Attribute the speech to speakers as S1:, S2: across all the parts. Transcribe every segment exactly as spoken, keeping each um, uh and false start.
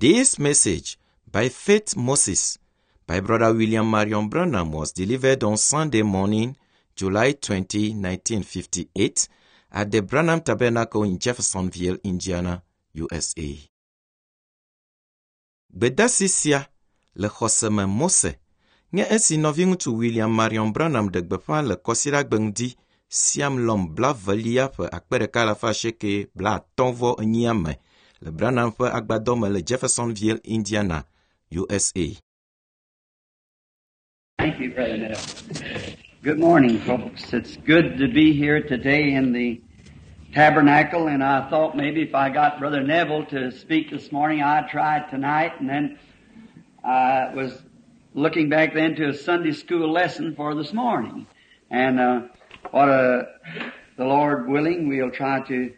S1: This message by Faith Moses by Brother William Marion Branham was delivered on Sunday morning, July twenty, nineteen fifty-eight, at the Branham Tabernacle in Jeffersonville, Indiana, U S A. Gbedasi sia le xɔseme Mose nye esi nɔviŋutsu William Marion Branham ɖe gbeƒã le Kɔsiɖagbe ŋdi Siamlɔm blavelia ƒe akpe ɖeka alafa asieke blaatɔ̃ vɔ enyia me le Branham ƒe agbadɔ me le Jeffersonville, Indiana, U S A.
S2: Thank you, Brother Neville. Good morning, folks. It's good to be here today in the tabernacle, and I thought maybe if I got Brother Neville to speak this morning, I'd try it tonight, and then I was looking back then to a Sunday school lesson for this morning. And uh, what a, the Lord willing, we'll try to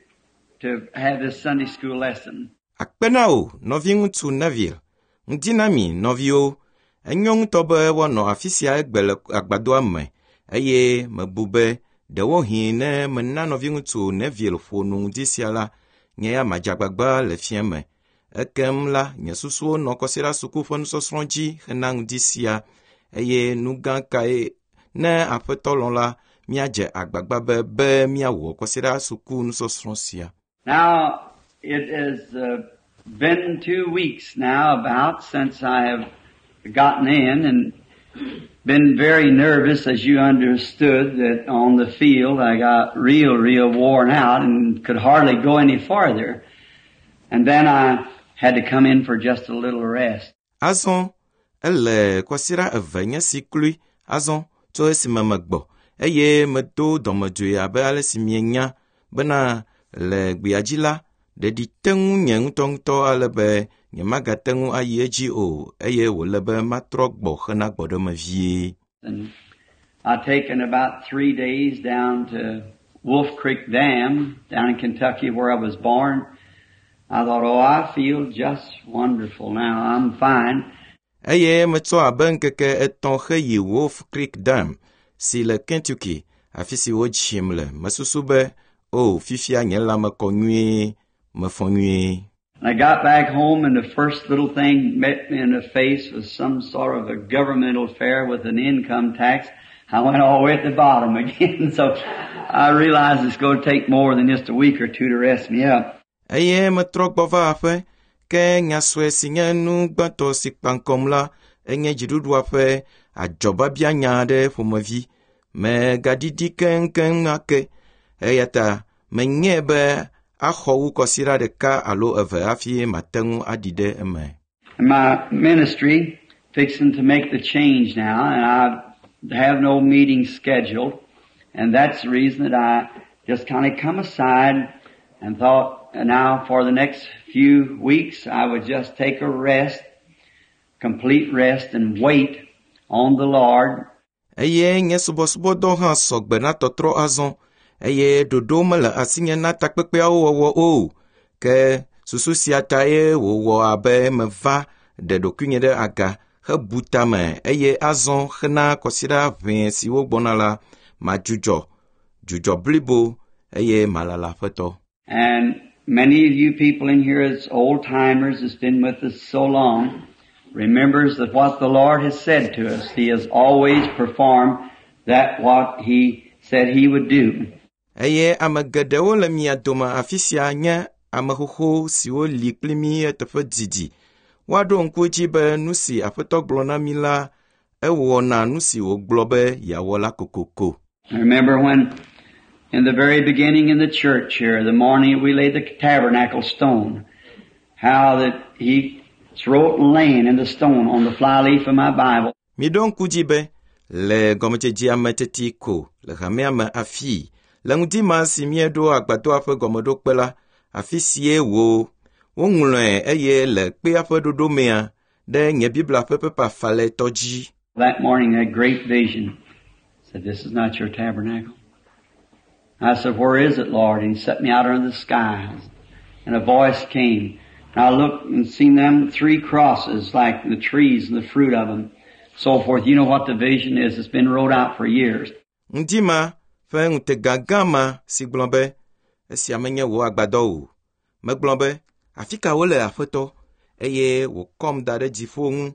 S2: to have this Sunday school lesson.
S1: Akpe na wò, nɔviŋutsu Neville. Ŋdi na mi, nɔviwo. Enyo ŋutɔ be woanɔ afi sia egbe le agbadɔa me eye mebu be ɖewohĩ ne mena nɔviŋutsu Neville ƒo nu ŋdi sia la, nye ya madze agbagba le fiẽ me. Ekem la, nye susuwo nɔ kɔsiɖa suku ƒe nusɔsrɔ̃ dzi hena ŋdi sia eye nu gã kae ne Aƒetɔ lɔ̃ la, míadze agbagba be be míawɔ kɔsiɖa suku nusɔsrɔ̃ sia.
S2: Now, it has uh, been two weeks now about since I have gotten in and been very nervous, as you understood that on the field I got real, real worn out and could hardly go any farther. And then I had to come in for just a little rest.
S1: Azɔ ele kɔsiɖa eve nye si kloe azɔ tso esime megbɔ eye medo dɔmedzoe abe ale si mienya bena le gbea la ɖeɖi te ŋu nye ŋutɔŋutɔ ale be nyemagate ŋu ayi edzi o eye wòle be matrɔ gbɔ hena gbɔɖeme vie.
S2: And I taken about three days down to Wolf Creek Dam down in Kentucky, where I was born. I thought, "Oh, I feel just wonderful now. I'm fine."
S1: Eye metsɔ abe ŋkeke etɔ̃ heyi Wolf Creek Dam si le Kentucky, afi si wodzim le. Mesusu be, o, fifia nye lãme kɔ nyuie, mefɔ nyuie.
S2: And I got back home, and the first little thing met me in the face was some sort of a governmental affair with an income tax. I went all the way at the bottom again. So I realized it's going to take more than just a week or two to rest me up.
S1: Eye metrɔ gbɔ va aƒe, ke nya sue si nye nu gbãtɔ si kpa ŋkɔm la enye dziɖuɖua ƒe adzɔbabianya aɖe ƒomevi. Megaɖiɖi keŋkeŋ ake. Eya ta menyae be axɔ wu kɔsiɖa ɖeka alo eve hafi mate ŋu aɖi ɖe eme.
S2: And my ministry fixing to make the change now, and I have no meeting scheduled, and that's the reason that I just kind of come aside and thought now for the next few weeks I would just take a rest, complete rest, and wait on the Lord.
S1: Eye nye subɔsubɔdɔ hã sɔgbe na tɔtrɔ azɔ eye ɖoɖo mele asinye na takpekpeawo wɔwɔ o. Ke susu sia tae wòwɔ abe meva ɖe ɖokuinye ɖe aga hebu tame eye azɔ hena kɔsiɖa ʋɛe siwo gbɔna la madzudzɔ dzudzɔ blibo eye malala Aƒetɔ.
S2: And many of you people in here as old timers that's been with us so long remembers that what the Lord has said to us, He has always performed that what He said He would do.
S1: Eye ame geɖewo le mia dome afi sia nye ame xoxo siwo li kpli mí eteƒe didi. Woaɖo ŋku edzi be nu si Aƒetɔ gblɔ na mí la, ewɔna nu si wògblɔ be yeawɔ la kokoko.
S2: I remember when in the very beginning in the church here, the morning we laid the tabernacle stone, how that He wrote laying in the stone on the flyleaf of my Bible.
S1: Miɖo ŋku dzi be le gɔmedzedzea me teti ko le hamea me afii le ŋdi ma si míeɖo agbadɔa ƒe gɔmeɖokpe la afi sie wo woŋlɔe eye le kpea ƒe ɖoɖomea ɖe nye Biblia ƒe pepa falɛtɔ dzi.
S2: That morning, that great vision said, "This is not your tabernacle." I said, "Where is it, Lord?" And He set me out under the skies. And a voice came. And I looked and seen them three crosses, like the trees and the fruit of them, so forth. You know what the vision is. It's been wrote out for years.
S1: Ŋdi ma ƒe ŋutega gã ma si gblɔ be esia menye wò agbadɔ o. Megblɔ be afi ka wole Aƒetɔ? eye wòkɔm da ɖe dziƒo ŋu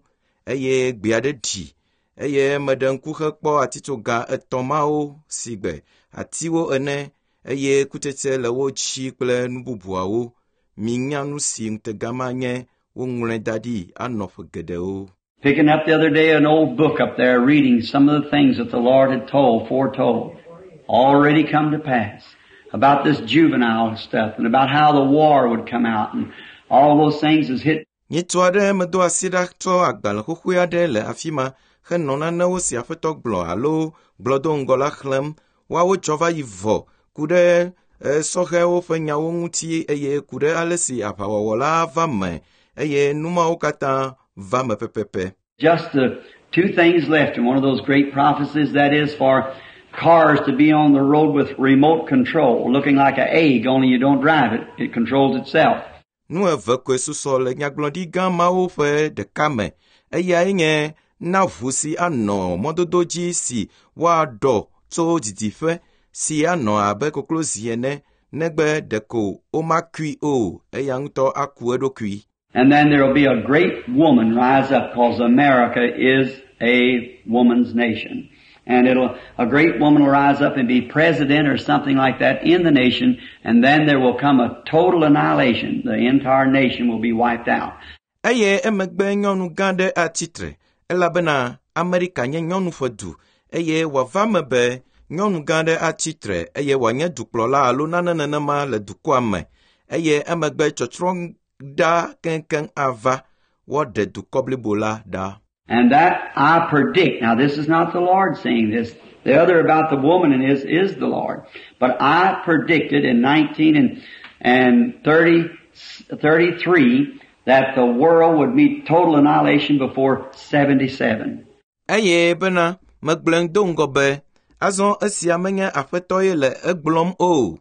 S1: eye gbe aɖe ɖi eye meɖe ŋku hekpɔ atitsoga etɔ̃ mawo si gbe atiwo ene eye kutsetse le wo dzi kple nu bubuawo. Minya nu si ŋutega ma nye woŋlɔe da ɖi anɔ ƒe geɖewo.
S2: Picking up the other day an old book up there, reading some of the things that the Lord had told, foretold, already come to pass, about this juvenile stuff and about how the war would come out and all those things has hit.
S1: Nyitsu aɖe medo asi ɖa tsɔ agbalẽ xoxoe aɖe le afi ma henɔ nanewo si aƒetɔ gblɔ alo gblɔ do ŋgɔ la xlẽm. Woawo dzɔ va yi vɔ ku ɖe e, sɔhɛwo ƒe nyawo ŋuti eye ku ɖe ale si aʋawɔwɔ la va me eye nu mawo katã va me pɛpɛpɛ.
S2: Just the two things left in one of those great prophecies, that is for cars to be on the road with remote control, looking like an egg, only you don't drive it. It controls itself.
S1: Nu eve koe susɔ le nyagblɔɖi gã mawo ƒe ɖeka me. Eyae nye na ʋu si anɔ mɔdodo dzi si woaɖɔ tso didiƒe si anɔ abe koklozi ene negbe ɖeko womakui o, eya ŋutɔ aku eɖokui.
S2: And then there will be a great woman rise up, because America is a woman's nation. And it'll, a great woman will rise up and be president or something like that in the nation, and then there will come a total annihilation. The entire nation will be wiped out.
S1: Eye emegbe nyɔnu gã aɖe atsitre elabena Amerika nye nyɔnu ƒe du eye wòava me be nyɔnu gã aɖe atsitre eye wòanye dukplɔla alo nane nenema le dukɔa me eye emegbe tsɔtsrɔ̃ ɖa keŋkeŋ ava woaɖe dukɔ blibo la ɖa.
S2: And that I predict. Now this is not the Lord saying this. The other about the woman and is, is the Lord. But I predicted in nineteen and, and thirty, thirty-three that the world would meet total annihilation before seventy-seven.
S1: Eye bena megblɔe do ŋgɔ be azɔ esia menye aƒetɔ ye le egblɔm o.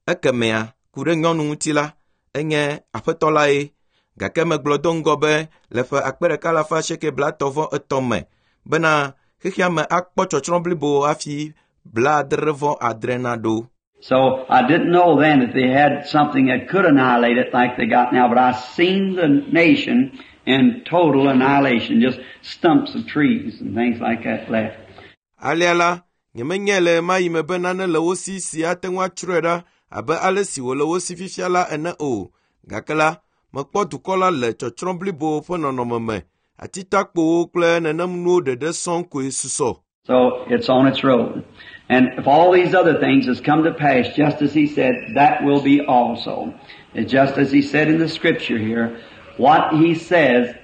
S1: Ekemea ku ɖe nyɔnu ŋuti la enye aƒetɔ la ye. Gake megblɔ do ŋgɔ be le ƒe akpe ɖeka alafa asieke blaetɔ̃ vɔ etɔ̃ me bena xexea me akpɔ tsɔtsrɔ̃ blibo hafi blaadre vɔ adre naɖo.
S2: So I didn't know then that they had something that could annihilate it like they got now, but I seen the nation in total annihilation, just stumps of trees and things like that left.
S1: Alea la, nyemenyae le ɣemaɣi me be nane le wo si si ate ŋu atsrɔe ɖa abe ale si wòle wo si fifia la ene o. Gake la, mekpɔ dukɔ la le tsɔtsrɔ̃ blibo ƒe nɔnɔme me. Atitakpowo kple nenem nuwo ɖeɖe sɔŋ koe susɔ.
S2: So it's on its road. And if all these other things has come to pass, just as he said, that will be also. It's just as he said in the scripture here, what he says,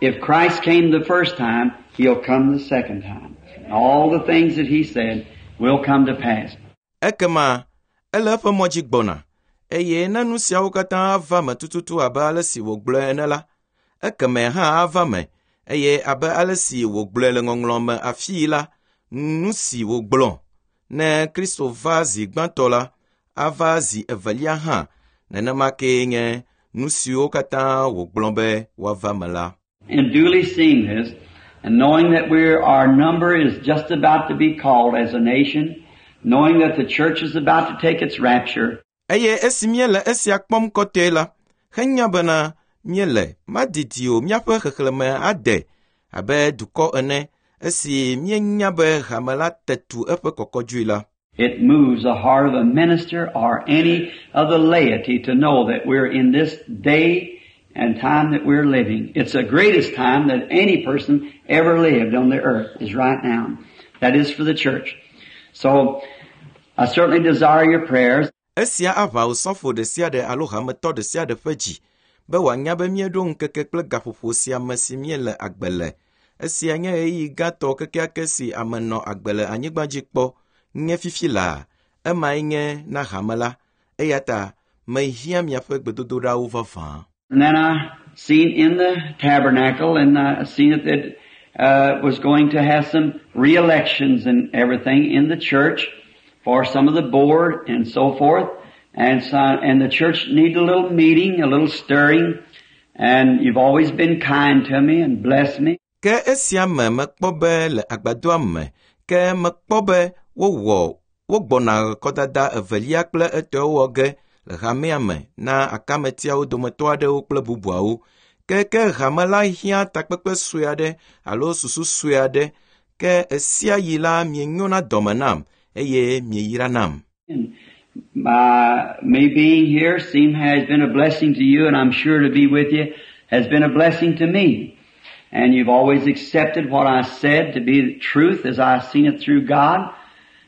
S2: if Christ came the first time, he'll come the second time. All the things that he said will come to pass.
S1: Ekema, ele eƒe mɔ dzi gbɔna, eye ne nu siawo katã ava me tututu abe ale si wògblɔe ene la, ekeme hã ava me, eye abe ale si wògblɔe le ŋɔŋlɔ me afii la, nu si wògblɔ, ne Kristo va zi gbãtɔ la, ava zi evelia hã, nenema kee nye nu siwo katã wògblɔ be woava me la.
S2: And duly seeing this, and knowing that we're, our number is just about to be called as a nation, knowing that the church is about to take its rapture,
S1: Eye esi míele esia kpɔm kɔtɔe la, henya bena míele madidi o míaƒe xexlẽme ade abe dukɔ ene, esi míenya be hame la te tu eƒe kɔkɔdzoe la.
S2: It moves the heart of a minister or any of the laity to know that we're in this day and time that we're living. It's the greatest time that any person ever lived on the earth is right now. That is for the church. So, I certainly desire your prayers.
S1: Esia aʋa osɔfo ɖe sia ɖe alo hametɔ ɖe sia ɖe ƒe dzi be wòanya be míeɖo ŋkeke kple gaƒoƒo sia me si míele agbe le. Esia nye ɣeyiɣi gãtɔ kekeake si ame nɔ agbe le anyigba dzi kpɔ nye fifi laa. Emae nye na hame la. Eya ta mehiã miaƒe gbedodoɖawo vavã.
S2: And then I seen in the tabernacle, and I seen it that uh, was going to have some re-elections and everything in the church for some of the board and so forth. And so, and the church needed a little meeting, a little stirring, and you've always been kind to me and blessed me.
S1: Ke esia me mekpɔ be le agbadɔa me, ke mekpɔ be wowɔ wogbɔna kɔdada evelia kple etɔ̃ wɔ ge le hamea me na akametiawo dometɔ aɖewo kple bubuawo. Ke ke hame la hiã takpekpe sue aɖe alo susu sue aɖe ke esia yi la mienyona dɔme nam eye mieyra nam.
S2: My, me being here seem has been a blessing to you, and I'm sure to be with you has been a blessing to me. And you've always accepted what I said to be the truth as I've seen it through God,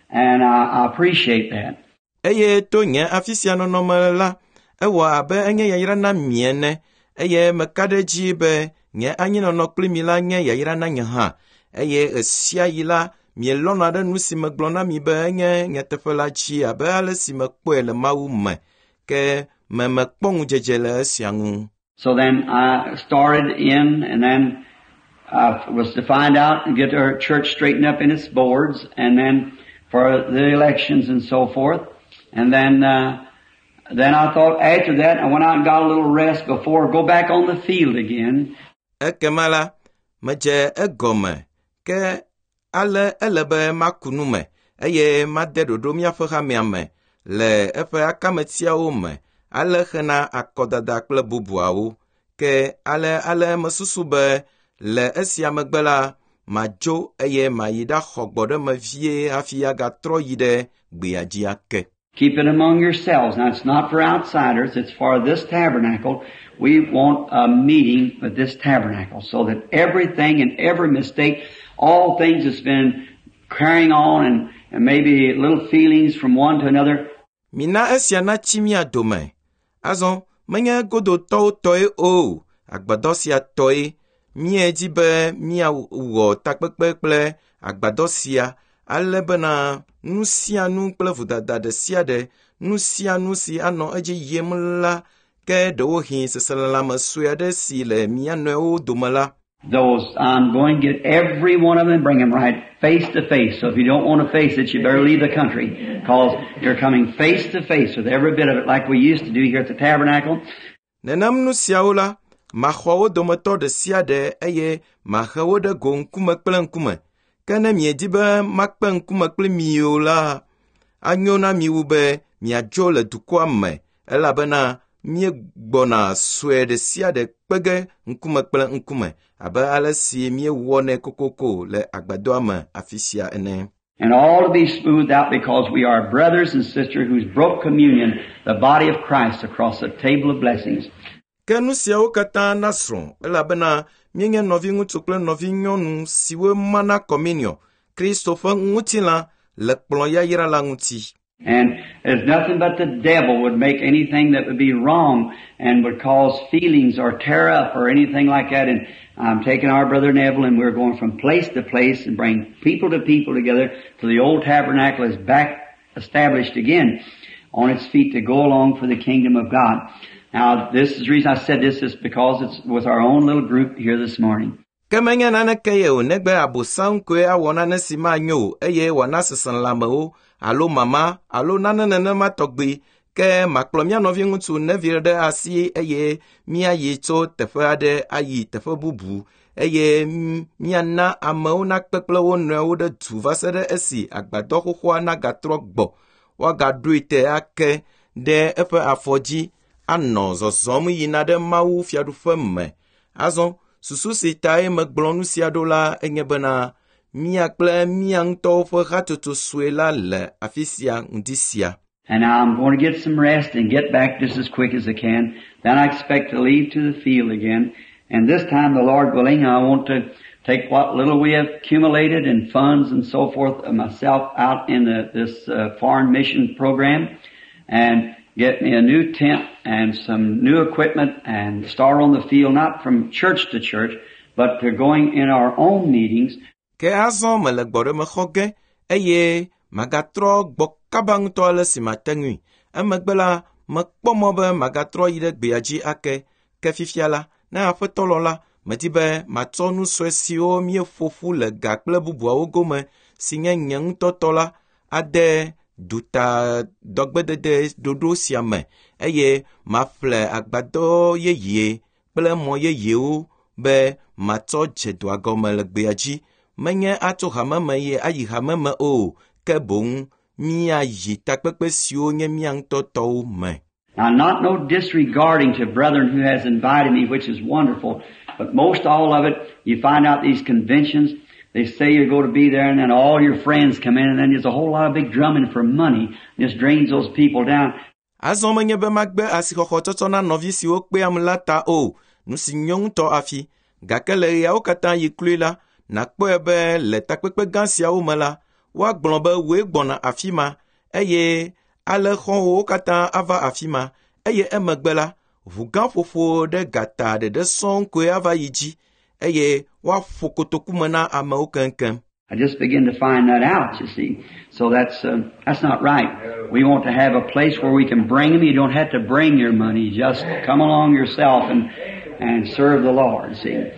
S2: and I, I appreciate that.
S1: Eye to nye afi sia nɔnɔme la, ewɔ abe enye yayra na mi ene eye meka ɖe edzi be nye anyinɔnɔ kpli mi la nye yayra na nye hã eye ɣe yi la mielɔ̃na ɖe nu si megblɔ na mi be enye nyateƒe la dzi abe ale si mekpɔe le Mawu me ke me mekpɔ ŋudzedze le esia ŋu.
S2: So then I started in, and then I was to find out and get our church straightened up in its boards, and then for the elections and so forth. And then, uh, then I thought after that, I went out and got a little rest before I go back on the field again.
S1: Ekema la, medze egɔme ke ale ele be maku nu me eye made ɖoɖo míaƒe hamea me le eƒe akametiawo me ale hena akɔdada kple bubuawo. Ke ale ale mesusu be le esia megbe la, madzo eye mayi ɖaxɔ gbɔɖeme vie hafi agatrɔ yi ɖe gbea dzi ake.
S2: Keep it among yourselves. Now it's not for outsiders, it's for this tabernacle. We want a meeting with this tabernacle so that everything and every mistake, all things that's been carrying on and, and maybe little feelings from one to another,
S1: Mina esia natsi mía dome. Azɔ menye godotɔwo tɔe o, agbadɔ sia tɔe. Míedi be míawɔ takpekpe kple agbadɔ sia ale bena nu sia nu kple vodada ɖe sia ɖe, nu sia nu si anɔ edzi yim la, ke ɖewohĩ seselelãme sue aɖe si le mía nɔewo dome la,
S2: those I'm going to get every one of them and bring them right face to face. So if you don't want to face it, you better leave the country because you're coming face to face with every bit of it like we used to do here at the tabernacle.
S1: Nenem nu siawo la, maxɔ wo dometɔ ɖe sia ɖe eye mahe wo ɖe go ŋkume kple ŋkume. Ke ne miedi be makpe ŋkume kpli mi o la, anyo na mi wu be miadzo le dukɔa me elabena míegbɔna sue ɖe sia ɖe kpe ge ŋkume kple ŋkume abe ale si míewɔnɛ kokoko le agbadɔa me afi sia ene.
S2: And all to be smoothed out because we are brothers and sisters who's broke communion, the body of Christ across the table of blessings.
S1: Ke nu siawo katã nasrɔ̃ elabena míenye nɔviŋutsu kple nɔvinyɔnu siwo mana communion, Kristo ƒe ŋutilã le kplɔ̃ yayra la ŋuti.
S2: And there's nothing but the devil would make anything that would be wrong and would cause feelings or tear up or anything like that. And I'm taking our brother Neville and we're going from place to place and bring people to people together till the old tabernacle is back established again on its feet to go along for the kingdom of God. Now, this is the reason I said this is because it's with our own little group here this morning.
S1: Ke menye naneke ye o negbe abosam koe awɔ nane si manyo o eye wòana seselelãmewo alo mama alo nane nenema tɔgbi ke makplɔ mía nɔviŋutsu Neville ɖe asi eye míayi tso teƒe aɖe ayi teƒe bubu eye míana amewo nakpe kple wo nɔewo ɖe du va se ɖe esi agbadɔ xoxoa nagatrɔ gbɔ woagaɖoe te ake ɖe eƒe afɔ dzi anɔ zɔzɔm yina ɖe Mawu fiaɖuƒe me. Azɔ susu si tae megblɔ nu sia ɖo la enye bena mía kple mía ŋutɔwo ƒe hatsotso sue la le afi sia ŋdi sia.
S2: And now I'm going to get some rest and get back just as quick as I can. Then I expect to leave to the field again. And this time, the Lord willing, I want to take what little we have accumulated in funds and so forth of myself out in the, this uh, foreign mission program and get me a new tent and some new equipment and start on the field, not from church to church, but to going in our own meetings.
S1: Ke azɔ mele gbɔɖeme xɔ ge eye magatrɔ gbɔ kaba ŋutɔ ale si mate ŋui. Emegbe la, mekpɔ mɔ be magatrɔ yi ɖe gbea dzi ake. Ke fifia la, ne aƒetɔ lɔ la, medi be matsɔ nu sue siwo míeƒo ƒu le ga kple bubuawo gome si nye nye ŋutɔ tɔ la ade duta dɔgbedede ɖoɖo sia me eye maƒle agbadɔ yeye kple mɔ yeyewo be matsɔ dze dɔa gɔme le gbea dzi. Menye atso hame me ye ayi hame me o, ke boŋ míayi takpekpe siwo nye mía ŋutɔ tɔwo me.
S2: Now, not no disregarding to brethren who has invited me, which is wonderful, but most all of it, you find out these conventions, they say you're going to be there, and then all your friends come in, and then there's a whole lot of big drumming for money. Just drains those people down.
S1: Azɔ menye be magbe asixɔxɔ tsɔtsɔ na nɔvi siwo kpeam la ta o, nu si nyo ŋutɔ afi. Gake le ɣeawo katã yi kloe la, nàkpɔe be le takpekpe gã siawo me la, woagblɔ be wòe gbɔna afi ma eye ale xɔ̃wòwo katã ava afi ma eye emegbe la, ʋu gã ƒoƒo ɖe gata ɖeɖe sɔŋ koe ava yi dzi eye woaƒo kotoku me na amewo keŋkeŋ.
S2: I just begin to find that out, you see. So that's, uh, that's not right. We want to have a place where we can bring them. You don't have to bring your money. Just come along yourself and, and serve the Lord, see.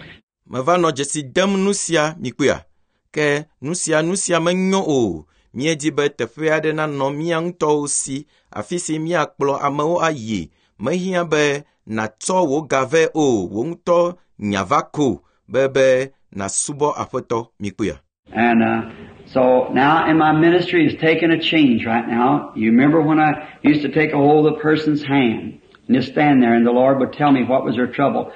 S1: Meva nɔ dzesi dem nu sia mikpɔea? Ke nu sia nu sia menyo o. Míedi be teƒe aɖe nanɔ mía ŋutɔwo si, afi si míakplɔ amewo ayi. Mehiã be nàtsɔ wò ga vɛ o, wò ŋutɔ nya va ko be be nàsubɔ Aƒetɔ mikpɔea?
S2: And uh, so now in my ministry is taking a change right now. You remember when I used to take a hold of the person's hand and just stand there and the Lord would tell me what was their trouble.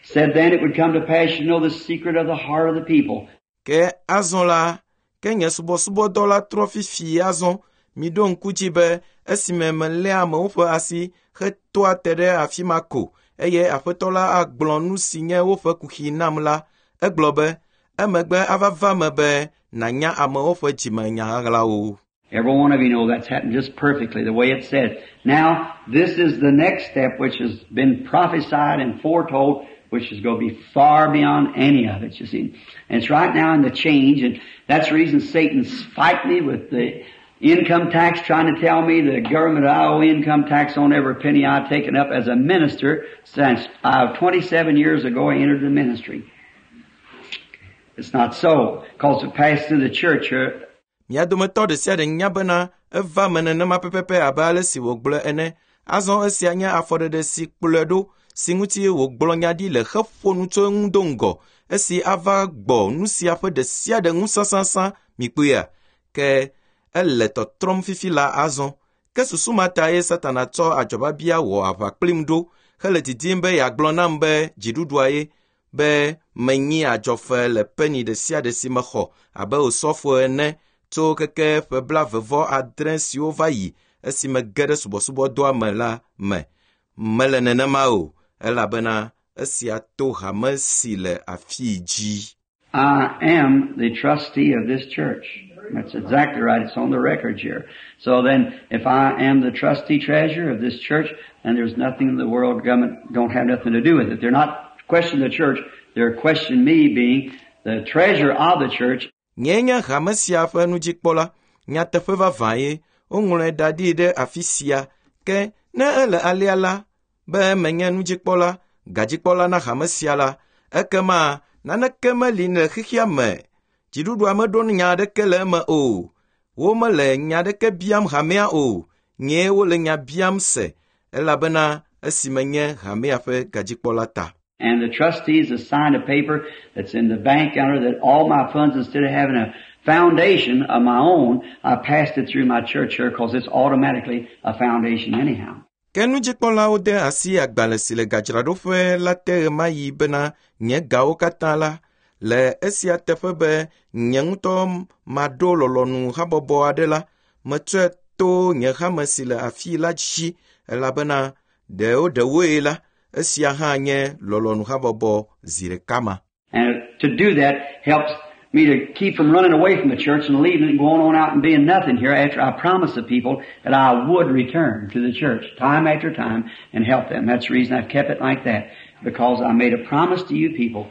S2: Said then it would come to pass you know the secret of the heart of the people.
S1: Ke azɔ la, ke nye subɔsubɔdɔ la trɔ fifi azɔ. Miɖo ŋku dzi be esime meléa amewo ƒe asi hetoa te ɖe afi ma ko eye Aƒetɔ la agblɔ nu si nye woƒe kuxi nam la, egblɔ be emegbe ava va me be nànya amewo ƒe dzimenya ɣaɣlawo.
S2: Every one of you know that's happened just perfectly the way it said. Now, this is the next step which has been prophesied and foretold, which is going to be far beyond any of it, you see. And it's right now in the change, and that's the reason Satan's fighting me with the income tax, trying to tell me the government I owe income tax on every penny I've taken up as a minister since uh, twenty-seven years ago I entered the ministry. It's not so, because it passed through the church here.
S1: Mia dometɔ ɖe sia ɖe nya bena eva me nenema pɛpɛpɛ abe ale si wògblɔe ene. Azɔ esia nye afɔɖeɖe si kplɔe ɖo si ŋuti wògblɔ nya ɖi le heƒo nu tso eŋu do ŋgɔ esi ava gbɔ nu sia ƒe ɖe sia ɖe ŋu sãsãsã mikpɔea? Ke ele tɔtrɔm fifi la azɔ. Ke susu ma ta ye Satana tsɔ adzɔbabia wɔ aʋa kplim ɖo hele didim be yeagblɔ nam be dziɖuɖua ye be menyi adzɔfe le peni ɖe sia ɖe si mexɔ abe osɔfo ene tso keke ƒe blaeve adre siwo va yi esime ge ɖe subɔsubɔdɔa me la me. Mele nenema o, elabena esia to hame si le afii dzi.
S2: I am the trustee of this church. That's exactly right. It's on the records here. So then, if I am the trustee treasurer of this church, then there's nothing the world government don't have nothing to do with it. They're not questioning the church. They're questioning me being the treasurer of the church.
S1: Nye nye hame sia ƒe nudzikpɔla. Nyateƒe vavã ye woŋlɔe da ɖi ɖe afi sia. Ke ne ele alea la, be menye nudzikpɔla, gadzikpɔla na hame sia la, ekema naneke meli le xexea me. Dziɖuɖua meɖo nya aɖeke le eme o. Womele nya aɖeke biam hamea o. Nyee wole nya biam se, elabena esime nye hamea ƒe gadzikpɔla ta.
S2: And the trustees have signed a paper that's in the bank under that all my funds, instead of having a foundation of my own, I passed it through my church here because it's automatically a foundation anyhow.
S1: Ke nudzikpɔlawo de asi agbalẽ si le gadzraɖoƒe la te ɣemaɣi bena nye gawo katã la, le esia teƒe be nye ŋutɔ maɖo lɔlɔ̃nu habɔbɔ aɖe la, metsɔe to nye hame si le afii la dzi elabena ɖewo ɖewoe la, esia hã nye lɔlɔ̃nu habɔbɔ zi ɖeka ma.
S2: And to do that helps me to keep from running away from the church and leaving it and going on out and being nothing here after I promised the people that I would return to the church time after time and help them. That's the reason I've kept it like that, because I made a promise to you people.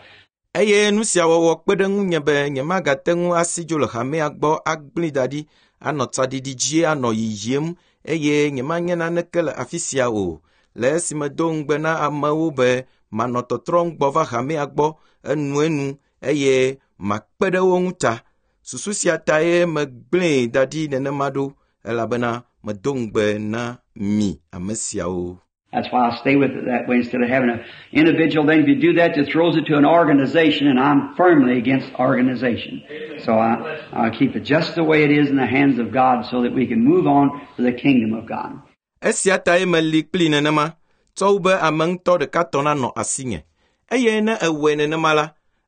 S1: Eye nu sia wɔwɔ kpe ɖe ŋunye be nyemagate ŋu asi dzo le hamea gbɔ agblẽ da ɖi, anɔ tsaɖiɖi dzi anɔ yiyim eye nyemanye naneke le afi sia o. Le esime do ŋugbe na amewo be manɔ tɔtrɔm gbɔ va hamea gbɔ enuenu eye makpe ɖe wo ŋu ta. Susu sia tae megblẽe da ɖi nenema ɖo elabena medo ŋugbe na mi ame siawo.
S2: That's why I stay with it that way instead of having an individual. Then if you do that, it throws it to an organization, and I'm firmly against organization. So I, I keep it just the way it is in the hands of God so that we can move on to the kingdom of God.
S1: Esia tae meli kplii nenema, tsɔ wu be ame ŋutɔ ɖeka tɔ nanɔ asinye. Eye ne ewɔe nenema la,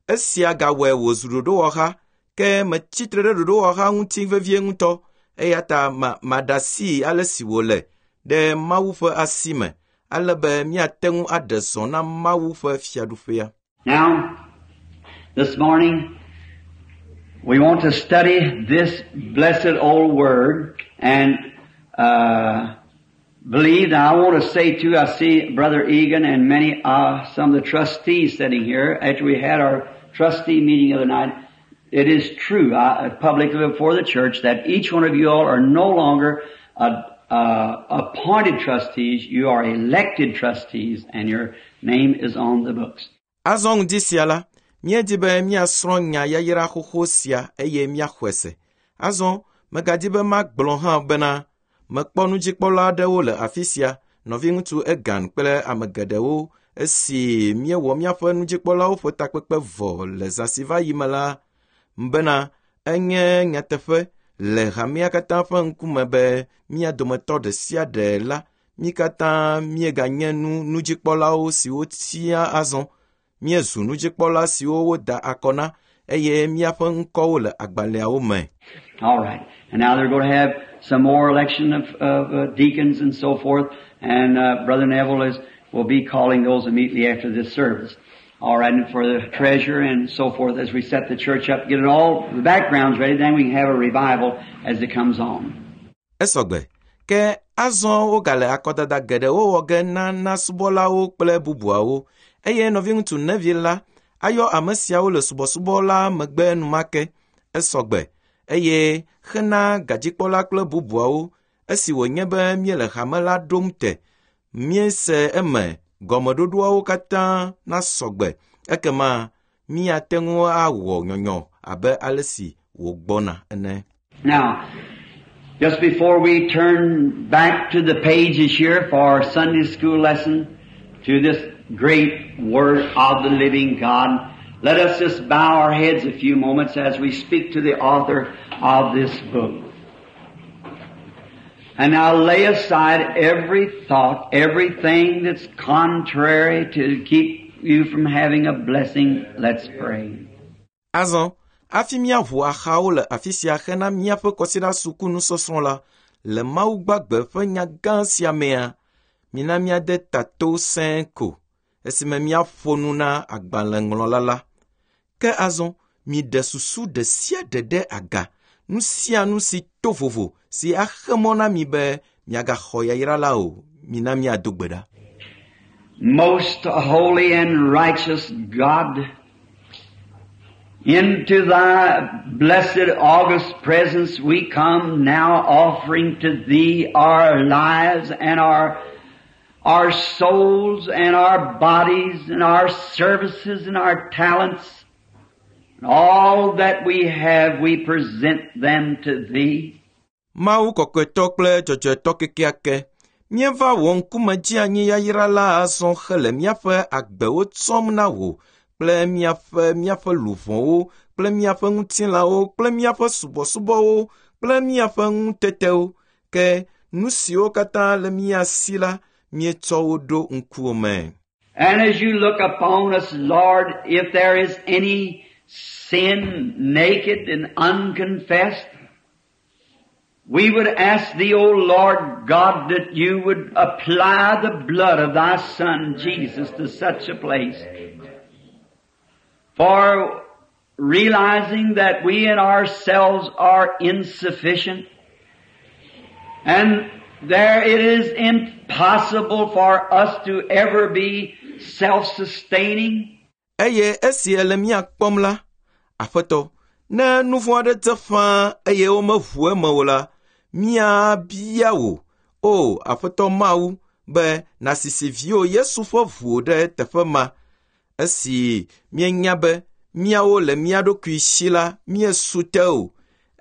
S1: esia gawɔe wòzu ɖoɖowɔha, ke metsi tre ɖe ɖoɖowɔha ŋuti vevie ŋutɔ eya ta ma maɖe asi ale si wòle ɖe Mawu ƒe asi me, ale be míate ŋu aɖe zɔ na Mawu ƒe fiaɖuƒea.
S2: Now, this morning, we want to study this blessed old word and uh, believe. Now, I want to say too, I see Brother Egan and many, uh, some of the trustees sitting here. After we had our trustee meeting the other night, it is true, I, publicly before the church, that each one of you all are no longer uh, uh, appointed trustees. You are elected trustees, and your name is on the books.
S1: Azɔ ŋdi sia la, míedi be míasrɔ̃ nya yayra xoxo sia eye míaxɔe se. Azɔ megadi be magblɔ hã bena mekpɔ nudzikpɔla aɖewo le afi sia, nɔviŋutsu Egan kple ame geɖewo esi míewɔ míaƒe nudzikpɔlawo ƒe takpekpe vɔ le zã si va yi me la bena enye nyateƒe le hamea katã ƒe ŋkume be mía dometɔ ɖe sia ɖe la, mí katã míeganye nu nudzikpɔlawo siwo tia azɔ. Míezu nudzikpɔla siwo woda akɔ na eye míaƒe ŋkɔwo le agbalẽawo me.
S2: All right. And now they're going to have some more election of, of uh, deacons and so forth. And uh, Brother Neville is will be calling those immediately after this service. All right, and for the treasurer and so forth as we set the church up, get it all the backgrounds ready, then we can have a revival as it comes on.
S1: Esɔgbe. Ke azɔ wogale akɔdada geɖewo wɔ ge na na subɔlawo kple bubuawo eye nɔviŋutsu Neville la ayɔ ame siawo le subɔsubɔ la megbe enumake. Esɔgbe eye hena gadzikpɔla kple bubuawo esi wònye be míele hame la ɖom te míese eme gɔmeɖoɖoawo katã nasɔgbe ekema míate ŋu awɔ nyɔnyɔ abe ale si wògbɔna ene.
S2: Now, just before we turn back to the pages here for our Sunday school lesson, to this great Word of the living God, let us just bow our heads a few moments as we speak to the author of this book. And now lay aside every thought, everything that's contrary to keep you from having a blessing. Let's pray.
S1: Azɔ, hafi míaʋu axawo le afi sia hena míaƒe kɔsiɖa suku nusɔsrɔ̃ la, le Mawu gbagbe ƒe nya gã sia mea, mina míade ta to sẽe ko esime míaƒo nu na agbalẽŋlɔla la. Ke azɔ, miɖe susu ɖe sia ɖe ɖe aga, nu sia nu si to vovo si axe mɔ na mi be miagaxɔ yayra la o. Mina míado gbe ɖa.
S2: Most holy and righteous God, into thy blessed august presence we come now offering to thee our lives and our, our souls and our bodies and our services and our talents. And all that we have, we present them to thee.
S1: Mawu kɔkɔetɔ kple dzɔdzɔetɔ kekeake, míeva wò ŋkume dzi anyi yayra la azɔ hele míaƒe agbewo tsɔm na wò kple míaƒe míaƒe luʋɔwo kple míaƒe ŋutilãwo kple míaƒe subɔsubɔwo kple míaƒe ŋutetewo. Ke nu siwo katã le mía si la, míetsɔ wo ɖo ŋkuwò me.
S2: And as you look upon us, Lord, if there is any sin naked and unconfessed, we would ask thee, O Lord God, that you would apply the blood of thy Son Jesus to such a place. For realizing that we in ourselves are insufficient, and there it is impossible for us to ever be self-sustaining.
S1: Eye esi ele mía kpɔm la, Aƒetɔ, ne nu vɔ̃ aɖe dze ƒãa eye womeʋu eme o la, míabia wò, o Aƒetɔ Mawu, be nàsisi viwò Yesu ƒe ʋu ɖe teƒe ma. Esi míenya be míawo le mía ɖokui si la, míesu te o,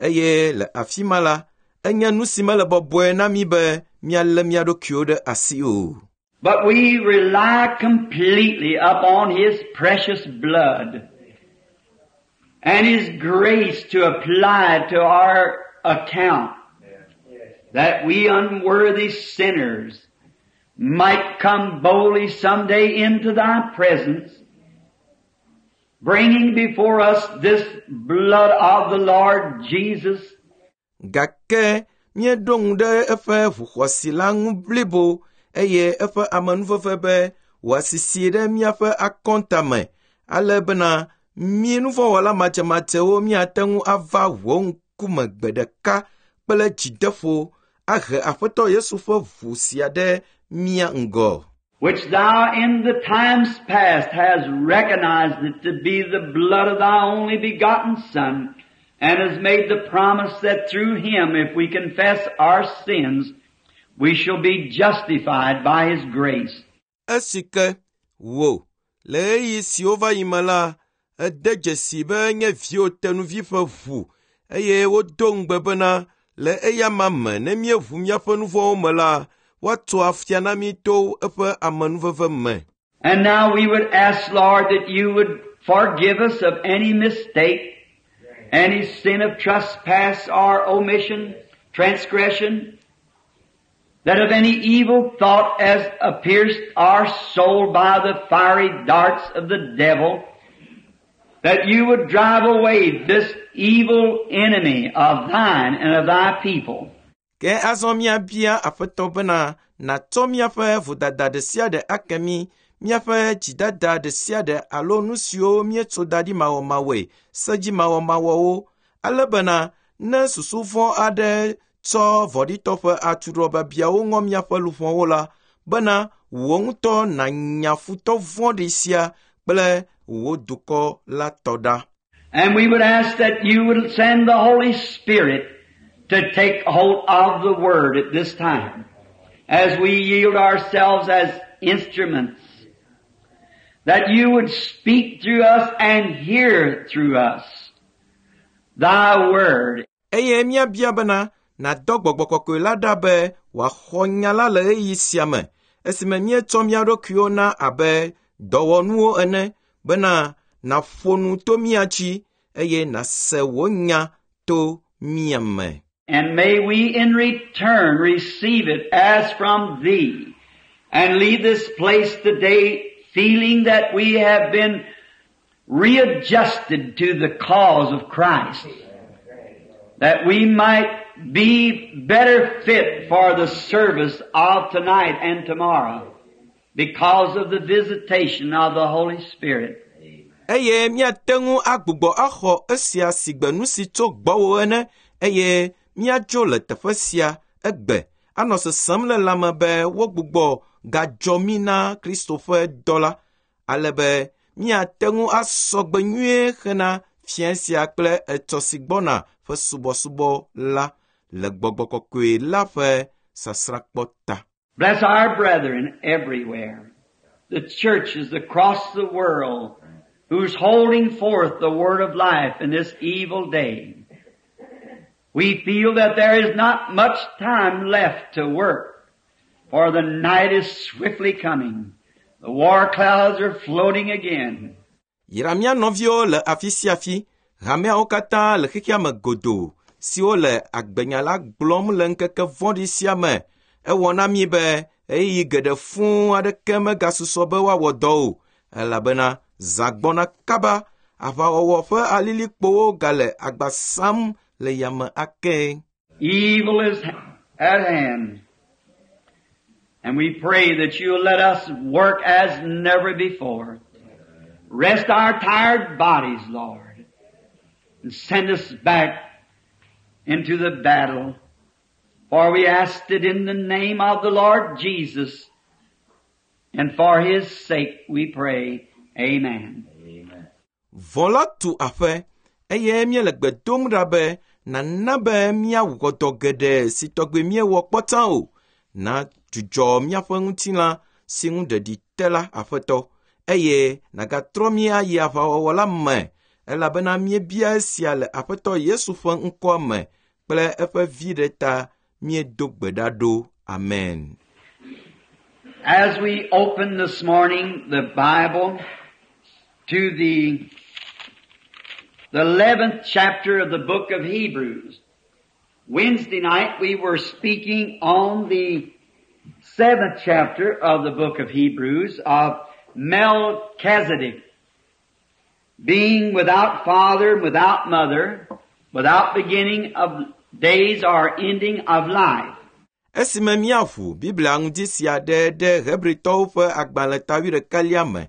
S1: eye le afi ma la, enye nu si mele bɔbɔe na mí be míalé mía ɖokuiwo ɖe asi o.
S2: But we rely completely upon His precious blood and His grace to apply to our account. that we unworthy sinners might come boldly someday into Thy presence, bringing before us this blood of the Lord Jesus,
S1: Gake míeɖo ŋu ɖe eƒe ʋu xɔasi la ŋu blibo eye eƒe amenuveve be wòasisi ɖe míaƒe akɔnta me ale bena mí nuvɔ̃wɔla madzemadzewo míate ŋu ava wò ŋkume gbe ɖeka kple dzideƒo ahe Aƒetɔ Yesu ƒe ʋu sia ɖe mía ŋgɔ.
S2: which Thou in the times past has recognized it to be the blood of Thy only begotten Son, and has made the promise that through Him, if we confess our sins, we shall be justified by His grace.
S1: Esi ke wò, le ɣeyiɣi siwo va yi me la, ède dzesi be nye viwò tenuvi ƒe ʋu eye wodo ŋugbe bena le eyama me ne míeʋu míaƒe nu vɔ̃wo me la, woatso afia na mí to eƒe amenuveve me.
S2: And now we would ask, Lord, that you would forgive us of any mistake, any sin of trespass or omission, transgression, that of any evil thought as pierced our soul by the fiery darts of the devil, that you would drive away this evil enemy of thine and of thy people.
S1: Ke azɔ míabia Aƒetɔ bena nàtsɔ míaƒe vodada ɖe sia ɖe ake mí, míaƒe dzidada ɖe sia ɖe alo nu siwo míetso da ɖi mawɔmawɔe, sedzimawɔmawɔwo, ale bena ne susu vɔ̃ aɖe tsɔ vɔ̃ɖitɔ ƒe atuɖɔbiabiawo ŋɔ míaƒe luʋɔwo la, bena wò ŋutɔ nànya futɔ vɔ̃ɖi sia kple wò dukɔ la tɔ ɖa.
S2: And we would ask that you would send the Holy Spirit to take hold of the Word at this time as we yield ourselves as instruments, that you would speak through us and hear through us Thy Word.
S1: Eye míabia bena nàdɔ gbɔgbɔ kɔkɔe la ɖa be wòaxɔ nya la le ɣeyiɣi sia me esime míetsɔ mía ɖokuiwo na abe dɔwɔnuwo ene bena nàƒo nu to mía dzi eye nàse wò nya to mía me.
S2: And may we in return receive it as from Thee and leave this place today feeling that we have been readjusted to the cause of Christ, that we might be better fit for the service of tonight and tomorrow because of the visitation of the Holy Spirit.
S1: Eye míate ŋu agbugbɔ axɔ esia si gbe nu si tso gbɔwò ene eye míadzo le teƒe sia egbe anɔ sesem le lãme be wogbugbɔ gadzɔ mí na Kristo ƒe dɔ la ale be míate ŋu asɔ gbe nyuie hena fiẽ sia kple etsɔ si gbɔna ƒe subɔsubɔ la le gbɔgbɔ kɔkɔe la ƒe sasrãkpɔ ta.
S2: Bless our brethren everywhere, the churches across the world who's holding forth the word of life in this evil day. We feel that there is not much time left to work, for the night is swiftly coming. The war clouds are floating again.
S1: Yra mía nɔviwo le afi sia afi, hameawo katã le xexea me godoo siwo le agbenya la gblɔm le ŋkeke vɔ̃ɖi sia me. Ewɔ na mí be ɣeyiɣi geɖe fũu aɖeke megasusɔ be woawɔ dɔ o, elabena zã gbɔna kaba, aʋawɔwɔ ƒe alilikpowo gale agba sam le yame ake.
S2: Evil is at hand. And we pray that you'll let us work as never before. Rest our tired bodies, Lord, and send us back into the battle. For we asked it in the name of the Lord Jesus, and for His sake we pray. Amen.
S1: Vɔ̃ la tu aƒe eye míele gbe dom ɖa be nàna be míawɔ dɔ geɖe si tɔgbe míewɔ kpɔ tsã o. Na dzudzɔ míaƒe ŋutilã si ŋu ɖeɖi te la, Aƒetɔ, eye nàgatrɔ mí ayi aʋawɔwɔ la me elabena míebia esia le Aƒetɔ Yesu ƒe ŋkɔa me kple eƒe viɖe ta míedo gbe ɖa ɖo. Amen.
S2: As we open this morning the Bible to the, the eleventh chapter of the book of Hebrews, Wednesday night we were speaking on the seventh chapter of the book of Hebrews of Melchizedek, being without father and without mother, without beginning of days or ending of life.
S1: Esime míaʋu Biblia ŋdi sia ɖe ɖe Hebritɔwo ƒe agbalẽ ta wuiɖekɛlia me.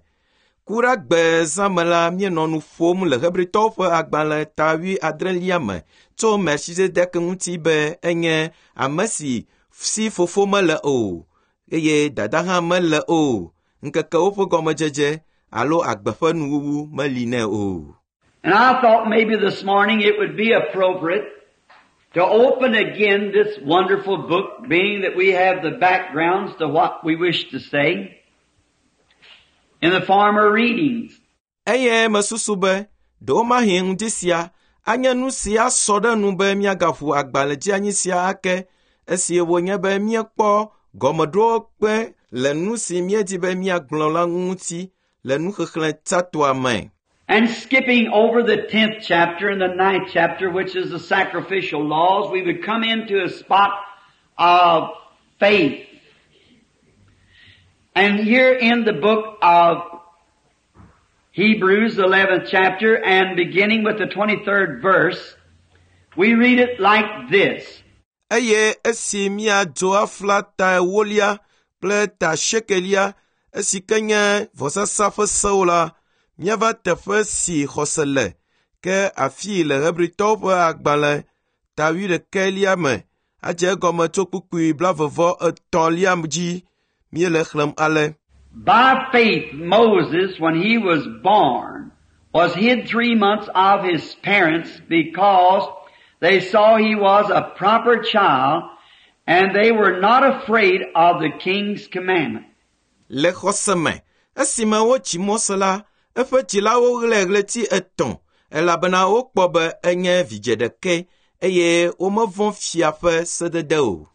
S1: Ku ɖe gbe zã me la míenɔ nu ƒom le Hebritɔwo ƒe agbalẽ ta wuiadrelia me tso Melchizedek ŋuti be enye ame si si fofo mele o eye dada hã mele o. Ŋkekewo ƒe gɔmedzedze alo agbe ƒe nuwuwu meli nɛ o.
S2: And I thought maybe this morning it would be appropriate to open again this wonderful book, being that we have the backgrounds to what we wish to say in the former readings.
S1: Eye mesusu be ɖewomahi ŋdi sia anye nu si asɔ ɖe nu be míagaʋu agbalẽ dzeanyi sia ake esi wònye be míekpɔ gɔmeɖokpe le nu si míedi be míagblɔ la ŋuti le nuxexlẽ tsãtɔa me.
S2: And skipping over the tenth chapter and the ninth chapter, which is the sacrificial laws, we would come into a spot of faith. And here in the book of Hebrews, the eleventh chapter, and beginning with the twenty-third verse, we read it like this.
S1: Eye esi míadzo afla ta ewolia kple ta asiekelia esi ke nye vɔsasa ƒe sewo la, míava teƒe si xɔse le ke afii le Hebritɔwo ƒe agbalẽ ta wuiɖekɛlia me adze egɔme tso kpukpui blaeve etɔ̃lia dzi míele xlẽm ale.
S2: By faith Moses, when he was born, was hid three months of his parents because they saw he was a proper child and they were not afraid of the king's commandment.
S1: Le xɔse me, esime wotsi Mose la, eƒe dzilawo ɣlae ɣleti etɔ̃ elabena wokpɔ be enye vidzĩ ɖekɛ eye womevɔ̃ fia ƒe sedede o.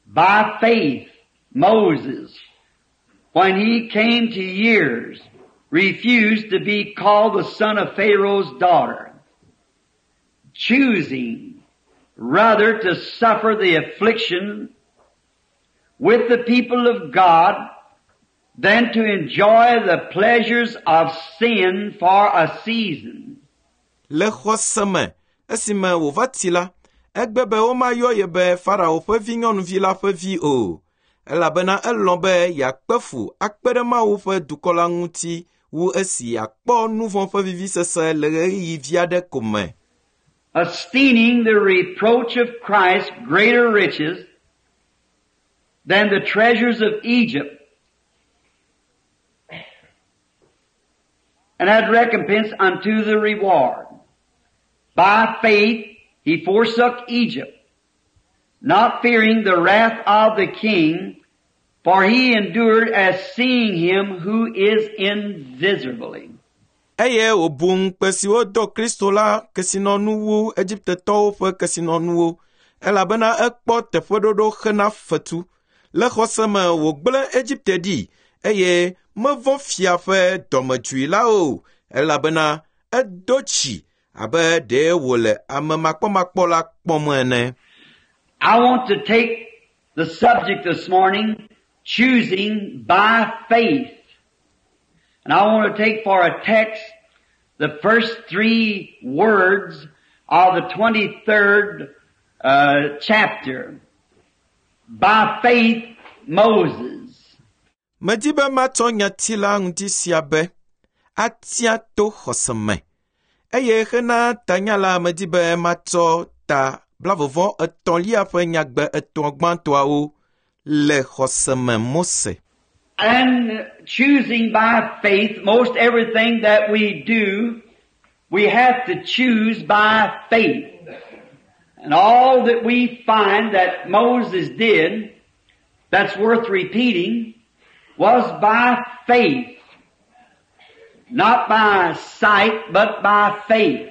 S2: By faith Moses, when he came to years, refused to be called the son of Pharaoh's daughter, choosing rather to suffer the affliction with the people of God than to enjoy the pleasures of sin for a season.
S1: Le xɔse me, esime wòva tsi la, egbe be womayɔ ye be Farao ƒe vinyɔnuvi la ƒe vi o, elabena elɔ̃ be yeakpe fu akpe ɖe Mawu ƒe dukɔ la ŋuti wu esi yeakpɔ nu vɔ̃ ƒe vivisese le ɣeyiɣi vi aɖe ko me.
S2: Esteeming the reproach of Christ greater riches than the treasures of Egypt, and had recompense unto the reward. By faith he forsook Egypt, not fearing the wrath of the king, for he endured as seeing him who is invisible.
S1: Eye wòbu ŋukpe si wodo Kristo la kesinɔnu wu Egiptetɔwo ƒe kesinɔnuwo, elabena ekpɔ teƒeɖoɖo hena fetu. Le xɔse me wògblẽ Egipte ɖi, eye mevɔ̃ fia ƒe dɔmedzoe la o, elabena edo tsi abe ɖe wòle ame makpɔmakpɔ la kpɔm ene.
S2: I want to take the subject this morning, choosing by faith. And I want to take for a text the first three words of the twenty-third, uh, chapter. By faith, Moses.
S1: Medi be matsɔ nyati la ŋuti sia be atia to xɔse me. Eye hena tanya la medi be matsɔ ta blaeve etɔ̃lia ƒe nyagbe etɔ̃ gbãtɔawo le xɔse me Mose.
S2: And choosing by faith, most everything that we do, we have to choose by faith. And all that we find that Moses did, that's worth repeating, was by faith. Not by sight, but by faith.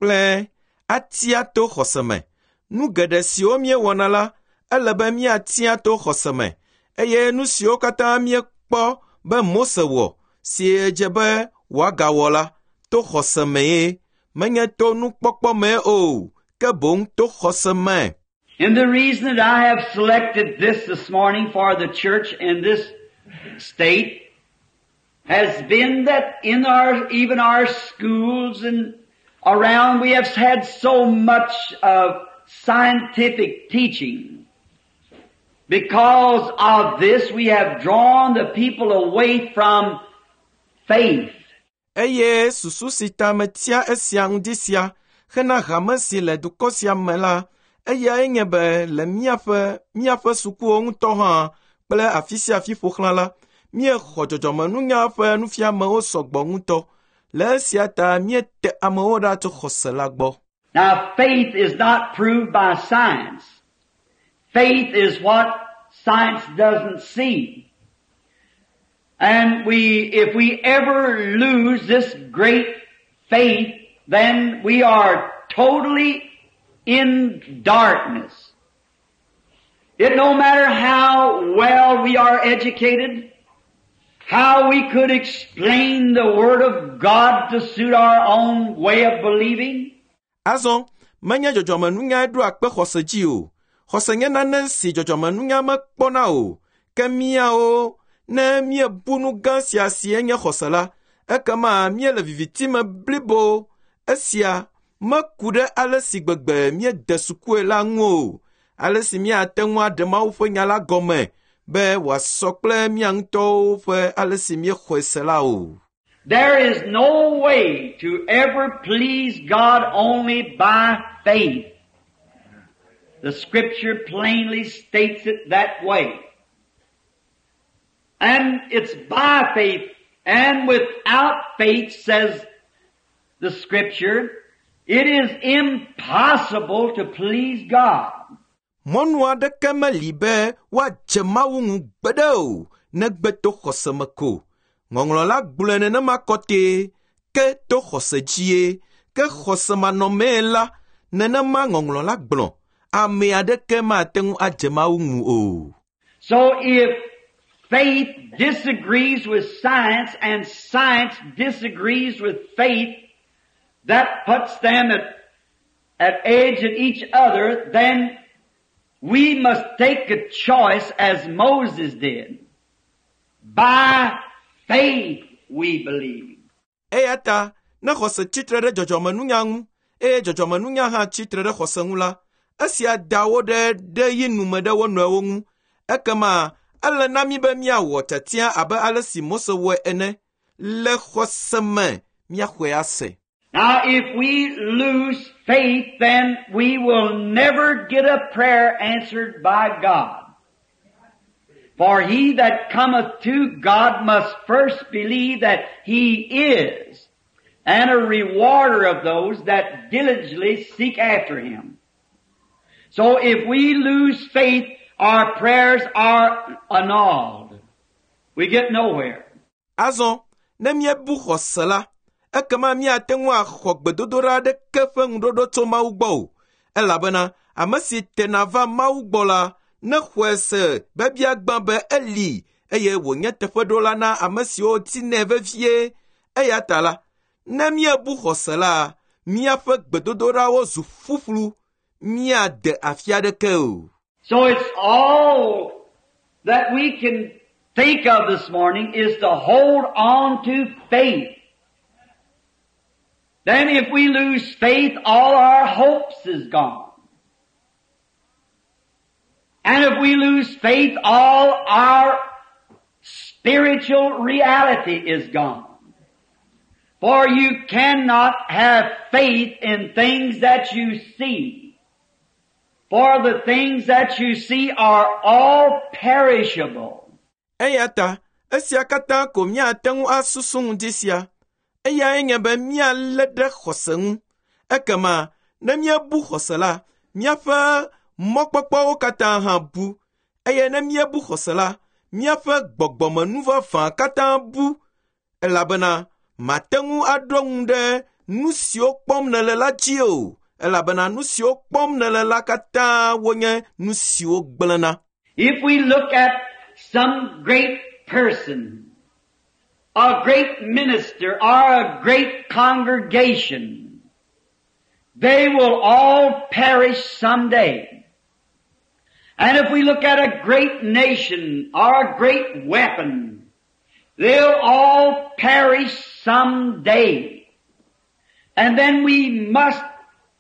S1: Kple atia to xɔse me. Nu geɖe siwo míewɔna la, ele be míatia to xɔse me. Eye nu siwo katã míekpɔ be Mose wɔ, si dze be wòagawɔ la, to xɔse mee, menye to nukpɔkpɔ mee o, ke boŋ to xɔse me.
S2: And the reason that I have selected this this morning for the church in this state has been that in our, even our schools and around, we have had so much of scientific teaching. Because of this, we have drawn the people away from faith.
S1: Eye susu si ta metia esia ŋdi sia hena hame si le dukɔ sia me la, eyae nye be le míaƒe míaƒe sukuwo ŋutɔ hã kple afi sia afi ƒo xlã la, míexɔ dzɔdzɔmenunya ƒe nufiamewo sɔgbɔ ŋutɔ. Le esia ta míete amewo ɖa tso xɔse la gbɔ.
S2: Now, faith is not proved by science. Faith is what science doesn't see. And we, if we ever lose this great faith, then we are totally in darkness. It no matter how well we are educated, how we could explain the Word of God to suit our own way of believing,
S1: Azɔ, menye dzɔdzɔmenunyae ɖoa kpe xɔse dzi o. Xɔse nye nane si dzɔdzɔmenunya mekpɔna o. Ke míawo, ne míebu nu gã sia si enye xɔse la, ekema míele viviti me blibo. Esia meku ɖe ale si gbegbe míede sukue la ŋu o. Ale si míate ŋu aɖe Mawu ƒe nya la gɔme be wòasɔ kple mía ŋutɔwo ƒe ale si míexɔe se la o.
S2: There is no way to ever please God only by faith. The scripture plainly states it that way. And it's by faith and without faith, says the scripture, it is impossible to please God.
S1: Mɔnu aɖeke meli be woadze Mawu ŋu gbeɖe o, negbe to xɔse me ko. Ŋɔŋlɔ la gblɔe nenema kɔtɛe, ke to xɔse dzie, ke xɔse manɔmee la, nenema ŋɔŋlɔ la gblɔ, ame aɖeke mate ŋu adze Mawu ŋu o.
S2: So if faith disagrees with science and science disagrees with faith, that puts them at, at edge at each other, then we must take a choice as Moses did. By faith we believe.
S1: Eya ta, ne xɔse tsitre ɖe dzɔdzɔmenunya ŋu, eye dzɔdzɔmenunya hã tsitre ɖe xɔse ŋu la, esia da wo ɖe ɖe yi nume ɖe wo nɔewo ŋu. Ekema ele na mí be míawɔ tiatia abe ale si Mose wɔe ene. Le xɔse me míaxɔe ase.
S2: Now if we lose faith, then we will never get a prayer answered by God. For he that cometh to God must first believe that He is, and a rewarder of those that diligently seek after Him. So if we lose faith, our prayers are annulled. We get nowhere.
S1: Azɔ, ne míebu xɔse la, ekema míate ŋu axɔ gbedodoɖa aɖeke ƒe ŋuɖoɖo tso Mawu gbɔ o. Elabena ame si tena va Mawu gbɔ la, nexɔe se be biagbã be eli eye wònye teƒeɖola na ame siwo dinɛ vevie. Eya ta la, ne míebu xɔse la, míaƒe gbedodoɖawo zu ƒuƒlu, míade afi aɖeke o.
S2: So it's all that we can think of this morning is to hold on to faith. Then if we lose faith, all our hopes is gone. And if we lose faith, all our spiritual reality is gone. For you cannot have faith in things that you see. For the things that you see are all perishable.
S1: Eya ta esia katã ko míate ŋu asusu ŋdi sia. Eyae nye be míalé ɖe xɔse ŋu. Ekema ne míebu xɔse la, míaƒe mɔkpɔkpɔwo katã hã bu. Eye ne míebu xɔse la, míaƒe gbɔgbɔmenu vavã katã bu. Elabena mate ŋu aɖo ŋu ɖe nu siwo kpɔm nèle la dzi o. Elabena nu siwo kpɔm nèle la katã wonye nu siwo gblẽna.
S2: If we look at some great person, a great minister, or a great congregation, They will all perish someday. And if we look at a great nation or a great weapon, they'll all perish someday. And then we must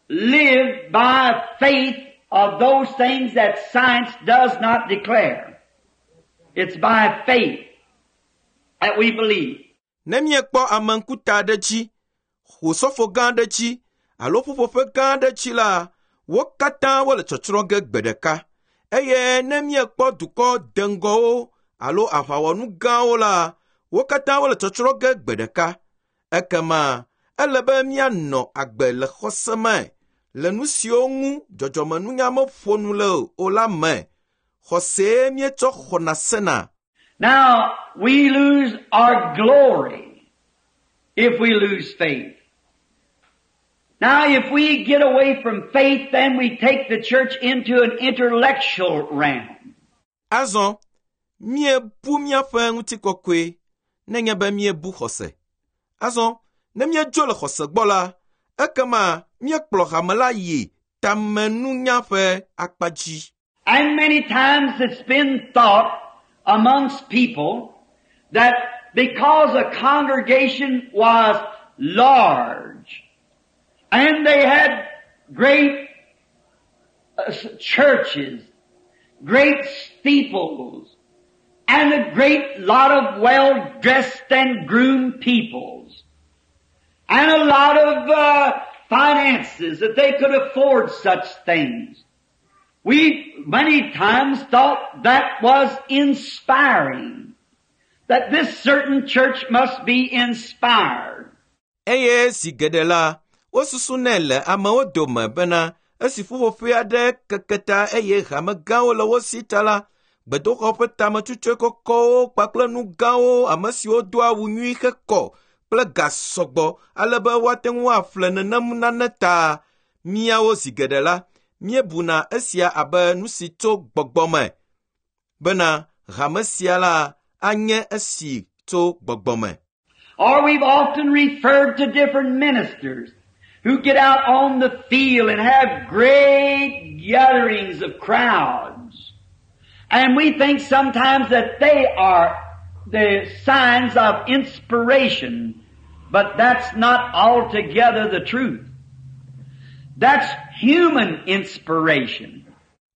S2: live by faith of those things that science does not declare. It's by faith that we believe.
S1: Ne miekpɔ ame ŋkuta aɖe dzi, osɔfo gã aɖe dzi alo ƒuƒoƒe gã aɖe dzi la, wo katã wole tsɔtsrɔ̃ ge gbe ɖeka. Eye ne miekpɔ dukɔ deŋgɔwo alo aʋawɔnu gãwo la, wo katã wole tsɔtsrɔ̃ ge gbe ɖeka. Ekema ele be míanɔ agbe le xɔse me le nu siwo ŋu dzɔdzɔmenunya meƒo nu le o la me. Xɔsee míetsɔ xɔna sena.
S2: Now, we lose our glory if we lose faith. Now, if we get away from faith, then we take the church into an intellectual realm.
S1: Azɔ, míebu míaƒe ŋutikɔkɔe nenye be míebu xɔse. Azɔ, ne míedzo le xɔse gbɔ la, ekema míekplɔ hame la yi tamenunya ƒe akpa dzi.
S2: And many times it's been thought amongst people that because a congregation was large and they had great uh, churches, great steeples, and a great lot of well-dressed and groomed peoples, and a lot of uh, finances that they could afford such things. We many times thought that was inspiring, that this certain church must be inspired.
S1: Eye zi geɖe la, wosusunɛ le amewo dome bena esi ƒuƒoƒe aɖe keke ta eye hame gãwo le wo si ta la, gbedoxɔ ƒe tametutsue kɔkɔwo kpakple nu gãwo ame siwo do awu nyui hekɔ kple ga sɔgbɔ ale be woate ŋu aƒle nenem nane ta. Míawo zi geɖe la, míebuna esia abe nu si tso gbɔgbɔ me bena hame sia la anye esi tso gbɔgbɔ me.
S2: Or we've often referred to different ministers who get out on the field and have great gatherings of crowds. And we think sometimes that they are the signs of inspiration, but that's not altogether the truth. That's human inspiration.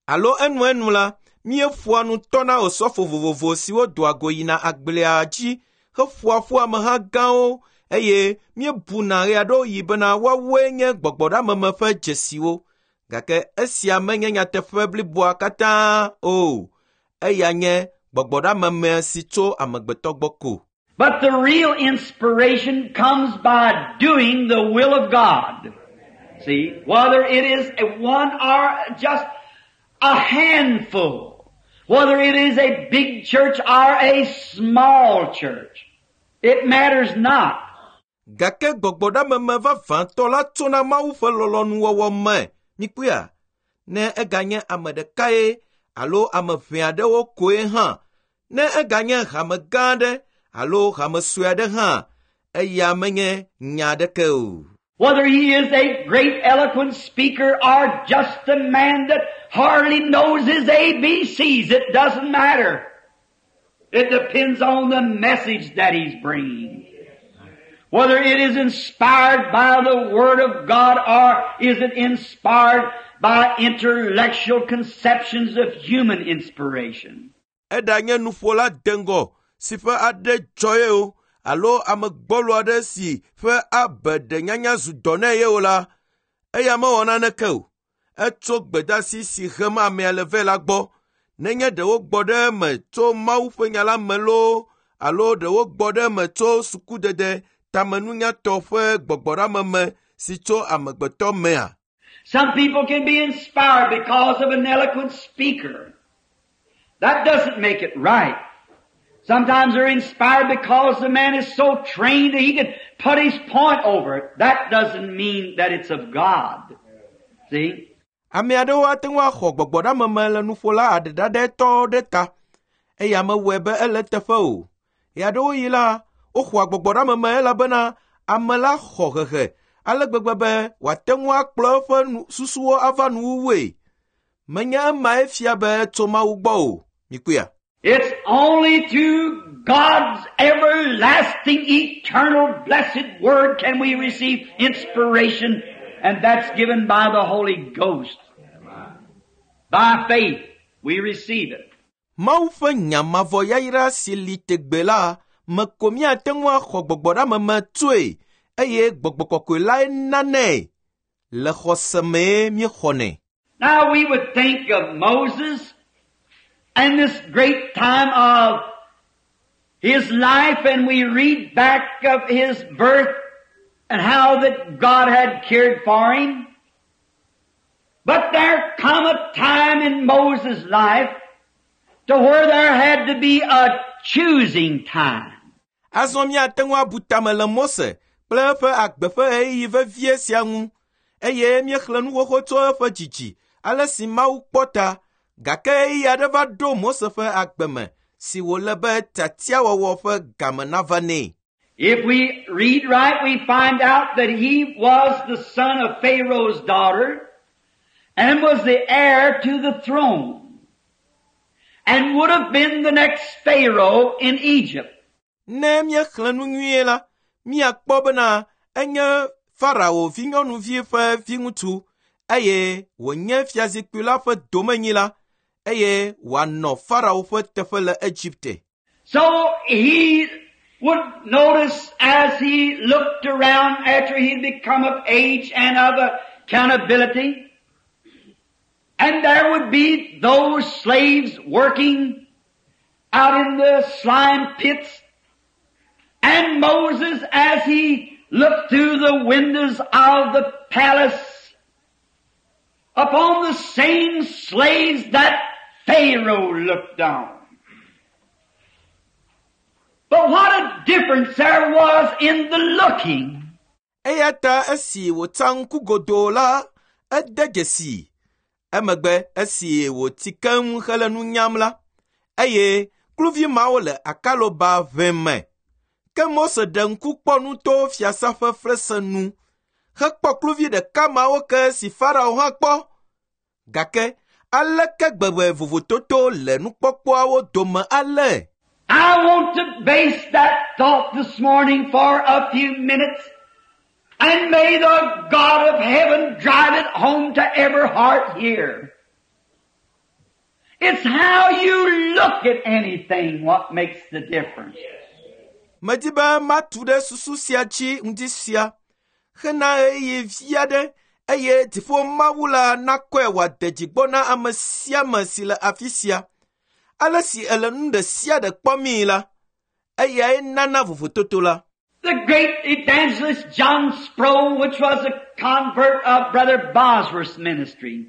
S1: Alo enuenu la, míeƒoa nu tɔna osɔfo vovovo siwo doa go yina agblea dzi heƒoa ƒu ameha gãwo eye míebuna ɣeaɖewoɣi bena woawoe nye gbɔgbɔɖameme ƒe dzesiwo. Gake esia menye nyateƒe bliboa katã o. Eya nye gbɔgbɔɖameme si tso amegbetɔ gbɔ ko.
S2: But the real inspiration comes by doing the will of God. See, whether it is one or just a handful, whether it is a big church or a small church, it matters not.
S1: Gake gbɔgbɔɖameme vavãtɔ la tsona Mawu ƒe lɔlɔ̃nuwɔwɔ me. Mikpɔea? Ne eganye ame ɖekae alo ame ʋɛ aɖewo koe hã, ne eganye hame gã aɖe alo hame sue aɖe hã, eya menye nya aɖeke o.
S2: Whether he is a great eloquent speaker or just a man that hardly knows his A B Cs, it doesn't matter. It depends on the message that he's bringing. Whether it is inspired by the Word of God or is it inspired by intellectual conceptions of human inspiration.
S1: Eɖanye nuƒola deŋgɔ si ƒe aɖe dzɔ ye o alo ame gbɔlo aɖe si ƒe abeɖenyanya zu dɔ nɛ ye o la, eya mewɔ naneke o. Etso gbedasi si hem amea le vɛ la gbɔ. Nenye ɖe wogbɔ ɖe eme tso Mawu ƒe nya la me loo alo ɖe wogbɔ ɖe eme tso sukudede tamenunyatɔ ƒe gbɔgbɔɖameme si tso amegbetɔ mea.
S2: Some people can be inspired because of an eloquent speaker. That doesn't make it right. Sometimes they're inspired because the man is so trained that he can put his point over it. That doesn't mean that it's of God. See?
S1: Ame aɖewo ate ŋu axɔ gbɔgbɔɖameme le nuƒola aɖeɖaɖɛtɔ ɖe ta. Eya mewɔe be ele teƒe o. Ɣeaɖewoɣi la, woxɔa gbɔgbɔɖameme elabena ame la xɔ hehe ale gbegbe be wòate ŋu akplɔ eƒe nu susuwo ava nuwuwue. Menye emae fia be etso Mawu gbɔ o. Mikpɔea?
S2: It's only through God's everlasting, eternal, blessed Word can we receive inspiration, and that's given by the Holy Ghost. By faith, we receive it.
S1: Mawu ƒe nya mavɔ yayra si li tegbe la me ko míate ŋu axɔ gbɔgbɔɖameme tsoe eye gbɔgbɔ kɔkɔe lae nanɛ. Le xɔse mee míexɔnɛ.
S2: Now we would think of Moses and this great time of his life, and we read back of his birth and how that God had cared for him. But there come a time in Moses' life to where there had to be a choosing time.
S1: Azɔ míate ŋu abu tame le Mose kple eƒe agbe ƒe ɣeyiɣi vevie sia ŋu eye míexlẽ nu xoxo tso eƒe dzidzi ale si Mawu kpɔ ta gake ɣeyiɣi aɖe va ɖo Mose ƒe agbe me si wòle be tiatiawɔwɔ ƒe game nava nɛ.
S2: If we read right, we find out that he was the son of Pharaoh's daughter and was the heir to the throne and would have been the next Pharaoh in Egypt.
S1: Ne míexlẽ nu nyuie la, míakpɔ bena enye Farao vinyɔnuvi ƒe viŋutsu eye wònye fiazikpui la ƒe domenyila eye wòanɔ Farao ƒe teƒe le Egipte.
S2: So he would notice as he looked around after he'd become of age and of accountability, and there would be those slaves working out in the slime pits, and Moses, as he looked through the windows of the palace upon the same slaves that Pharaoh looked on. But what a difference there was in the looking.
S1: Eya ta esi wòtsa ŋku godoo la, ede dzesi. Emegbe esi wòti keŋ hele nu nyam la, eye kluvi mawo le akaloba ʋe me. Ke Mose ɖe ŋku kpɔ nu to fiasa ƒe fesre nu hekpɔ kluvi ɖeka mawo ke si Farao hã kpɔ. Gake aleke gbegbe vovototo le nukpɔkpɔawo dome ale?
S2: I want to base that thought this morning for a few minutes, and may the God of heaven drive it home to every heart here. It's how you look at anything what makes the difference.
S1: Medi be matu ɖe susu sia dzi ŋdi sia hena ɣeyiɣi vi aɖe eye dziƒo Mawu la nakɔe wòade dzi gbɔ na ame sia ame si le afi sia. Ale si ele nu ɖe sia ɖe kpɔmii la, eyae nana vovototo la.
S2: The great evangelist John Sproul, which was a convert of Brother Bosworth's ministry,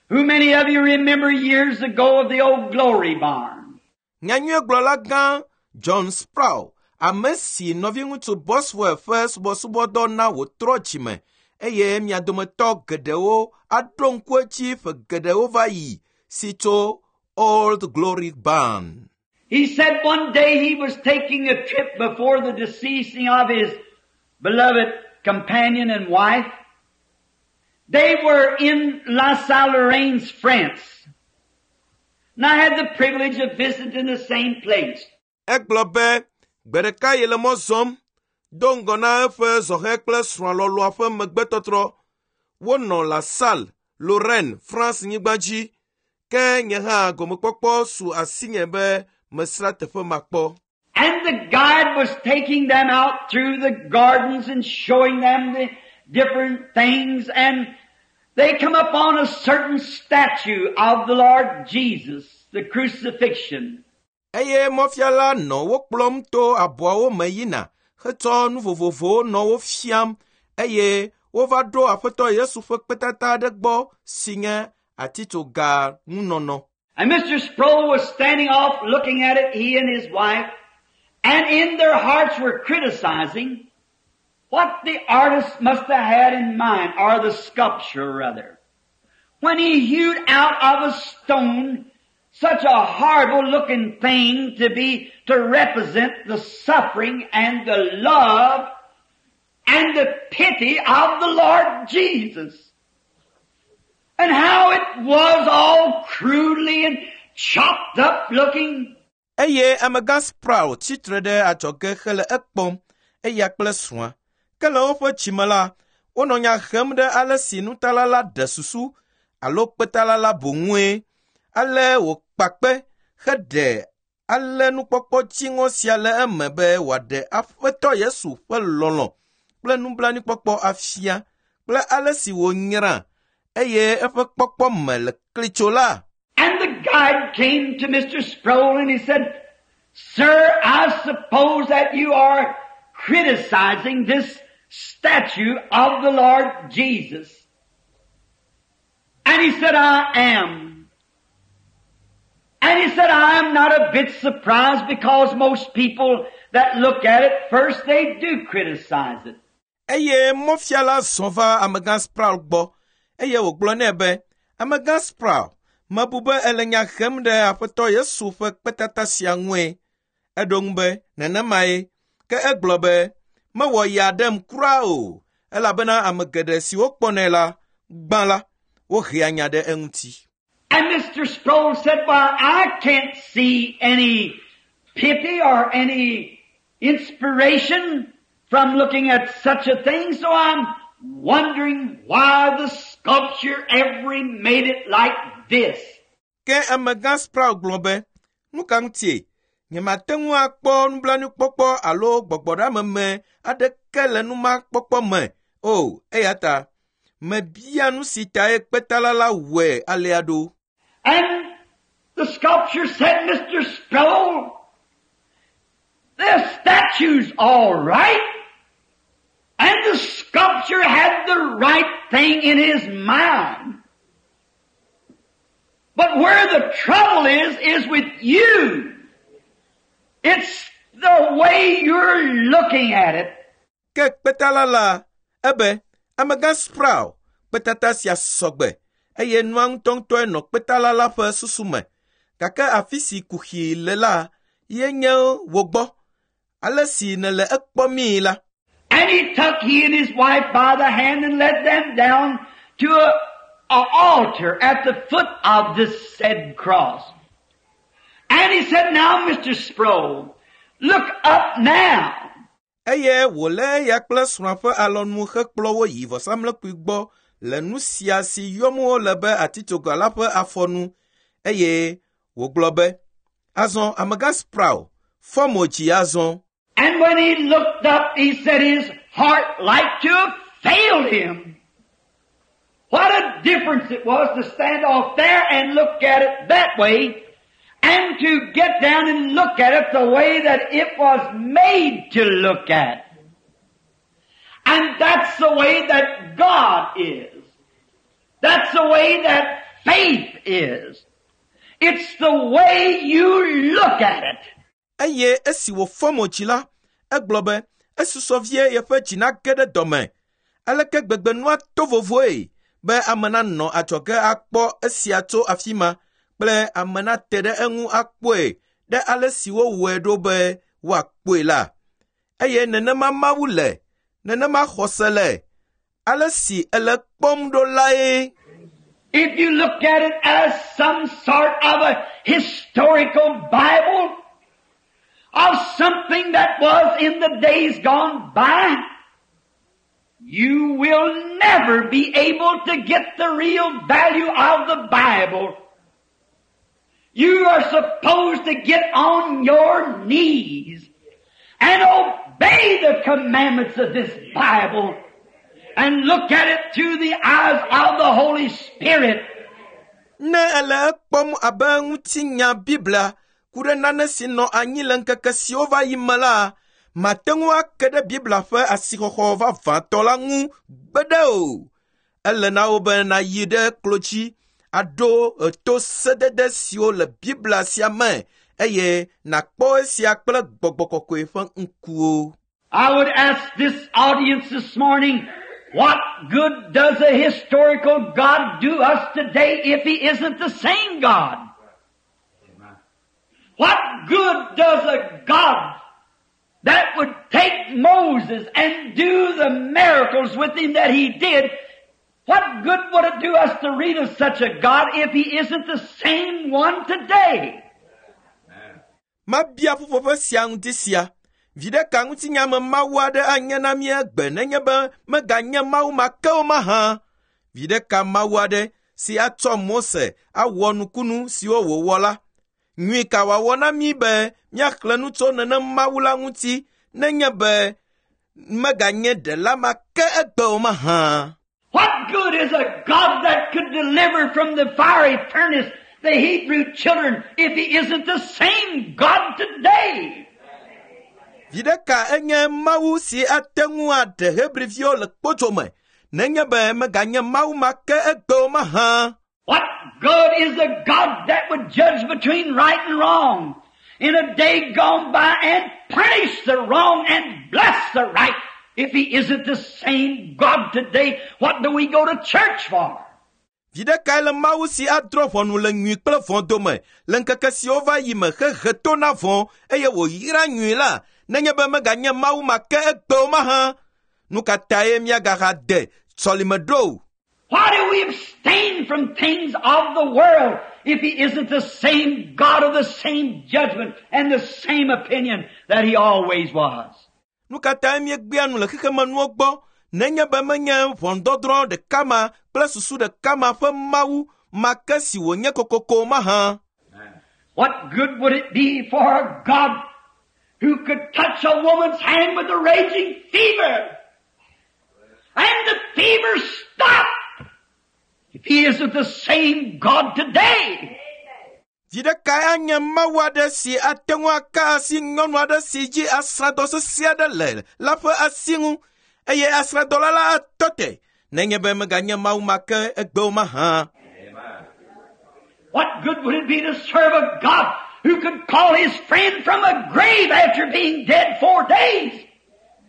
S2: who many of you remember years ago of the old Glory Barn.
S1: Nyanyuiegblɔla gã John Sproul, ame si nɔviŋutsu Bosworth ƒe subɔsubɔdɔ na wòtrɔ dzime eye mia dometɔ geɖewo aɖo ŋku edzi ƒe geɖewo va yi si tso Old Glory Barn.
S2: He said one day he was taking a trip before the deceasing of his beloved companion and wife. They were in La Salle Lorraine, France. And I had the privilege of visiting the same place.
S1: Egblɔ be gbe ɖeka yele mɔ zɔm do ŋgɔ na eƒe zɔhɛ kple srɔ̃a lɔlɔ̃a ƒe megbetɔtrɔ. Wonɔ La Salle, Lorraine, France nyigba dzi. Ke nye hã gomekpɔkpɔ su asinye be mesrã teƒe ma kpɔ.
S2: And the guide was taking them out through the gardens and showing them the different things, and they come upon a certain statue of the Lord Jesus, the crucifixion.
S1: Eye mɔfiala nɔ wo kplɔm to abɔawo me yina hetsɔ nu vovovowo nɔ wo fiam eye wova ɖo Aƒetɔ Yesu ƒe kpetata aɖe gbɔ si nye atitsoga ŋunɔnɔ.
S2: And Mister Sproul was standing off looking at it, he and his wife, and in their hearts were criticizing what the artist must have had in mind, or the sculptor rather, when he hewed out of a stone such a horrible looking thing to be, to represent the suffering and the love and and the pity of the Lord Jesus. And how it was all crudely and chopped up looking.
S1: Eye amegã Sproul tsitre ɖe adzɔge hele ekpɔm, eya kple srɔ̃a. Ke le woƒe dzime la, wonɔ nya hem ɖe ale si nutala la ɖe susu alo kpetala la boŋue. Ale wòkpa kpe heɖe ale nukpɔkpɔ dziŋɔ sia le eme be wòaɖe Aƒetɔ Yesu ƒe lɔlɔ̃ kple nublanuikpɔkpɔ afia kple ale si wònyra eye eƒe kpɔkpɔ me le klitso la.
S2: And the guide came to Mister Sproul and he said, "Sir, I suppose that you are criticizing this statue of the Lord Jesus." And he said, "I am." And he said, "I am not a bit surprised because most people that look at it first, they do criticize it."
S1: Eye mɔfiala zɔ va amegã Sproul gbɔ eye wògblɔ nɛ be, amegã Sproul, mebu be ele nya hem ɖe Aƒetɔ Yesu ƒe kpetata sia ŋue. Eɖo ŋu be, nenemae. Ke egblɔ be, mewɔ ya ɖem kura o, elabena ame geɖe siwo kpɔnɛ la, gbã la, wohea nya ɖe eŋuti.
S2: And Mister Sproul said, "Well, I can't see any pity or any inspiration from looking at such a thing, so I'm wondering why the sculpture ever made it like this."
S1: Ke amegã Sproul gblɔ be, nu ka ŋutie? Nyemate ŋu akpɔ nublanuikpɔkpɔ alo gbɔgbɔɖeameme aɖeke le numakpɔkpɔ me o, eya ta mebia nu si tae kpetala la wɔe alea ɖo.
S2: And the sculpture said, "Mister Sproul, the statue's all right." And the sculpture had the right thing in his mind. But where the trouble is, is with you. It's the way you're looking at it.
S1: Ke kpetala la, ebe, amegã Sproul, kpetata sia sɔgbe, eye nua ŋutɔŋutɔe nɔ kpetala la ƒe susu me. Gake afi si kuxi le la, ye nye wò gbɔ. Ale si nèle ekpɔmii la.
S2: And he took he and his wife by the hand and led them down to a, a altar at the foot of this said cross. And he said, "Now, Mister Sproul, look up now."
S1: Eye wòlé eya kple srɔ̃a ƒe alɔnu hekplɔ wo yi vɔsamlekpui gbɔ le nu sia si yɔm wole be atitsoga la ƒe afɔnu eye wògblɔ be, azɔ amegã Sproul, fɔ mo dzi azɔ.
S2: And when he looked up, he said his heart like to have failed him. What a difference it was to stand off there and look at it that way, and to get down and look at it the way that it was made to look at. And that's the way that God is. That's the way that faith is. It's the way you look at it.
S1: Eye esi wòfɔ mo dzi la, egblɔ be esusɔ vie yeƒe dzi nage ɖe dɔme. Aleke gbegbe nua to vovoe be ame nanɔ adzɔge akpɔ esia tso afi ma kple ame nate ɖe eŋu akpɔe ɖe ale si wowɔe ɖo be woakpɔe la. Eye nenema Mawu le, nenema xɔse le, ale si ele kpɔm ɖo lae.
S2: If you look at it as some sort of a historical Bible of something that was in the days gone by, you will never be able to get the real value of the Bible. You are supposed to get on your knees and obey the commandments of this Bible and look at it through the eyes of the Holy Spirit.
S1: Ne ele ekpɔm abe ŋutinya Biblia ku ɖe nane si nɔ anyi le ŋkeke siwo va yi me la, mate ŋu ake ɖe Biblia ƒe asixɔxɔ vavãtɔ la ŋu gbeɖe o. Ele na wo be nayi ɖe klo dzi aɖo eto sedede siwo le Biblia sia me eye nakpɔ esia kple gbɔgbɔ kɔkɔe ƒe ŋkuwo.
S2: I would ask this audience this morning, what good does a historical God do us today if He isn't the same God? What good does a God that would take Moses and do the miracles with him that he did, what good would it do us to read of such a God if he isn't the same one today?
S1: Mabia ƒuƒoƒe sia ŋuti sia. Viɖe ka ŋutinyame Mawu aɖe anye na mí egbe nenye be meganye Mawu ma ke o mahã? Viɖe ka Mawu aɖe si atsɔ Mose awɔ nukunu siwo wòwɔ la? Nyui ka wòawɔ na mí be míaxlẽ nu tso nenem Mawu la ŋuti nenye be meganye ɖela ma ke egbe o mahã?
S2: What good is a God that could deliver from the fiery furnace the Hebrew children if he isn't the same God today?
S1: Viɖe ka enye Mawu si ate ŋu aɖe Hebriviwo le kpodzo me nenye be meganye Mawu ma ke egbe o mahã?
S2: What good is a God that would judge between right and wrong in a day gone by and punish the wrong and bless the right? If he isn't the same God today, what do we go to church for?
S1: Viɖe kae le Mawu si adrɔ̃ ʋɔnu le nyui kple vɔ̃ dome le ŋkeke siwo va yi me hehe to na vɔ̃ eye wòyra nyui la nenye be meganye Mawu ma ke egbe o mahã? Nu ka tae míagaha de sɔlime ɖo?
S2: Why do we abstain from things of the world if he isn't the same God of the same judgment and the same opinion that he always was?
S1: Nu ka tae míegbea nu le xexemenuwo gbɔ nenye be menye ʋɔnudɔdrɔ̃ ɖeka ma kple susu ɖeka ma ƒe Mawu ma ke si wònye kokoko mahã?
S2: What good would it be for a God who could touch a woman's hand with a raging fever and the fever stop if he isn't the same God today?
S1: Viɖe kae anye Mawu aɖe si ate ŋu aka asi nyɔnu aɖe si dzi asrãdɔ sesẽ aɖe le la ƒe asi ŋu eye asrãdɔla la atɔ te nenye be meganye Mawu ma ke egbe o mahã?
S2: What good would it be to serve a God who could call his friend from a grave after being dead four days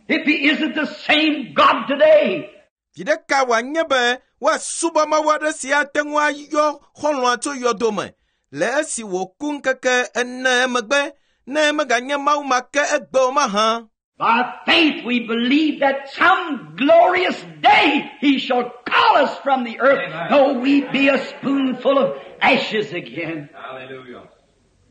S2: if he isn't the same God today?
S1: Viɖe ka wòanye be woasubɔ Mawu aɖe si ate ŋu ayɔ xɔlɔ̃a tso yɔdo me le esi wòku ŋkeke ene emegbe ne meganye Mawu ma ke egbe o mahã?
S2: By faith we believe that some glorious day he shall call us from the earth, though we be a spoonful of ashes again.
S3: Hallelujah.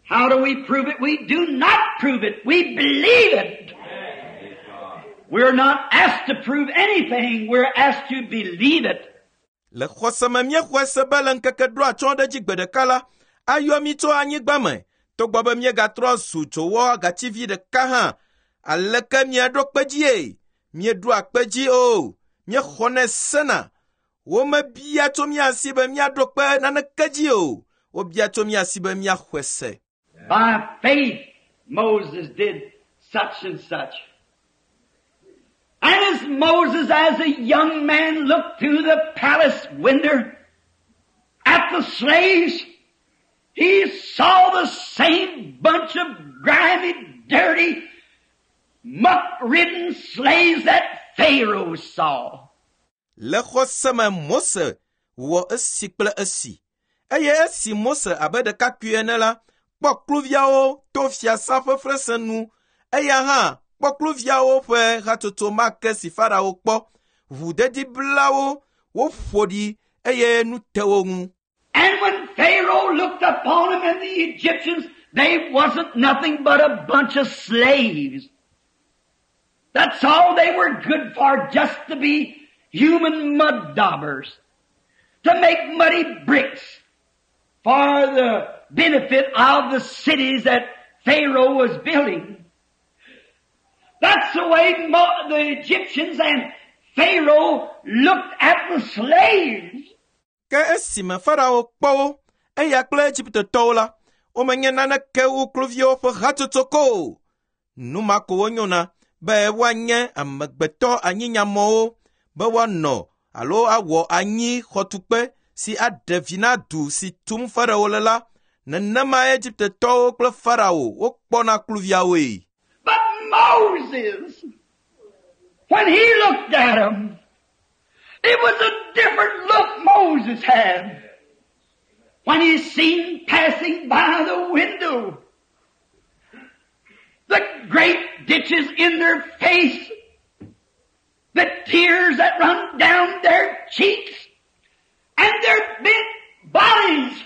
S2: How do we prove it? We do not prove it. We believe it.
S3: Praise God.
S2: We're not asked to prove anything. We're asked to believe it.
S1: Le xɔse me míexɔe se be le ŋkeke ɖo atsyɔ̃ ɖe dzi gbe ɖeka la, ayɔ mí tso anyigba me togbɔ be míegatrɔ zu dzowɔ gativi ɖeka hã. Aleke míeɖo kpe dzie? Míeɖoa kpe dzi o. Míexɔnɛ sena. Womebia tso mía si be míaɖo kpe naneke dzi o. Wobia tso mía si be míaxɔe se.
S2: By faith, Moses did such and such. And as Moses, as a young man, looked through the palace window at the slaves, he saw the same bunch of grimy, dirty, muck-ridden slaves that Pharaoh saw.
S1: Le xɔse me Mose wɔ esi kple esi. Eye esi Mose abe ɖekakpui ene la, kpɔ kluviawo to fiasã ƒe fesre nu. Eya hã kpɔ kluviawo ƒe hatsotso ma ke si Farao kpɔ. Ʋudedi bla wo, woƒo ɖi eye nu te wo ŋu.
S2: And when Pharaoh looked upon them and the Egyptians, they wasn't nothing but a bunch of slaves. That's all they were good for, just to be human mud daubers, to make muddy bricks for the benefit of the cities that Pharaoh was building. That's the way Mo- the Egyptians and Pharaoh looked at the slaves.
S1: Ke esime Farao kpɔ wo, eya kple Egiptetɔwo la, womenye naneke wu kluviwo ƒe hatsotso ko o. Nu ma ko wonyona be woanye amegbetɔ anyinyamɔwo be woanɔ alo awɔ anyi xɔtukpe si aɖe vi na du si tum Farao le la. Nenema Egiptetɔwo kple Farao wokpɔna kluviawoe.
S2: But Moses, when he looked at them, it was a different look Moses had when he seen passing by the window The great ditches in their face, the tears that run down their cheeks, and their bent bodies.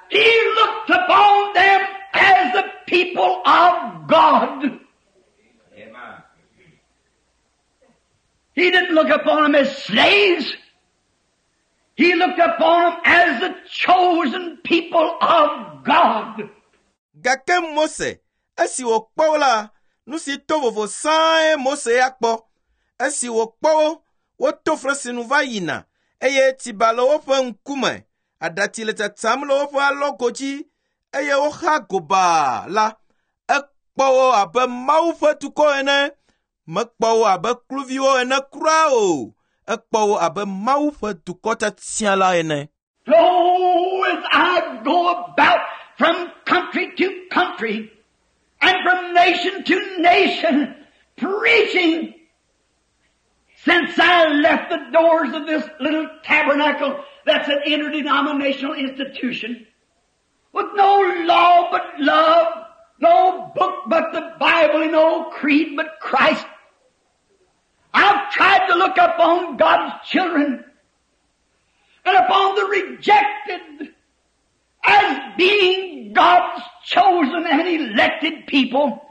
S2: He looked upon them as the people of God. He didn't look upon them as slaves. He looked upon them as the chosen people of God.
S1: Gake Mose, esi wòkpɔ wo la, nu si to vovo sãe Mose ya kpɔ. Esi wòkpɔ wo, woto fesinu va yina eye tsiba le woƒe ŋkume, aɖatsi le tsatsam le woƒe alɔgo dzi eye woxa gobaa la, ekpɔ wo abe Mawu ƒe dukɔ ene. Mekpɔ wo abe kluviwo ene kura o. Ekpɔ wo abe Mawu ƒe dukɔ tiatia la ene.
S2: Oh, as I go about from country to country and from nation to nation preaching, since I left the doors of this little tabernacle that's an interdenominational institution, with no law but love, no book but the Bible, and no creed but Christ, I've tried to look upon God's children and upon the rejected as being God's chosen and elected people.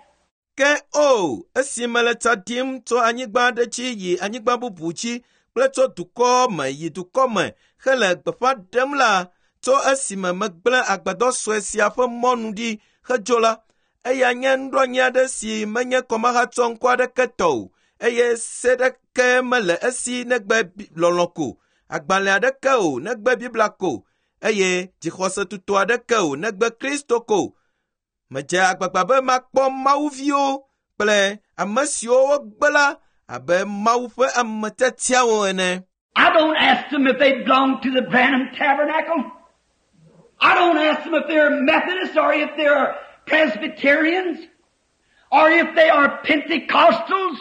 S1: Ke o, esi mele tsa ɖim tso anyigba aɖe dzi yi anyigba bubu dzi kple tso dukɔ me yi dukɔ me hele gbeƒã ɖem la, tso esime megblẽ agbadɔ sue sia ƒe mɔnu ɖi hedzo la, eya nye nuɖoanyi aɖe si menye kɔmahatsɔ ŋkɔ aɖeke tɔ o eye se ɖeke mele esi negbe lɔlɔ̃ ko, agbalẽ aɖeke o negbe Biblia ko, eye dzixɔse tutu aɖeke o negbe Kristo ko. Medze agbagba be makpɔ Mawuviwo kple ame siwo wogbe la abe Mawu ƒe ame tiatiawo ene.
S2: I don't ask them if they belong to the Branham Tabernacle. I don't ask them if they're Methodists or if they're Presbyterians or if they are Pentecostals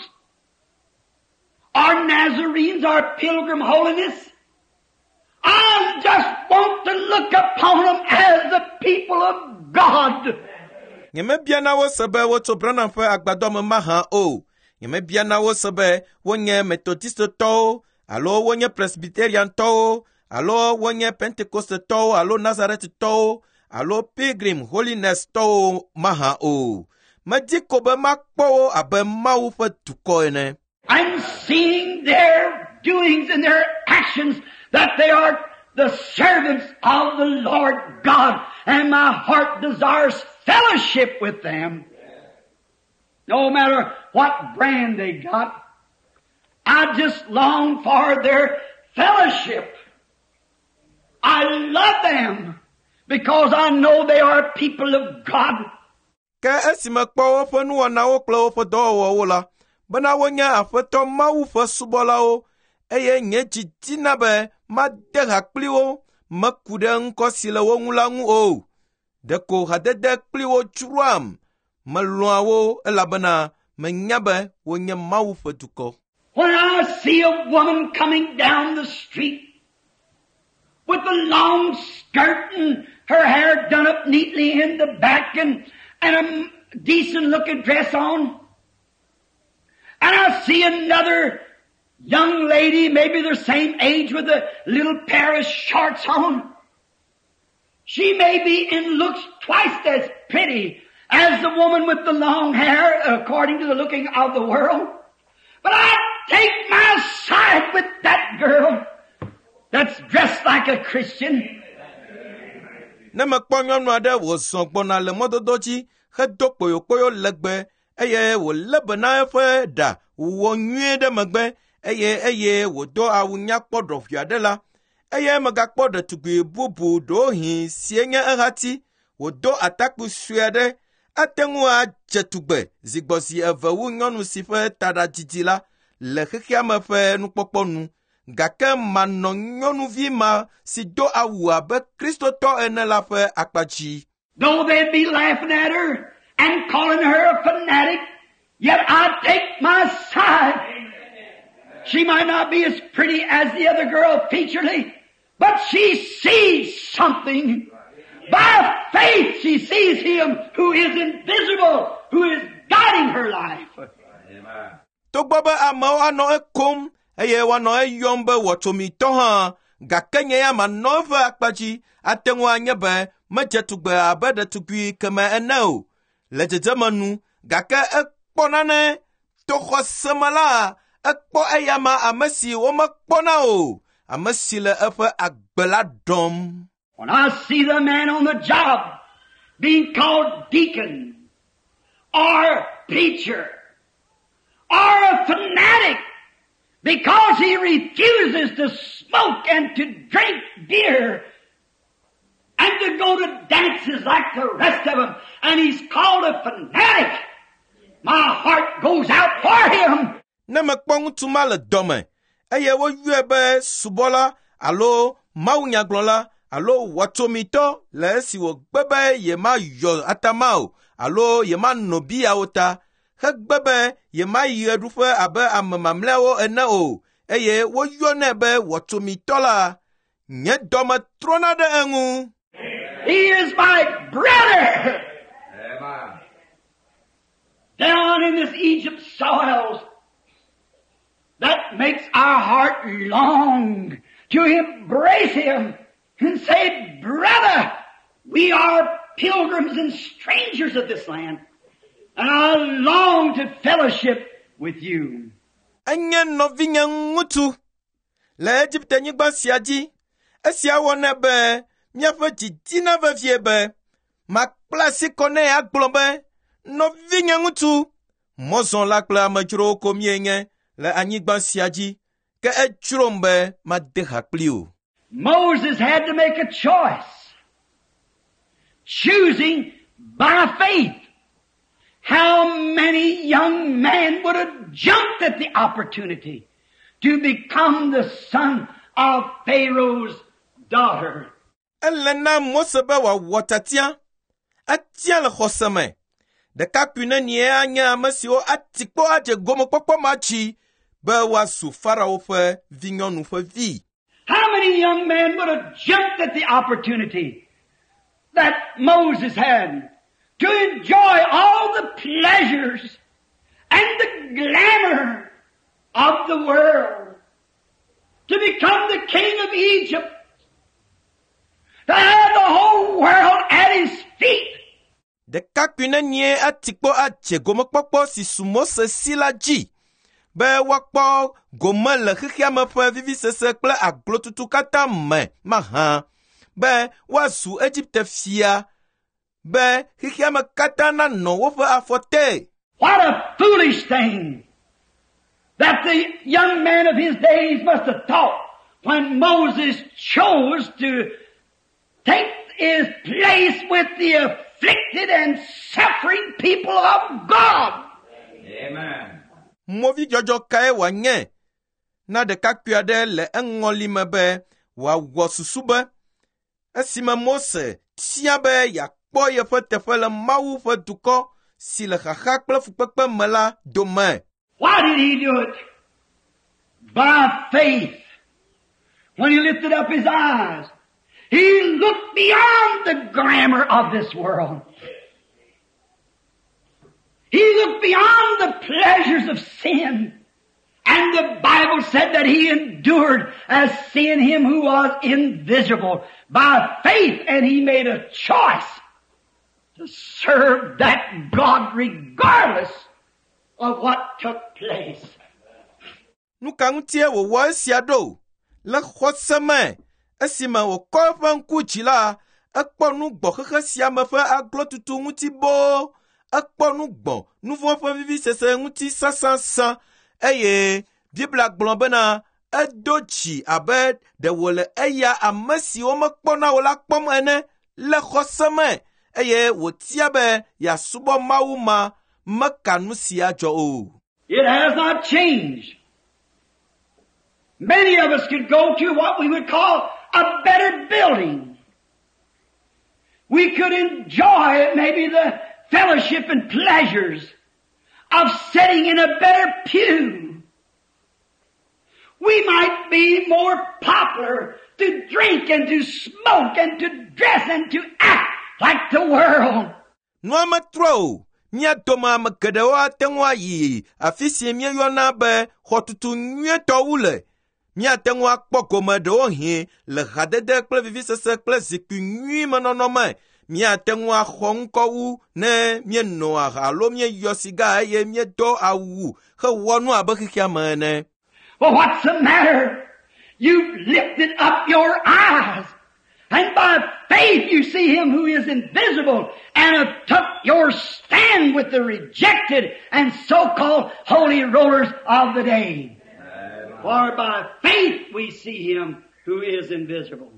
S2: or Nazarenes or Pilgrim Holiness. I just want to look upon them as the people of God.
S1: Nyemebiana wo se be wotso Branham ƒe agbadɔ me mahã o. Nyemebiana wo se be wonye Methodistetɔwo alo wonye Presbyteriantɔwo alo wonye Pentecostetɔwo alo Nazaretitɔwo alo Pilgrim Holiness-tɔwo mahã o. Medi ko be makpɔ wo abe Mawu ƒe dukɔ ene.
S2: I'm seeing their doings and their actions that they are the servants of the Lord God, and my heart desires fellowship with them. No matter what brand they got, I just long for their fellowship. I love them because I know they are people of God.
S1: Ke esi mekpɔ woƒe nuwɔnawo kple woƒe dɔwɔwɔwo la, bena wonye Aƒetɔ Mawu ƒe subɔlawo eye nye dzi dina be made ha kpli wo, meku ɖe ŋkɔ si le wo ŋu la ŋu o. Ɖeko hadede kpli wo dzroam. Melɔ̃a wo elabena menya be wonye Mawu ƒe dukɔ.
S2: When I see a woman coming down the street with a long skirt and her hair done up neatly in the back and, and a decent looking dress on, and I see another young lady, maybe the same age, with a little pair of shorts on. She may be in looks twice as pretty as the woman with the long hair, according to the looking of the world. But I take my side with that girl that's dressed like a Christian.
S1: Ne mekpɔ nyɔnu aɖe wòzɔ gbɔna le mɔdodo dzi hedo kpoyokpoyo legbe eye wòlé be na eƒe ɖa wòwɔ nyuie ɖe megbe eye eye wòdo awu nyakpɔ ɖɔʋui aɖe la, eye megakpɔ ɖetugbi bubu ɖewohĩ sie nye ehati wòdo atakpui sue aɖe ate ŋu adze tugbe zi gbɔ zi eve wu nyɔnu si ƒe taɖa didi la le xexea me ƒe nukpɔkpɔ nu. Gake manɔ nyɔnuvi ma si do awu abe Kristotɔ ene la ƒe akpa dzi.
S2: Though they'd be laughing at her and calling her a fanatic, yet I take my side. She might not be as pretty as the other girl featurely, but she sees something. By faith she sees Him who is invisible, who is guiding her life.
S1: Togbɔ be amewo anɔ ekom eye woanɔ eyɔm be wɔtsomitɔ hã, gake nye ya manɔ eƒe akpa dzi ate ŋu anye be medze tugbe abe ɖetugbui keme ene o le dzedzeme nu, gake ekpɔ nane to xɔse me la, ekpɔ eyama ame si womekpɔna o, ame si le eƒe agbe la ɖɔm.
S2: When I see the man on the job being called deacon or preacher or a fanatic because he refuses to smoke and to drink beer and to go to dances like the rest of them, and he's called a fanatic, my heart goes out for him.
S1: Ne mekpɔ ŋutsu ma le dɔme eye woyɔe be subɔla alo mawunyagblɔla alo wɔtsomitɔ le esi wògbe be yemayɔ atama o alo yemano bia o ta, hegbe be yemayi ɣeɖuƒe abe ame mamlɛawo ene o eye woyɔnɛ be wɔtsomitɔ la, nye dɔme trɔna ɖe eŋu.
S2: He is my brother. Down in this Egypt soils, that makes our heart long to embrace him and say, brother, we are pilgrims and strangers of this land, and I long to fellowship with you.
S1: Enye nɔvinye ŋutsu le Egipte-nyigba sia dzi. Esia wɔnɛ be míaƒe dzi dina vevie be makpla asi kɔ nɛ agblɔ be, nɔvinye ŋutsu, mɔzɔla kple amedzrowo ko míenye le anyigba sia dzi, ke edzrom be made ha kpli wò.
S2: Moses had to make a choice, choosing by faith. How many young men would have jumped at the opportunity to become the son of Pharaoh's daughter?
S1: Ele na Mose be wòawɔ tiatia, etia le xɔse me. Ɖekakpui nenie anye ame siwo ati kpo adze gomekpɔkpɔ ma dzi be woazu Farao ƒe vinyɔnu ƒe vi.
S2: How many young men would have jumped at the opportunity that Moses had to enjoy all the pleasures and the glamour of the world, to become the king of Egypt, to have the whole world at his feet?
S1: Ɖekakpui nenie ati kpo adze gomekpɔkpɔ si su Mose si la dzi be woakpɔ gome le xexea me ƒe vivisese kple aglotutu katã me mahã, be woazu Egipte fia, be xexea me katã nanɔ woƒe afɔ te.
S2: What a foolish thing that the young man of his days must have thought when Moses chose to take his place with the afflicted and suffering people of God.
S3: Amen.
S1: Movidzɔdzɔ kae wòanye na ɖekakpui aɖe le eŋɔli me be wòawɔ susu be esime Mose tia be yeakpɔ yeƒe teƒe le Mawu ƒe dukɔ si le xaxa kple fukpekpe me la dome.
S2: Why did he do it? By faith. When he lifted up his eyes, he looked beyond the glamour of this world. He looked beyond the pleasures of sin. And the Bible said that he endured as seeing him who was invisible by faith, and he made a choice to serve that God regardless of what took place.
S1: Nu ka ŋutie wòwɔ esia ɖo? Le xɔse me, esime wòkɔ eƒe ŋku dzi la, ekpɔ nu gbɔ xexe sia me ƒe aglotutu ŋuti boo. Ekpɔ nu gbɔ nu vɔ̃ ƒe vivisese ŋuti sãsãsã eye Biblia gblɔ bena edo dzi abe ɖe wòle eya ame si womekpɔna o la kpɔm ene le xɔse me eye wòtia be yeasubɔ Mawu ma meka nu sia dzɔ o.
S2: It has not changed. Many of us could go to what we would call a better building. We could enjoy maybe the fellowship and pleasures of sitting in a better pew. We might might be more popular to drink and to smoke and to dress and to act like the world.
S1: Nua metrɔ o. Mía dome ame geɖewo ate ŋu ayi afi si míeyɔna be xɔtutu nyuietɔ wu le. Míate ŋu akpɔ gome ɖewohĩ le hadede kple vivisese kple zikpui nyui me nɔnɔ me. Míate ŋu axɔ ŋkɔ wu ne míeno aha alo míeyɔ siga eye míedo awu hewɔ nu abe xexea me ene.
S2: Well, what's the matter? You've lifted up your eyes, and by faith you see Him who is invisible, and have took your stand with the rejected and so-called holy rollers of the day. For by faith we see Him who is invisible.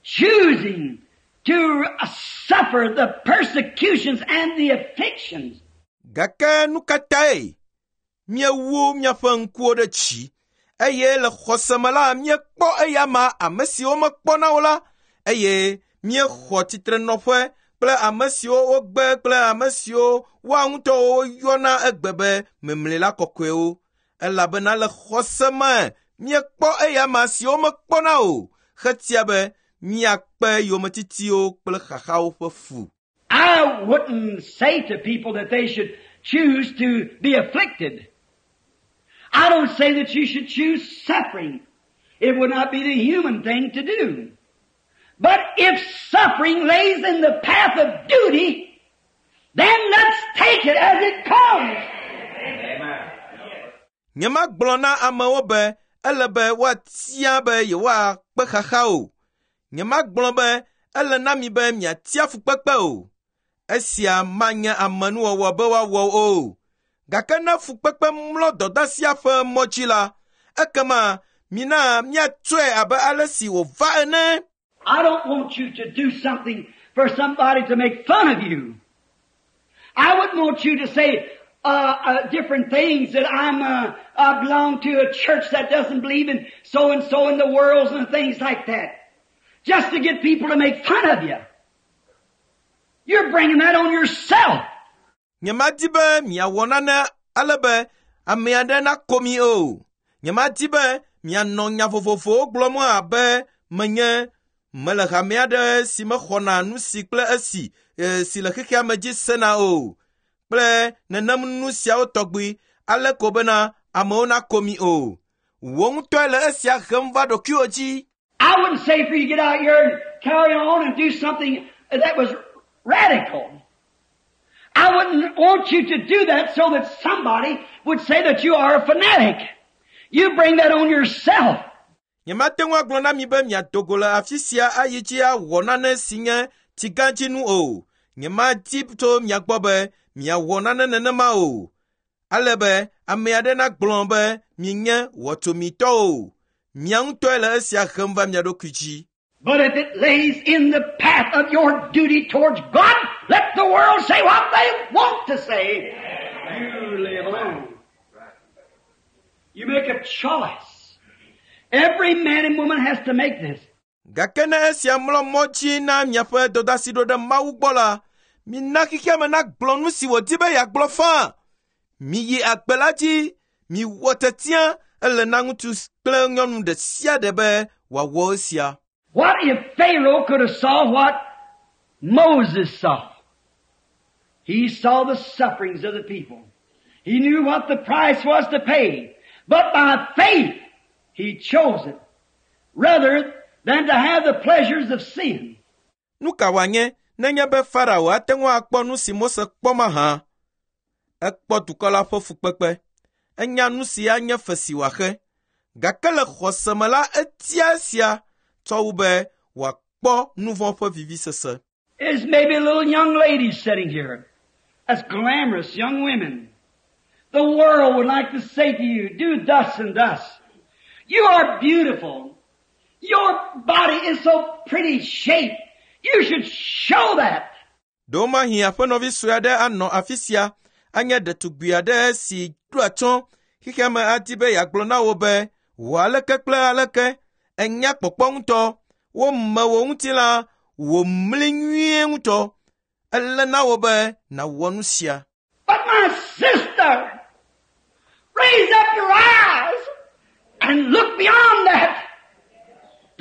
S2: Choosing to suffer the persecutions and the afflictions.
S1: Gake nu ka tae míewu míaƒe ŋkuwo ɖe dzi eye le xɔse me la míekpɔ eyama ame siwo mekpɔna o la eye míexɔ tsitrenɔƒe kple ame siwo wogbe kple ame siwo woa ŋutɔwo woyɔna egbe be memlila kɔkɔewo elabena le xɔse me míekpɔ eyama siwo mekpɔna o hetia be míakpe yometitiwo kple xaxawo ƒe fu.
S2: I wouldn't say to people that they should choose to be afflicted. I don't say that you should choose suffering. It would not be the human thing to do. But if suffering lays in the path of duty, then let's take it as it comes.
S1: Nyemagblɔ na amewo be ele be woatia be yewoakpe xaxa o. Nyemagblɔ be ele na mi be miatia fukpekpe o. Esia manye amenuwɔwɔ be woawɔ o. Gake ne fukpekpe mlɔ dɔdasia ƒe mɔ dzi la, ekema mina míatsɔe abe ale si wòva ene.
S2: I don't want you to do something for somebody to make fun of you. I wouldn't want you to say uh, uh, different things that I'm uh, I belong to a church that doesn't believe in so and so in the worlds and things like that, just to get people to make fun of you. You're bringing that on yourself.
S1: Nyemadi be miawɔ nane ale be ame aɖe nako mi o. Nyemadi be mianɔ nya vovovowo gblɔm abe menye mele hame aɖe si mexɔna nu si kple esi e, si le xexea me dzi sena o kple nenem nu siawo tɔgbi ale ko bena amewo nako mi o. Wò ŋutɔe le esia hem va ɖokuiwò dzi.
S2: I wouldn't say for you to get out here and carry on and do something that was radical. I wouldn't want you to do that so that somebody would say that you are a fanatic. You bring that on yourself.
S1: Nyemate ŋu agblɔ na mi be miado go le afi sia ayi dzi awɔ nane si nye tsigãdzinu o. Nyemadi tso mia gbɔ be miawɔ nane nenema o. Ale be ame aɖe nagblɔ be mienye wɔtsomitɔ o. Mia ŋutɔe le esia hem va mia ɖokui dzi.
S2: But if it lays in the path of your duty towards God, let the world say what they want to say. You live on. You make a choice. Every man and woman has to make this.
S1: Gake ne esia mlɔ mɔ dzi na miaƒe dɔdeasi ɖo ɖe Mawu gbɔ la, mina xexea me nagblɔ nu si wòdi be yeagblɔ faa. Miyi agbe la dzi, miwɔ tiatia, ele na ŋutsu kple nyɔnu ɖe sia ɖe be wòawɔ esia.
S2: What if Pharaoh could have saw what Moses saw? He saw the sufferings of the people. He knew what the price was to pay. But by faith, he chose it rather than to have the pleasures of sin.
S1: Nu ka wòanye nenye be Farao ate ŋu akpɔ nu si Mose kpɔ mahã? Ekpɔ dukɔ la ƒe fukpekpe. Enya nu si anye fe si wòaxe. Gake le xɔse me la, etia esia tsɔ wu be wòakpɔ nu vɔ̃ ƒe vivisese.
S2: There's maybe a little young lady sitting here. That's glamorous young women. The world would like to say to you, do thus and thus. You are beautiful. Your body is so pretty shaped. You should show that.
S1: Ɖewomahi aƒenɔvi sue aɖe anɔ afi sia anye ɖetugbi aɖe si ɖo atsyɔ̃ xexea me adi be yeagblɔ na wò be wò aleke kple aleke enya kpɔkpɔ ŋutɔ wome wò ŋutilã wò mli nyuie ŋutɔ ele na wò be nàwɔ nu sia.
S2: But my sister, raise up your eyes and look beyond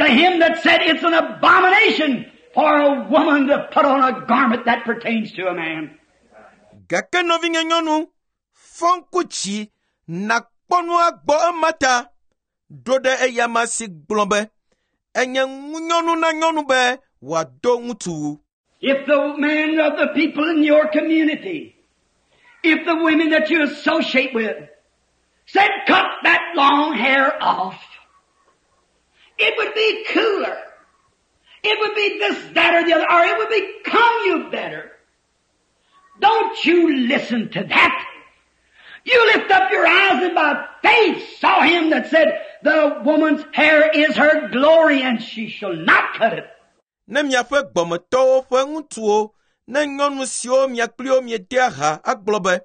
S2: him that said it's an abomination for a woman to put on a garment that pertains to a man.
S1: Gake nɔvinye nyɔnu, fɔ ŋku dzi nàkpɔ nu agbɔ ema ta. Ɖo ɖe eyama si gblɔ be enye ŋunyɔnu na nyɔnu be wòado ŋutsuwu.
S2: If the men of the people in your community, if the women that you associate with, said cut that long hair off, it would be cooler. It would be this, that, or the other, or it would become you better. Don't you listen to that. You lift up your eyes and by faith saw him that said, the woman's hair is her glory and she shall not cut it.
S1: Ne miaƒe gbɔmetɔwo ƒe ŋutsuwo, ne nyɔnu siwo mia kpli wo miedea ha agblɔ be,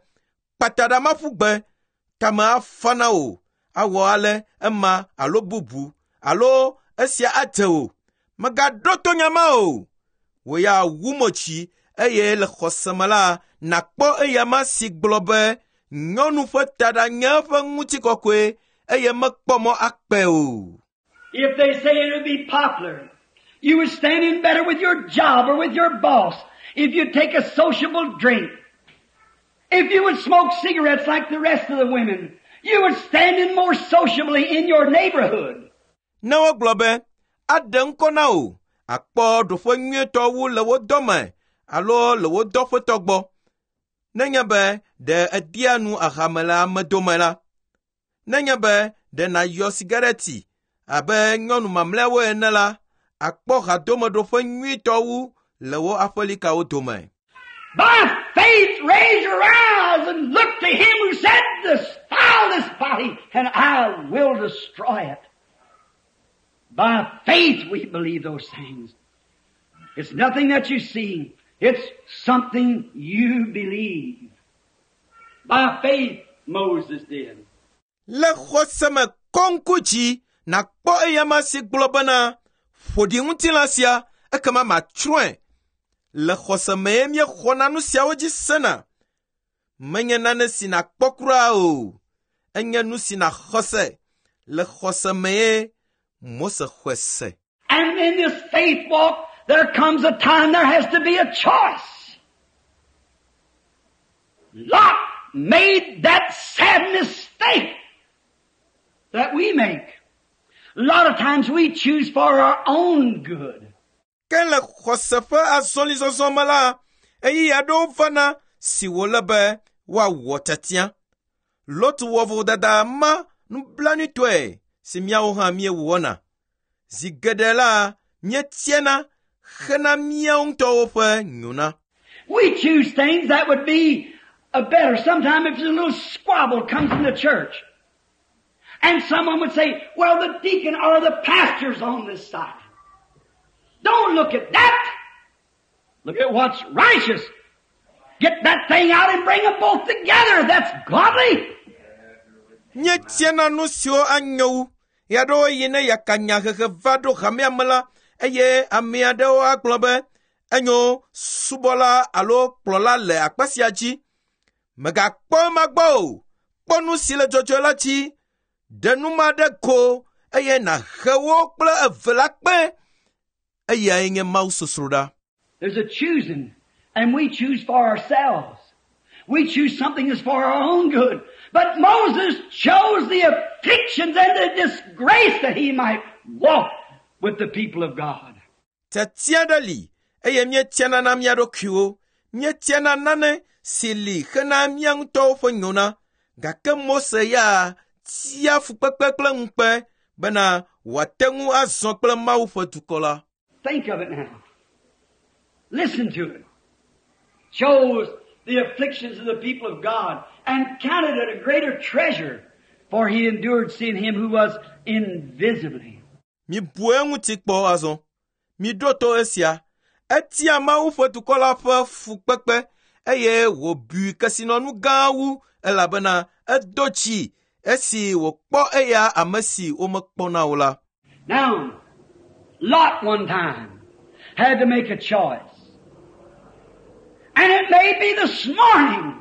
S1: kpata ɖa ma ƒu gbe, tame afa na wò, awɔ ale ema alo bubu, alo esia adze wò. Mègaɖo to nya ma o. Wò ya wu mo dzi eye le xɔse me la, nàkpɔ eyama si gblɔ be nyɔnu ƒe taɖa nye eƒe ŋutikɔkɔe eye mekpɔ mɔ akpe o.
S2: If they say it would be popular, you would stand in better with your job or with your boss if you take a sociable drink. If you would smoke cigarettes like the rest of the women, you would stand in more sociably in your neighborhood.
S1: Ne wogblɔ be aɖe ŋkɔ na wò, akpɔ ɖoƒe nyuietɔ wu le wo dɔme alo le wo dɔƒetɔ gbɔ. Nenye be ɖe èdea nu ahame le ame dome la, nenye be ɖe nàyɔ sigareti abe nyɔnu mamlɛawo ene la, akpɔ hadomeɖoƒe nyuitɔ wu le wo aƒelikawo dome.
S2: By faith raise your eyes and look to him who said, Defile this body and I will destroy it. By faith we believe those things. It's nothing that you see. It's something you believe. By faith Moses did.
S1: Le xɔse me kɔ ŋku dzi nàkpɔ eyama si gblɔ bena ƒo ɖi ŋutilã sia ekema matsrɔ̃e. Le xɔse mee míexɔna nu siawo dzi sena. Menye nane si nàkpɔ kura o. Enye nu si nàxɔ se. Le xɔse mee Mose xɔe se.
S2: And in this faith walk, there comes a time there has to be a choice. Lot made that sad mistake that we make. A lot of times we choose for our own good.
S1: Ke le xɔse ƒe azɔlizɔzɔ me la, ɣeyiɣi aɖewo vana si wòle be woawɔ tiatia. Lot wɔ vodada ma nublanuitɔe si míawo hã míewɔna. Zi geɖe la, míetiana hena míawo ŋutɔwo ƒe nyona.
S2: We choose things that would be a better. Sometimes if there's a little squabble comes in the church, and someone would say, well, the deacon or the pastor's on this side. Don't look at that. Look at what's righteous. Get that thing out and bring them both together. That's godly.
S1: Míetiana nu siwo anyo wu. Ɣeaɖewoɣi ne yakanyahehe va ɖo hamea me la, eye ame aɖewo agblɔ be enyo subɔla alo kplɔla le akpa sia dzi. Mègakpɔ ema gbɔ o. Kpɔ nu si le dzɔdzɔe la dzi. Ɖe nu ma ɖe go eye nàhe wo kple eve la kpe. Eyae nye Mawu sosroɖa.
S2: There's a choosing, and we choose for ourselves. We choose something that's for our own good. But Moses chose the afflictions and the disgrace that he might walk with the people of God.
S1: Tiatia ɖe li eye míetiana na mía ɖokuiwo. Míetiana nane si li hena mía ŋutɔwo ƒe nyona. Gake Mose ya tia fukpekpe kple ŋukpe bena wòate ŋu azɔ kple Mawu ƒe dukɔ la.
S2: Think of it now. Listen to it. Chose the afflictions of the people of God and counted it a greater treasure, for he endured seeing him who was invisibly.
S1: Mibu eŋuti kpɔ azɔ. Miɖo to esia. Etia Mawu ƒe dukɔ la ƒe fukpekpe eye wòbui kesinɔnu gã wu elabena edo dzi esi wòkpɔ eya ame si womekpɔna o la.
S2: Now, Lot one time had to make a choice. And it may be this morning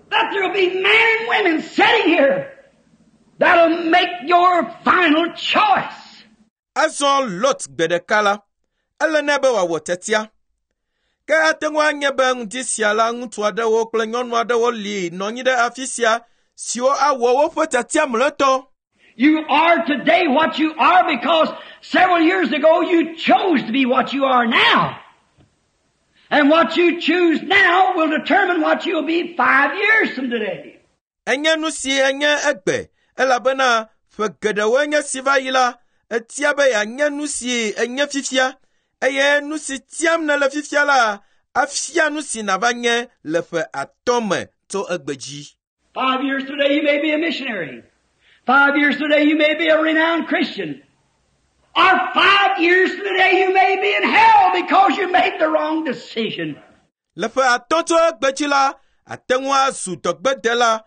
S2: that there'll be men and women sitting here that'll make your final choice.
S1: Azɔ Lot gbe ɖeka la, ele nɛ be wòawɔ tiatia. Ke ate ŋu anye be ŋdi sia la ŋutsu aɖewo kple nyɔnu aɖewo li nɔ anyi ɖe afi sia siwo awɔ woƒe tiatia mlɔetɔ.
S2: You are today what you are because several years ago you chose to be what you are now. And what you choose now will determine what you'll be five years from today.
S1: Enye nu si enye egbe elabena ƒe geɖewoe nye si va yi la, etia be yeanye nu si enye fifia eye nu si tiam nèle fifia la afia nu si nàva nye le ƒe atɔ̃ me tso egbe dzi.
S2: Five years today you may be a missionary. Five years today you may be a renowned Christian. Or five years today you may be in hell because you made the wrong decision.
S1: Le ƒe atɔ̃ tso egbe dzi la, ate ŋu azu dɔgbedela.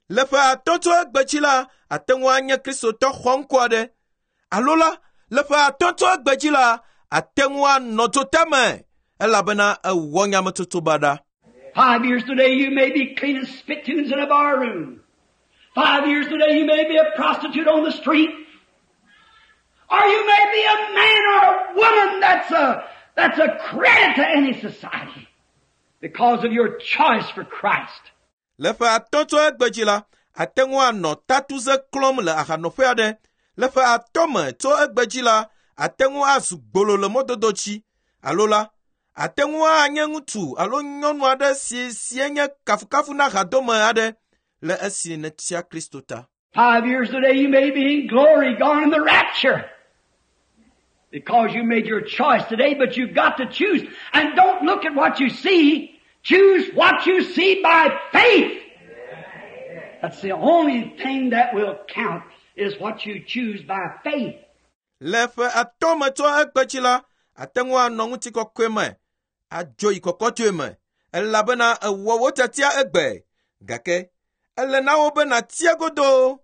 S1: Le ƒe atɔ̃ tso egbe dzi la, ate ŋu anye kristotɔ xɔŋkɔ aɖe. Alo la, le ƒe atɔ̃ tso egbe dzi la, ate ŋu anɔ dzotame elabena ewɔ nyametsotso baɖa.
S2: Five years today you may be cleaning spittoons in a bar room. Five years today you may be a prostitute on the street. Or you may be a man or a woman that's a, that's a credit to any society because of your choice for Christ.
S1: Le ƒe atɔ̃ tso egbe dzi la, ate ŋu anɔ tatuze klɔm le ahanɔƒe aɖe. Le ƒe atɔ̃ me tso egbe dzi la, ate ŋu azu gbolo le mɔdodo dzi. Alo la, ate ŋu anye ŋutsu alo nyɔnu aɖe si si enye kafukafu na hadome aɖe le esi nètia Kristo ta.
S2: Five years today you may be in glory, gone in the rapture. Because you made your choice today, but you've got to choose. And don't look at what you see. Choose what you see by faith. That's the only thing that will count is what you choose by faith.
S1: Le ƒe atɔ̃ me tso egbe dzi la, ate ŋu anɔ ŋutikɔkɔe me, adzo yi kɔkɔtɔe me, elabena ewɔ wò tiatia egbe. Gake ele na wò be nàtia godoo,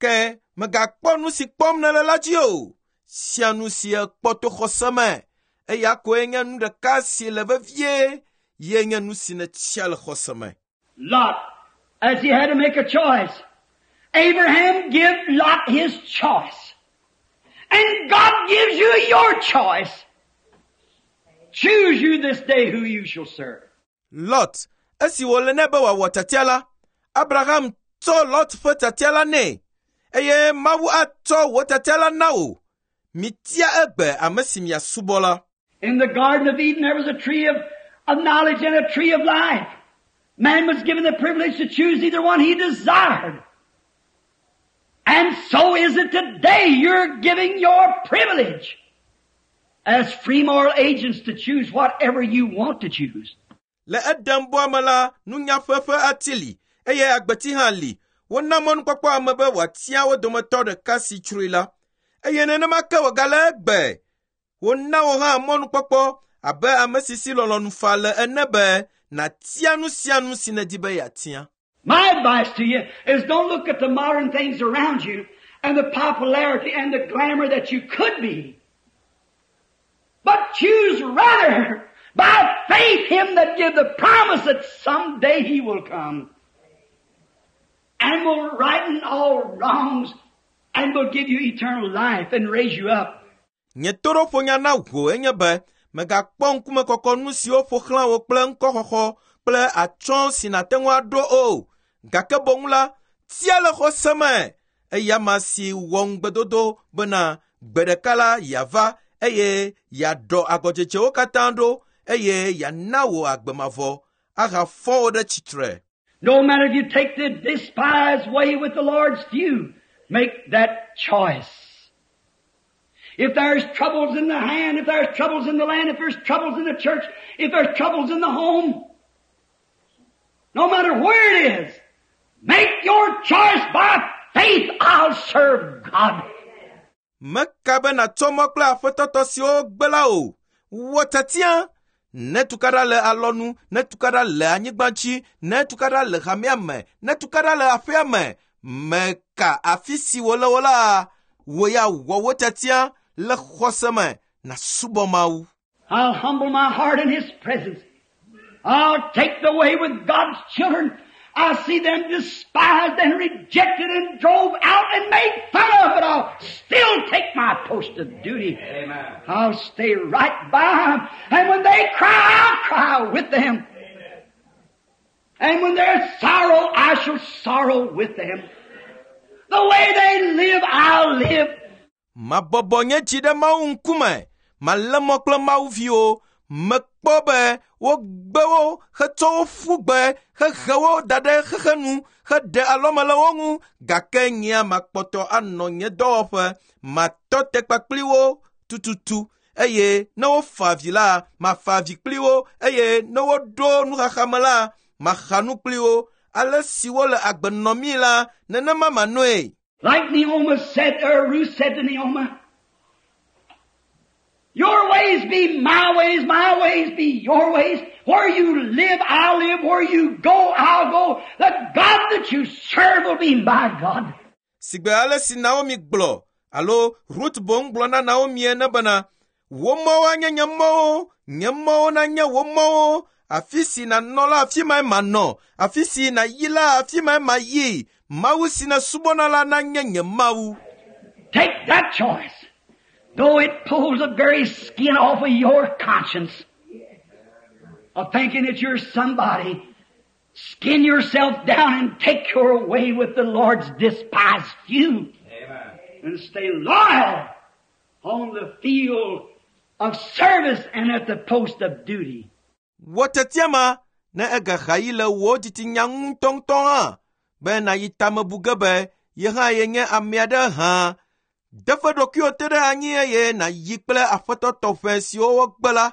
S1: ke mègakpɔ nu si kpɔm nèle la dzi o. Sia nu si èkpɔ to xɔse me, eya koe nye nu ɖeka si le vevie ye nye nu si nètia le xɔse me.
S2: Lot, as he had to make a choice, Abraham give Lot his choice. And God gives you your choice. Choose you this day who you shall serve.
S1: Lot, esi wòle nɛ be wòawɔ tiatia la, Abraham tsɔ Lot ƒe tiatia la nɛ eye Mawu atsɔ wò tiatia la na wò. Mitia egbe ame si miasubɔ la.
S2: In the Garden of Eden there was a tree of, of knowledge and a tree of life. Man was given the privilege to choose either one he desired. And so is it today. You're giving your privilege as free moral agents to choose whatever you want to choose.
S1: Le Edenbɔa me la, nunya ƒe ƒe ati li eye agbeti hã li. Wona mɔnukpɔkpɔ ame be wòatia wo dometɔ ɖeka si tsroe la. Eye nenema ke wògale egbe. Wona wò hã mɔnukpɔkpɔ abe ame si si lɔlɔ̃nu faa le ene be nàtia nu sia nu si nèdi be yeatia.
S2: My advice to you is don't look at the modern things around you and the popularity and the glamour that you could be. But choose rather by faith Him that give the promise that someday He will come and will righten all wrongs and will give you eternal life and raise you up.
S1: Nye toɖoƒonya na wò enye be mègakpɔ ŋkumekɔkɔ nu siwo ƒo xlã wò kple ŋkɔxɔxɔ kple atsyɔ̃ si nàte ŋu aɖo o. Gake boŋ la, tia le xɔse me eya ma si wɔ ŋugbedodo bena gbe ɖeka la yeava eye yeaɖɔ agɔdzedzewo katã ɖo eye yeana wò agbe mavɔ ahafɔ wò ɖe tsitre.
S2: No matter if you take the despised way with the Lord's few, make that choice. If there's troubles in the hand, if there's troubles in the land, if there's troubles in the church, if there's troubles in the home, no matter where it is, make your choice by faith. I'll serve God.
S1: Meka be nàtsɔ mɔ kple aƒetɔtɔ siwo gbe la o. Wɔ tiatia. Ne tukaɖa le alɔnu, ne tukaɖa le anyigba dzi, ne tukaɖa le hamea me, ne tukaɖa le aƒea me, meka afi si wòle wo la, wò ya wɔ wò tiatia le xɔse me nàsubɔ Mawu.
S2: I'll humble my heart in His presence. I'll take the way with God's children. I see them despised and rejected and drove out and made fun of, but I'll still take my post of duty. Amen. I'll stay right by them. And when they cry, I'll cry with them. And when there's sorrow, I shall sorrow with them. The way they live, I'll live.
S1: Mabɔbɔ nye dzi ɖe Mawu ŋkume, malé mɔ kple Mawu viwo. Mekpɔ be wogbe wo hetsɔ wo ƒu gbe hehe wo da ɖe xexe nu heɖe alɔme le wo ŋu gake nyea makpɔtɔ anɔ nye dɔwɔƒe matɔ te kpakpli wo tututu eye ne wofa avi la mafa avi kpli wo eye ne woɖo nuxaxa me la maxa nu kpli wo ale si wole agbe nɔmii la nenema manɔe.
S2: Like Naomi said, or Ruth said to Naomi, your ways be my ways, my ways be your ways. Where you live, I'll live. Where you go, I'll go. The God that you serve will be my God.
S1: Sigbe ale si Naomi gblɔ alo Ruth boŋ gblɔ na Naomi ene bena, wò mɔwo anye nye mɔwo, nye mɔwo nanye wò mɔwo. Afi si nànɔ la, afi mae manɔ. Afi si nàyi la, afi mae mayi. Mawu si nèsubɔna la nanye nye Mawu.
S2: Take that choice. Though it pulls the very skin off of your conscience of thinking that you're somebody, skin yourself down and take your way with the Lord's despised few. Amen. And stay loyal on the field of service and at the post of duty.
S1: Wɔ tiatia ma ne egaxa yi le wò dzitsinya ŋutɔŋutɔ hã be nàyi tamebu ge be ye hã yenye ame aɖe hã. Deƒe ɖokuiwò te ɖe anyi eye nàyi kple aƒetɔ tɔxɛ siwo wogbe la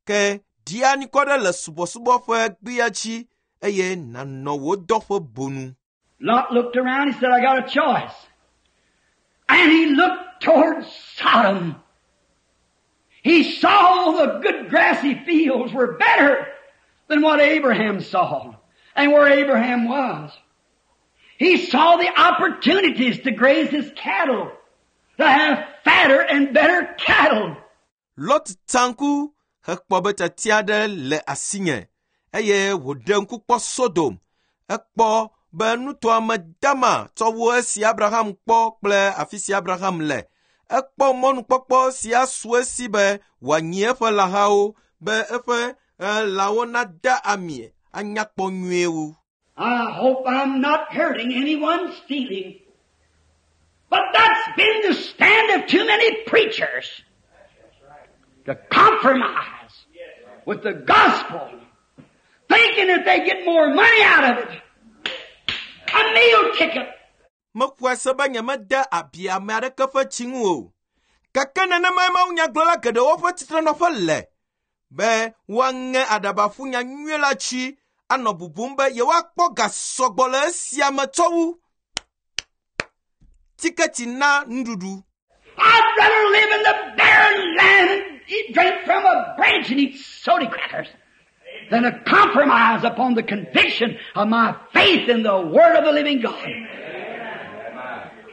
S1: ke ɖi anikɔ ɖe le subɔsubɔ ƒe gbea dzi eye nànɔ wò dɔƒe bonu.
S2: Lot looked around, he said, I got a choice. And he looked towards Sodom. He saw the good grassy fields were better than what Abraham saw and where Abraham was. He saw the opportunities to graze his cattle, to have fatter and better cattle.
S1: Lot tsa ŋku hekpɔ be tiatia aɖe le asinye eye wòɖe ŋku kpɔ Sodom. Ekpɔ be nutoa me dama tsɔ wu esi Abraham kpɔ kple afi si Abraham le. Ekpɔ mɔnukpɔkpɔ si asu esi be wòanyi eƒe lãhawo be eƒe eh, lãwo nada ami anyakpɔ nyuie wu.
S2: I hope I'm not hurting anyone's feeling. But that's been the stand of too many preachers. To compromise with the gospel, thinking that they get more money out of it. A meal ticket.
S1: Mexɔe se be nyemede abi ame aɖeke ƒe tsi ŋu o. Gake nenemae mawunyagblɔla geɖewo ƒe tsitrenɔƒe le be woaŋe aɖaba ƒu nya nyuie la tsi anɔ bubum be yewoakpɔ ga sɔgbɔ le esia me tsɔ wu tiketi na nuɖuɖu.
S2: I'd rather live in the barren land and eat, drink from a branch and eat soda crackers than to compromise upon the conviction of my faith in the Word of the living God.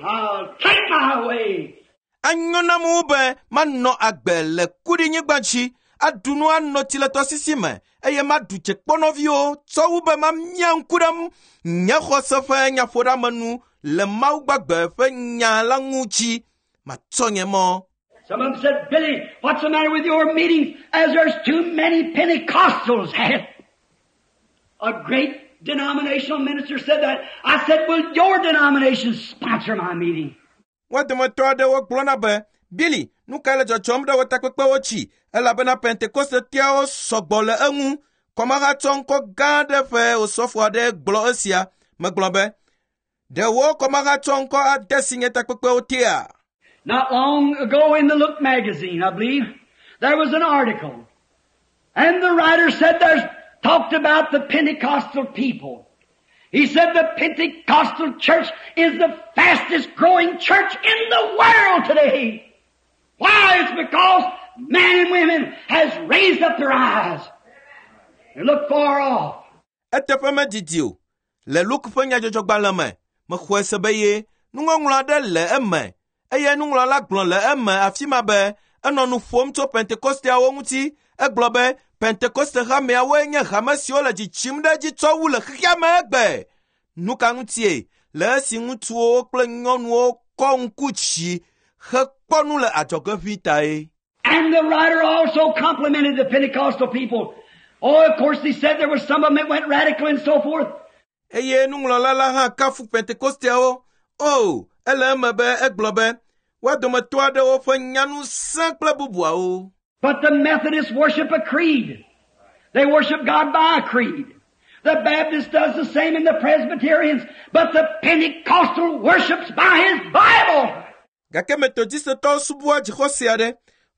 S2: I'll take my way.
S1: Anyo nam wu be manɔ agbe le kuɖinyigba dzi, aɖu nu anɔ tsi le tɔsisi me eye maɖu tsekpɔnɔviwo tsɔ wu be mamia ŋku ɖe nye xɔse ƒe nyaƒoɖeamenu le Mawu gbagbe ƒe nya la ŋu dzi. Matsɔ nye mɔ.
S2: Some of them said, Billy, what's the matter with your meetings as there's too many Pentecostals at it? A great denominational minister said that. I said, will your denomination sponsor my meeting?
S1: Wo dometɔ aɖewo gblɔna be, Billy, nu kae le dzɔdzɔm ɖe wò takpekpewo dzi elabena Pentekostetiawo sɔgbɔ le eŋu. Kɔmahatsɔ ŋkɔ gã aɖe ƒe osɔfo aɖe gblɔ esia. Megblɔ be, ɖe wò kɔmahatsɔ ŋkɔ ade si nye takpekpewo tea?
S2: Not long ago in the Look magazine, I believe, there was an article. And the writer said there's talked about the Pentecostal people. He said the Pentecostal church is the fastest growing church in the world today. Why? It's because men and women has raised up their eyes and look far off.
S1: Eteƒe medidi o. Le Luke ƒe nyadzɔdzɔgbalẽ me, mexɔe se be ye nuŋɔŋlɔ aɖe le eme eye nuŋlɔla gblɔ le eme afi ma be enɔ nu ƒom tso Pentekosteawo ŋuti. Egblɔ be Pentekoste hameawoe nye hame siwo le dzidzim ɖe edzi tsɔ wu le xexea me egbe. Nu ka ŋutie? Le esi ŋutsuwo kple nyɔnuwo kɔ ŋku dzi
S3: hekpɔ nu le adzɔge ʋĩ tae.
S2: And the writer also complimented the Pentecostal people. Oh, of course, he said there was some of them that went radical and so forth.
S1: Eye nuŋlɔla la hã kafu Pentekosteawo. O, ele eme be egblɔ be woa dometɔ aɖewo ƒe nyanu sẽ kple bubuawo.
S2: But the Methodists worship a creed. They worship God by a creed. The Baptist does the same and the Presbyterians, but the Pentecostal worships by his Bible.
S1: Gake Metodistetɔwo subɔa dzixɔse aɖe.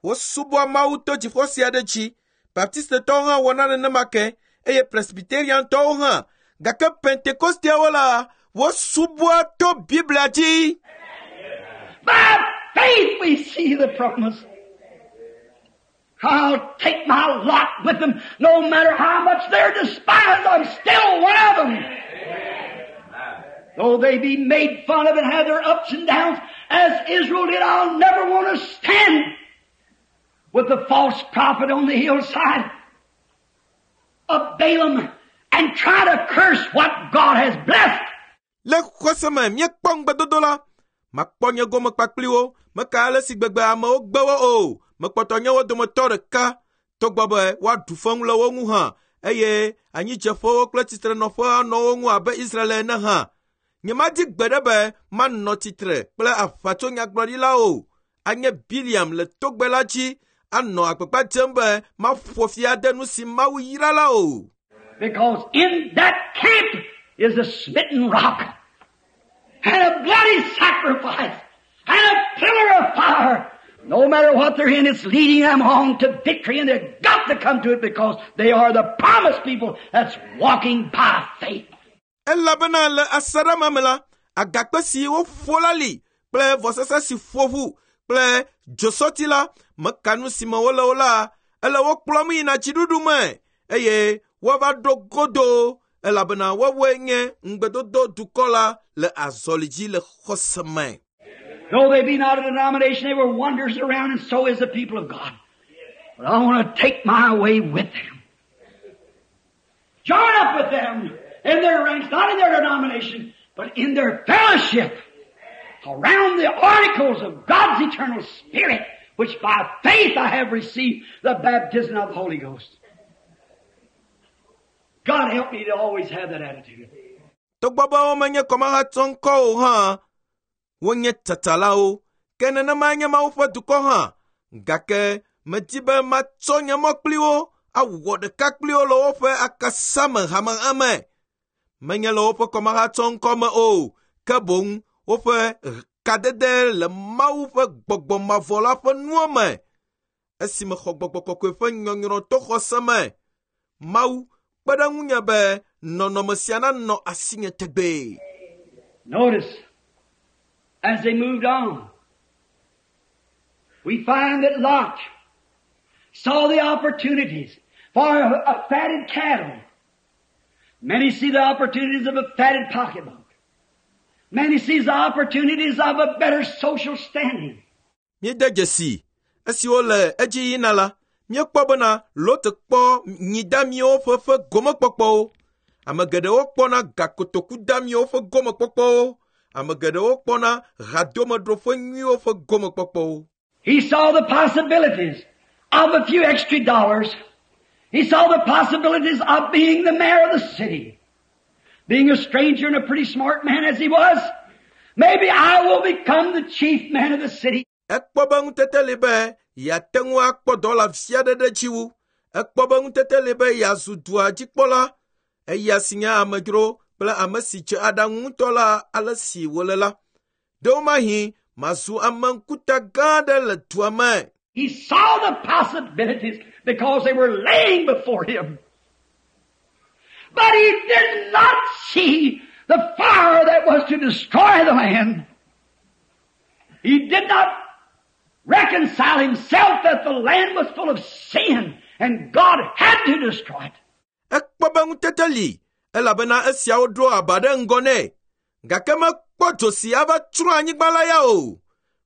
S1: Wosubɔa Mawu to dzixɔse aɖe dzi. Baptistetɔwo hã wɔna nenema ke eye Presbyteriantɔwo hã. Gake Pentekosteawo la, wosubɔa to Biblia dzi.
S2: By faith we see the promise. I'll take my lot with them no matter how much they're despised, I'm still one of them. Though they be made fun of and have their ups and downs, as Israel did, I'll never want to stand with the false prophet on the hillside of Balaam and try to curse what God has blessed.
S1: Le xɔse me míekpɔ ŋugbedodo la, makpɔ nye gome kpakpli wo, meka ale si gbegbe amewo gbe wo o. Mekpɔtɔ nye wo dometɔ ɖeka togbɔ be woaɖu feŋu le wo ŋu hã eye anyidzeƒewo kple tsitrenɔƒe anɔ wo ŋu abe Israel ene hã. Nyemadi gbe ɖe be manɔ tsitre kple aʋatsonyagblɔɖilawo o. Anye Biliam le togbɛ la dzi anɔ agbagba dzem be maƒo fi ade nu si Mawu yra la o.
S2: Because in that camp is a smitten rock and a bloody sacrifice and a pillar of fire. No matter what they're in, it's leading them on to victory, and they've got to come to it because they are the promised people that's walking by faith.
S1: Elabena le asaɖa ma me la, agakpe si woƒo la li kple vɔsasa si ƒo ʋu kple dzosɔti la meka nu si me wole o la, ele wo kplɔm yina dziɖuɖu me eye woava ɖo godo elabena woawoe nye ŋugbedodo dukɔ la le azɔli dzi le xɔse me.
S2: Though they be not a denomination, they were wanders around, and so is the people of God. But I want to take my way with them. Join up with them in their ranks, not in their denomination, but in their fellowship around the articles of God's eternal Spirit, which by faith I have received the baptism of the Holy Ghost. God help me to always have that attitude.
S1: Togbɔ be womenye kɔmahatsɔŋkɔ o hã, wonye tsatsalawo, ke nenema nye Mawu ƒe dukɔ hã. Gake medi be matsɔ nye mɔ kpli wo awɔ ɖeka kpli wo le woƒe akasame hamehame. Menye le woƒe kɔmahatsɔŋkɔ me o, ke boŋ woƒe kadede le Mawu ƒe gbɔgbɔ mavɔ la ƒe nuwo me. Esi mexɔ gbɔgbɔ kɔkɔe ƒe nyɔnyrɔ to xɔse me, Mawu kpe ɖe ŋunye be nɔnɔme sia nanɔ asinye tegbee.
S2: Notice, as they moved on, we find that Lot saw the opportunities for a, a fatted cattle. Many see the opportunities of a fatted pocketbook. Many sees the opportunities of a better social standing.
S1: Míede dzesi esiwo le edzi yina la, míekpɔ bena Lot kpɔ nyidamiwo ƒe ƒe gomekpɔkpɔwo. Ame geɖewo kpɔna gakotokudamiwo ƒe gomekpɔkpɔwo. Ame geɖewo kpɔna hadomeɖoƒe nyuiwo ƒe gomekpɔkpɔwo.
S2: He saw the possibilities of a few extra dollars. He saw the possibilities of being the mayor of the city. Being a stranger and a pretty smart man as he was, maybe I will become the chief man of the city.
S1: Ekpɔ be ŋutete li be yeate ŋu akpɔ dɔwɔla vi aɖe ɖe dzi wu. Ekpɔ be ŋutete li be yeazu dua dzikpɔla. Eya si nye amedzro kple ame si dze aɖaŋu ŋutɔ la ale si wòle la. Ɖewomahi mazu ame ŋkuta gã aɖe le dua me.
S2: He saw the possibilities because they were laying before him. But he did not see the fire that was to destroy the land. He did not reconcile himself that the land was full of sin and God had to destroy it.
S1: Ekpɔ be ŋutete li elabena esiawo ɖo aba ɖe ŋgɔ nɛ. Gake mekpɔ dzo si ava tsrɔ̃ anyigba la ya o.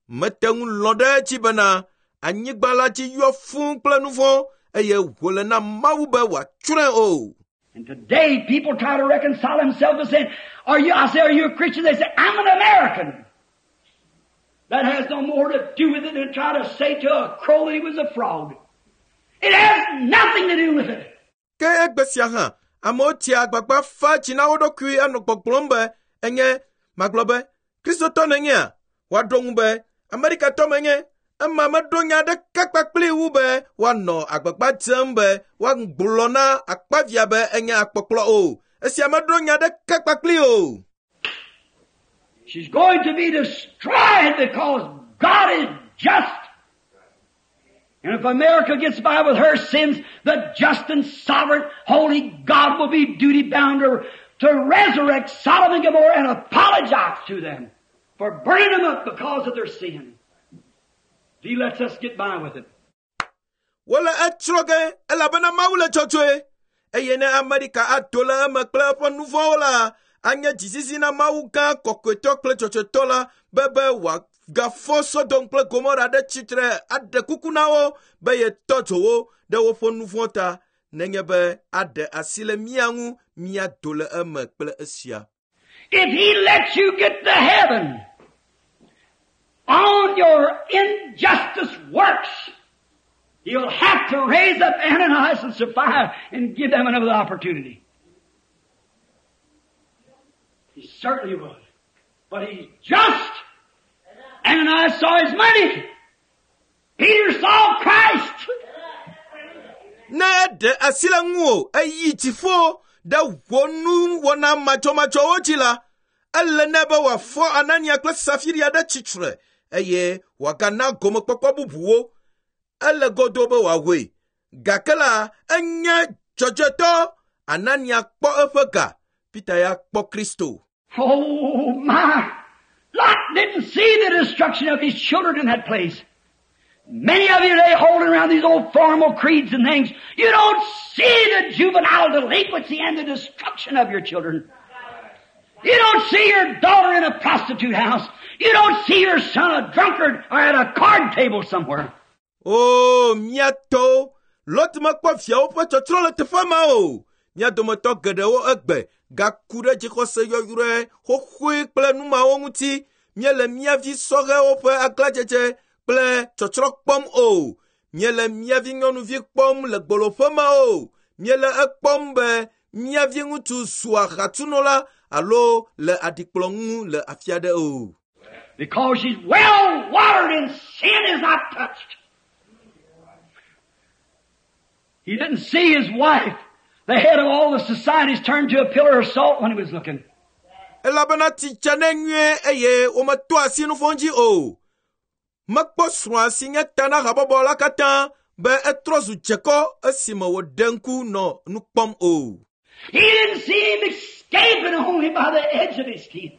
S1: Mete ŋu lɔ̃ ɖe edzi bena anyigba la dzi yɔ fũu kple nu vɔ̃ eye wòle na Mawu be wòatsrɔ̃e o.
S2: And today people try to reconcile themselves and say, are you, I say, are you a Christian? They say, I'm an American. That has no more to do with it than try to say to a crow that he was a frog. It has nothing to do with it.
S1: Ke egbe sia hã, amewo tia agbagba fa tsi na wo ɖokui anɔ gbɔgblɔm be enye magblɔ be kristotɔ nènyea? Woaɖo ŋu be Amerikatɔ menye. Ema meɖo nya aɖeke kpakpli wu be woanɔ agbagba dzem be woagblɔ na akpavia be enye akpɔkplɔ o. Esia meɖo nya aɖeke kpakpli o.
S2: She's going to be destroyed because God is just. And if America gets by with her sins, the just and sovereign holy God will be duty bound to, to resurrect Sodom and Gomorrah and apologize to them for burning them up because of their sin. If He lets us get by with it.
S1: Wole etsrɔ̃ ge elabena Mawu le dzɔdzɔe eye ne Amerika ado le eme kple eƒe nu vɔ̃wo la, anye dzizizi na Mawu gã kɔkɔetɔ kple dzɔdzɔetɔ la be be wòagafɔ Sodom kple Gomora ɖe tsitre aɖe kuku na wo be yetɔ dzo wo ɖe woƒe nu vɔ̃ ta nenye be aɖe asi le mía ŋu míado le eme kple esia.
S2: If He lets you get to heaven on your injustice works, He'll have to raise up Ananias and Sapphira and give them another opportunity. He certainly would. But he's just. Ananias saw his money. Peter saw Christ.
S1: Ne eɖe asi le ŋuwò eyi dziƒo ɖe wò nuwɔna madzɔmadzɔwo dzi la, ele nɛ be wòafɔ Anania kple Safiria ɖe tsitre eye wòagana gomekpɔkpɔ bubuwo. Ele godo be wòawɔe. Gake la, enye dzɔdzɔetɔ. Anania kpɔ eƒe ga. Peter ya kpɔ Kristo.
S2: Oh my! Lot didn't see the destruction of his children in that place. Many of you today holding around these old formal creeds and things, you don't see the juvenile delinquency and the destruction of your children. You don't see your daughter in a prostitute house. You don't see your son a drunkard or at a card table somewhere.
S1: O, mía tɔwo, Lot mekpɔ viawo ƒe tsɔtsrɔ̃ le teƒe ma o. Mía dometɔ geɖewo egbe gaku ɖe dzixɔse yɔyrɔe xoxoe kple nu mawo ŋuti. Míele mía vi sɔhɛwo ƒe aglãdzedze kple tsɔtsrɔ̃ kpɔm o. Míele mía vi nyɔnuvi kpɔm le gboloƒe ma o. Míele ekpɔm be mía vi ŋutsu zu ahatsunola alo le aɖikplɔ ŋu le afi aɖe o.
S2: Because she's well watered and sin is not touched. He didn't see his wife, the head of all the societies, turned to a pillar of salt when he was looking.
S1: Elabena tsi dza nɛ nyuie eye wometo asi nu vɔ̃ dzi o. Mekpɔ srɔ̃a si nye ta na habɔbɔ la katã be etrɔ zu dzekɔ esime wòɖe ŋku nɔ nu kpɔm o.
S2: He didn't see him escaping only by the edge of his teeth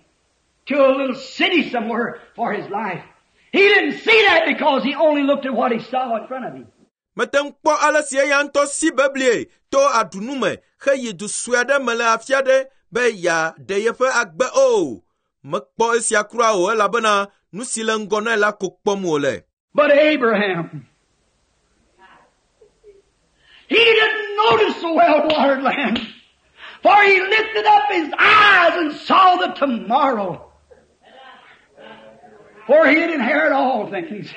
S2: to a little city somewhere for his life. He didn't see that because he only looked at what he saw in front of him.
S1: Mete ŋu kpɔ ale si eya ŋutɔ si beblie to aɖunu me heyi du sue aɖe me le afi aɖe be yeaɖe yeƒe agbe o. Mekpɔ esia kura o elabena nu si le ŋgɔ nɛ la ko kpɔm wòle.
S2: But Abraham, he didn't notice the well-watered land, for he lifted up his eyes and saw the tomorrow, for he'd inherit all things.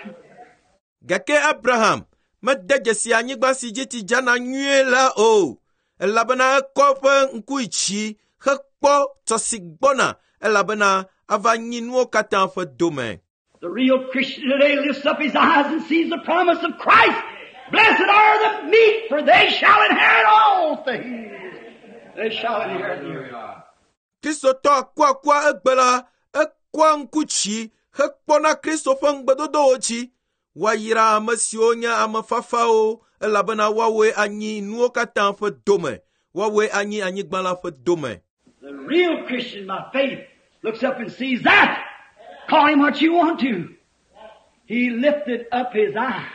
S1: Gake Abraham mede dzesi anyigba si dzi tsi dzana nyuie la o elabena ekɔ eƒe ŋku yi dzi hekpɔ tsɔ si gbɔna elabena ava nyi nuwo katã ƒe dome.
S2: The real Christian today lifts up his eyes and sees the promise of Christ. Blessed are the meek, for they shall inherit all things. They shall inherit the earth.
S1: Kristotɔ akuakua egbe la ekɔa ŋku dzi hekpɔna Kristo ƒe ŋugbedodowo dzi. Woayra ame siwo nye ame fafawo elabena woawoe anyi nuwo katã ƒe dome. Woawoe anyi anyigba la ƒe dome.
S2: The real Christian by faith looks up and sees that. Call him what you want to. He lifted up his eyes.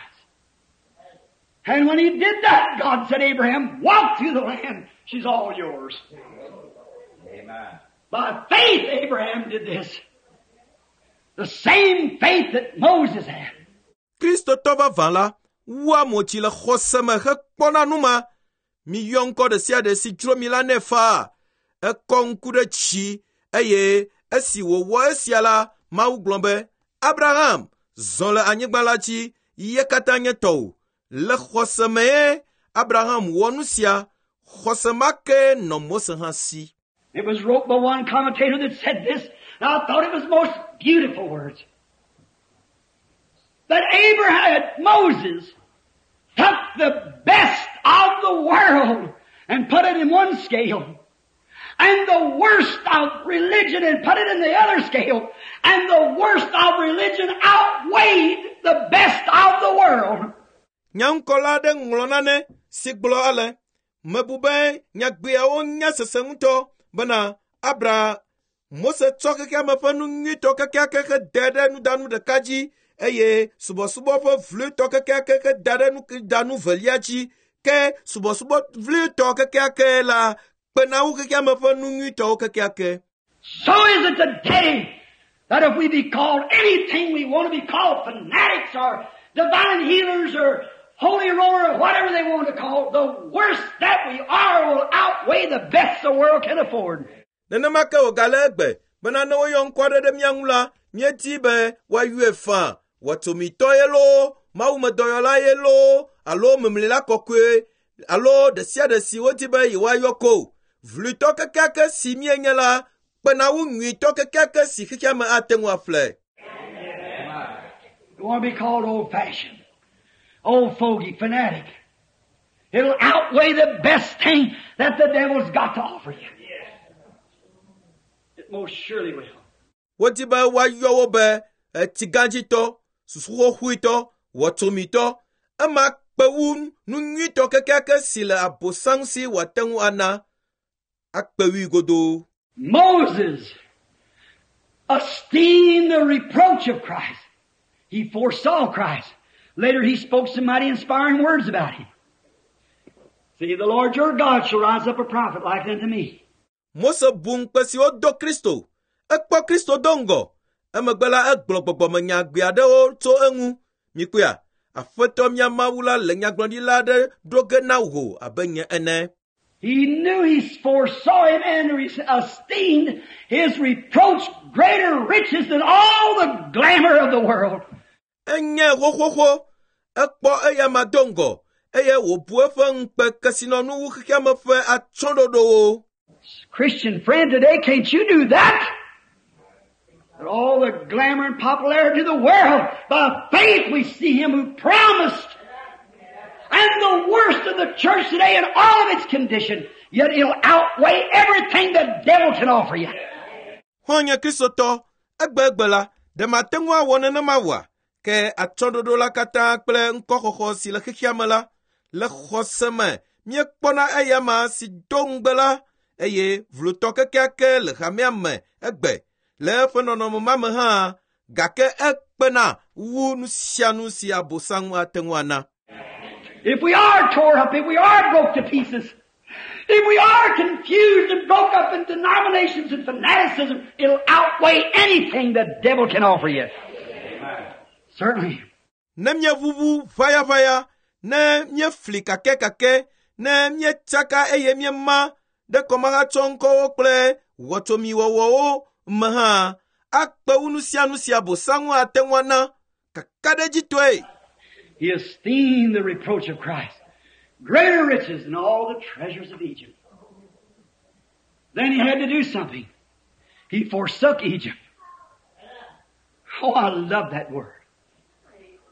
S2: And when he did that, God said, Abraham, walk through the land. She's all yours.
S3: Amen.
S2: By faith, Abraham did this. The same faith that Moses had.
S1: Kristotɔ vavã la wua mo dzi le xɔse me hekpɔna nu ma. Miyɔ ŋkɔ ɖe sia ɖe si dzro mi la nɛ faa. Ekɔ ŋku ɖe dzi eye esi wòwɔ esia la, Mawu gblɔ be, Abraham zɔ le anyigba la dzi ye katã nye tɔwò. Le xɔse mee Abraham wɔ nu sia. Xɔse ma ke nɔ Mose hã si.
S2: It was wrote by one commentator that said this, and I thought it was most beautiful words. That Abraham, Moses, took the best of the world and put it in one scale, and the worst of religion and put it in the other scale, and the worst of religion outweighed the best of the world.
S1: Nyaŋkɔla aɖe ŋlɔ nane si gblɔ ale, mebu be nyagbeawo nya sese ŋutɔ bena Abra Mose tsɔ xexeame ƒe nu nyuitɔ kekeake he da ɖe nudanu ɖeka dzi eye subɔsubɔ ƒe vloetɔ kekeake he da ɖe nudanu velia dzi ke subɔsubɔ vloetɔ kekeake la kpena wu xexeame ƒe nu nyuitɔwo kekeake.
S2: So is it today that if we be called anything we want to be called, fanatics or divine healers or holy roller or whatever they want to call, the worst that we are will outweigh the best the world can afford.
S1: Nenema ke wògale egbe bena ne woyɔ ŋkɔ aɖe ɖe mía ŋu la, míedi be woayɔe faa. Wɔtsomitɔ ye loo, mawumedɔyɔla ye loo, alo memlila kɔkɔe alo ɖe sia ɖe si wodi be yewoayɔ ko. Vluitɔ kekeake si míenye la kpena wu nyuitɔ kekeake si xexeame ate ŋu aƒle.
S2: You want to be called old-fashioned, old fogey, fanatic. It'll outweigh the best thing that the devil's got to offer you. It most surely will.
S1: Wodi be woayɔ wo be etsigãdzitɔ, susuxoxoetɔ, wɔtsomitɔ. Ema kpe wu nu nyuitɔ kekeake si le abosam si wòate ŋu ana. Akpe wui godoo.
S2: Moses esteemed the reproach of Christ. He foresaw Christ. Later he spoke some mighty inspiring words about him. See, the Lord your God shall rise up a prophet like unto me.
S1: Mose bu ŋukpe si wodo Kristo. Ekpɔ Kristo do ŋgɔ. Emegbe la egblɔ gbɔgbɔmenyagbe aɖewo tso eŋu. Mikpɔea, Aƒetɔ mía Mawu la le nyagblɔɖila aɖe ɖo ge na wò abe nye ene.
S2: He knew he foresaw him and esteemed his reproach greater riches than all the glamour of the world.
S1: Enye xoxoxo. Ekpɔ eyama do ŋgɔ eye wòbu eƒe ŋukpe kesinɔnu wu xexeame ƒe atsyɔ̃ɖoɖowo.
S2: Christian friend today, can't you do that? But all the glamour and popularity of the world, by faith we see him who promised. And the worst of the church today in all of its condition, yet it'll outweigh everything the devil can offer you.
S1: Xɔ̃nye Kristotɔ, egbegbe la, ɖe mate ŋu awɔ nenema oa? Ke atsyɔ̃ɖoɖo la katã kple ŋkɔxɔxɔ si le xexeame la, le xɔse me míekpɔna eyama si do ŋugbe la, eye vlotɔ kekeake le hamea me egbe le eƒe nɔnɔme ma me hã, gake ekpena wu nu sia nu si abosam ate ŋu ana.
S2: If we are tore up, if we are broke to pieces, if we are confused and broke up in denominations and fanaticism, it'll outweigh anything the devil can offer you. Certainly.
S1: Ne míeʋuʋu ʋayaʋaya, ne míefli kakɛkakɛ, ne míetsaka eye míema ɖe kɔmahatsɔŋkɔwo kple wɔtsomiwɔwɔwo me hã, akpe wu nu sia nu si abosam ate ŋu ana kakaɖedzitɔe.
S2: He esteemed the reproach of Christ greater riches than all the treasures of Egypt. Then he had to do something. He forsook Egypt. Oh, I love that word.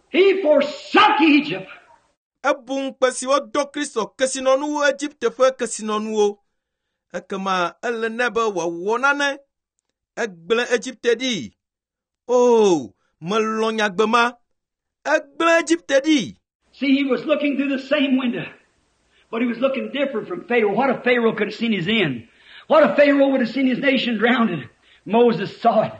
S2: He forsook Egypt.
S1: Ebu ŋukpe si wodo Kristo kesinɔnuwo Egipte ƒe kesinɔnuwo. Ekema ele nɛ be wòawɔ nane. Egblẽ Egipte ɖi. O, melɔ̃ nyagbe ma. Egblẽ Egipte ɖi.
S2: See, he was looking through the same window, but he was looking different from Pharaoh. What if Pharaoh could have seen his end? What if Pharaoh would have seen his nation drowned? Moses saw it.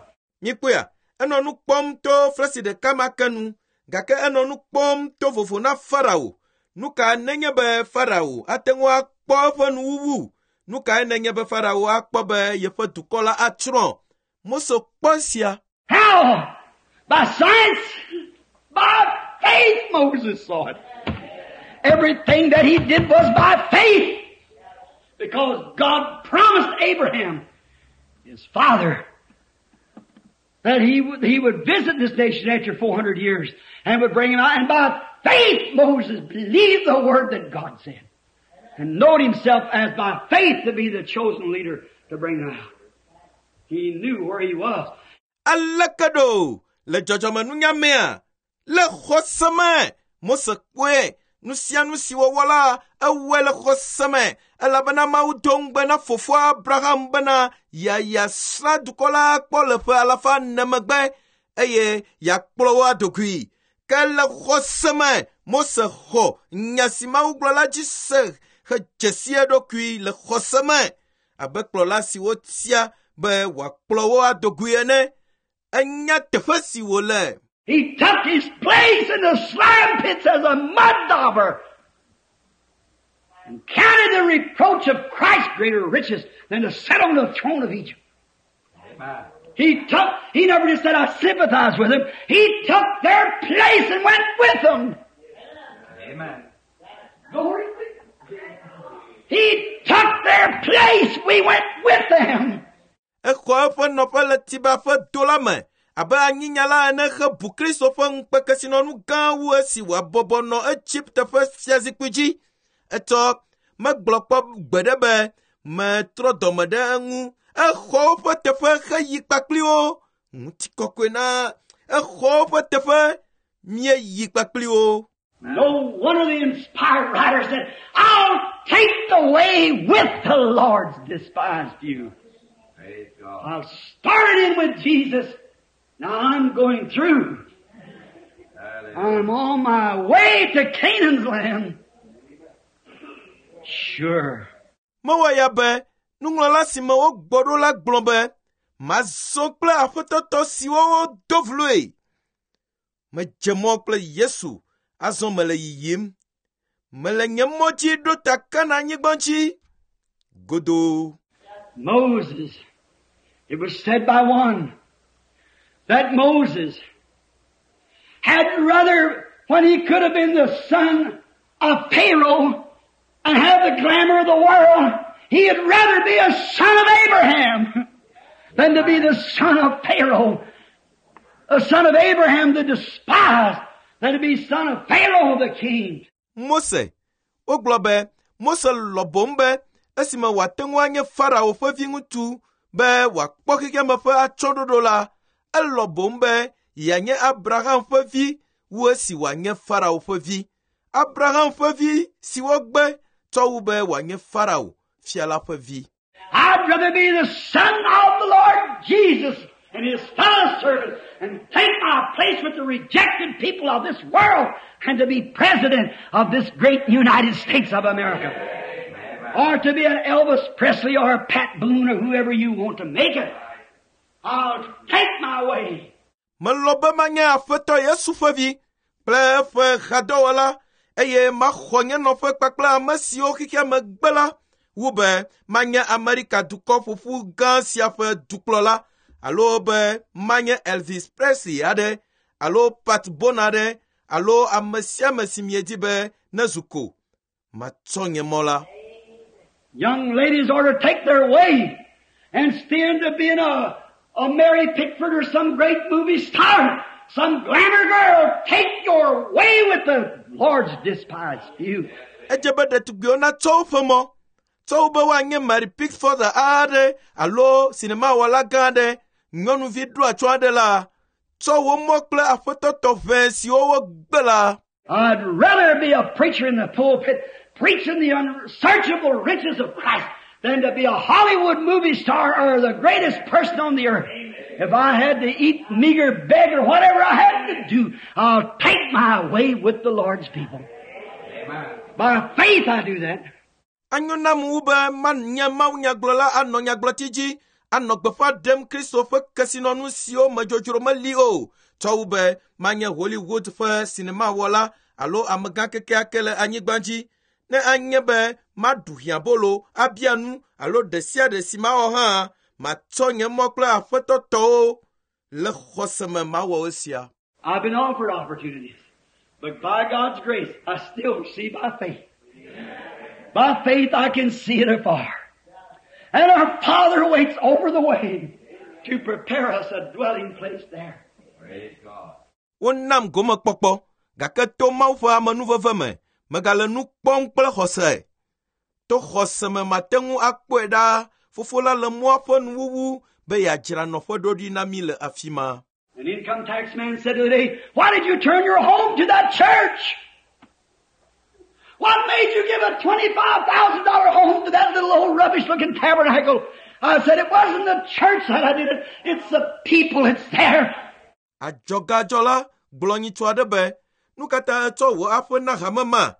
S1: Mikpɔea, enɔ nu kpɔm to flesi ɖeka ma ke nu, gake enɔ nu kpɔm to vovo na Farao. Nu ka nenye be Farao ate ŋu akpɔ eƒe nuwuwu? Nu kae nenye be Farao akpɔ be yeƒe dukɔ la atsrɔ̃? Mose kpɔ esia.
S2: How? By science? By faith Moses saw it. Everything that he did was by faith. Because God promised Abraham, his father, that he, would- he would visit this nation after four hundred years and would bring him out. And by faith Moses believed the word that God said and knowed himself as by faith to be the chosen leader to bring them out. He knew where he was.
S1: Aleke ɖo le dzɔdzɔmenunya mea? Le xɔse me, Mose kpɔe. Nu sia nu si wòwɔ la, ewɔe le xɔse me elabena Mawu do ŋugbe na fofoa Abraham bena yeayasrã dukɔ la kpɔ le ƒe alafa ene megbe eye yeakplɔ wo adogoe. Ke le xɔse me, Mose xɔ nya si Mawu gblɔ la dzi se hedze si eɖokui le xɔse me abe kplɔla si wotia be wòakplɔ wo adogoe ene. Enya teƒe si wòle.
S2: He took his place in the slime pits as a mud dauber and counted the reproach of Christ greater riches than to sit on the throne of Egypt.
S3: Amen.
S2: He took, he never just said, I sympathize with them. He took their place and went with them.
S3: Amen.
S2: Glory. He took their place. We went with them.
S1: Exɔ eƒe nɔƒe le Tiba ƒe do la me abe anyinyala ene hebu Kristo ƒe ŋukpekesinɔnu gã wu esi wòabɔbɔ nɔ Egipte ƒe fiazikpui dzi. Etsɔ megblɔ kpɔ gbeɖe be metrɔ dɔme ɖe eŋu. Exɔ woƒe teƒe heyi kpakpli wo. Ŋutikɔkɔe na exɔ woƒe teƒe míeyi kpakpli wo.
S2: No one of the inspired writers said, I'll take the way with the Lord's despised few.
S3: Praise God.
S2: I've started in with Jesus. Now I'm going through.
S3: Hallelujah.
S2: I'm on my way to Canaan's land. Sure.
S1: Mewɔ ya be nuŋlɔla si me wogbɔ ɖo la gblɔ be mazɔ kple aƒetɔtɔ siwo wodo vloe. Medze mɔ kple Yesu, azɔ mele yiyim. Mele nye mɔ dzi ɖo ta Kanaan-nyigba dzi. Godoo.
S2: Moses, it was said by one that Moses had rather, when he could have been the son of Pharaoh and have the glamour of the world, he'd rather be a son of Abraham than to be the son of Pharaoh. A son of Abraham the despised than to be son of Pharaoh the king.
S1: Mose, wogblɔ be Mose lɔ̃ boŋ be esime wòate ŋu anye Farao ƒe viŋutsu be wòakpɔ xexeame ƒe atsyɔ̃ɖoɖo la, elɔ̃ boŋ be yeanye Abraham ƒe vi wu esi wòanye Farao ƒe vi. Abraham ƒe vi si wogbe tsɔ wu be wòanye Farao fia la ƒe vi.
S2: I'd rather be the son of the Lord Jesus and his fellow servant and take my place with the rejected people of this world and to be president of this great United States of America. Or to be an Elvis Presley or a Pat Boone or whoever you want to make it. I'll take my way.
S1: Melɔ̃ be manye Aƒetɔ Yesu ƒe vi kple eƒe hadɔwɔla eye maxɔ nye nɔƒe kpakple ame siwo xexeame gbe la wu be manye Amerika dukɔ ƒoƒu gã sia ƒe dukplɔla alo be manye Elvis Presley aɖe alo Pat Boone aɖe alo ame sia ame si miedi be nezu ko. Matsɔ nye mɔ la.
S2: Young ladies ought to take their way and stand to being a, a Mary Pickford or some great movie star, some glamour girl. Take your way with the Lord's despised few.
S1: Edze be ɖetugbiwo natsɔ woƒe mɔ tsɔ wu be woanye Mary Pickford aɖe alo sinemawɔla gã aɖe, nyɔnuvi ɖo atsyɔ aɖe la, tsɔ wo mɔ kple aƒetɔ tɔʋẽ siwo wogbe la.
S2: I'd rather be a preacher in the pulpit preaching the unsearchable riches of Christ than to be a Hollywood movie star or the greatest person on the earth. If I had to eat meager beg or whatever I had to do, I'll take my way with the Lord's people.
S3: Amen.
S2: By faith I do that.
S1: Anyo nam wu be manye mawunyagblɔla anɔ nyagblɔti dzi anɔ gbeƒã ɖem Kristo ƒe kesinɔnu siwo me dzodzro meli o tsɔ wu be manye Hollywood ƒe sinemawɔla alo amegã kekeake le anyigba dzi. Ne anye be maɖu hiãbolo, abia nu alo ɖe sia ɖe si mawɔ hã, matsɔ nye mɔ kple aƒetɔ tɔwo le xɔse me mawɔ esia.
S2: I've been offered opportunities, but by God's grace, I still see by faith. By faith I can see it afar. And our Father waits over the way. to prepare us a dwelling place there.
S3: Praise God.
S1: Wonam gomekpɔkpɔ gake to Mawu ƒe amenuveve me megale nu kpɔm kple xɔse. To xɔse me mate ŋu akpɔe ɖaa fofo la le mɔa ƒe nuwuwu be yeadzra nɔƒe ɖo ɖi na mí le afi ma.
S2: An income tax man said the other day, why did you turn your home to that church? What made you give a twenty-five thousand dollar home to that little old rubbish looking tabernacle? I said, it wasn't the church that I did it. It's the people that's there.
S1: Adzɔgadzɔla gblɔ nyitsu aɖe be, nu ka ta etsɔ wò aƒe na hame ma?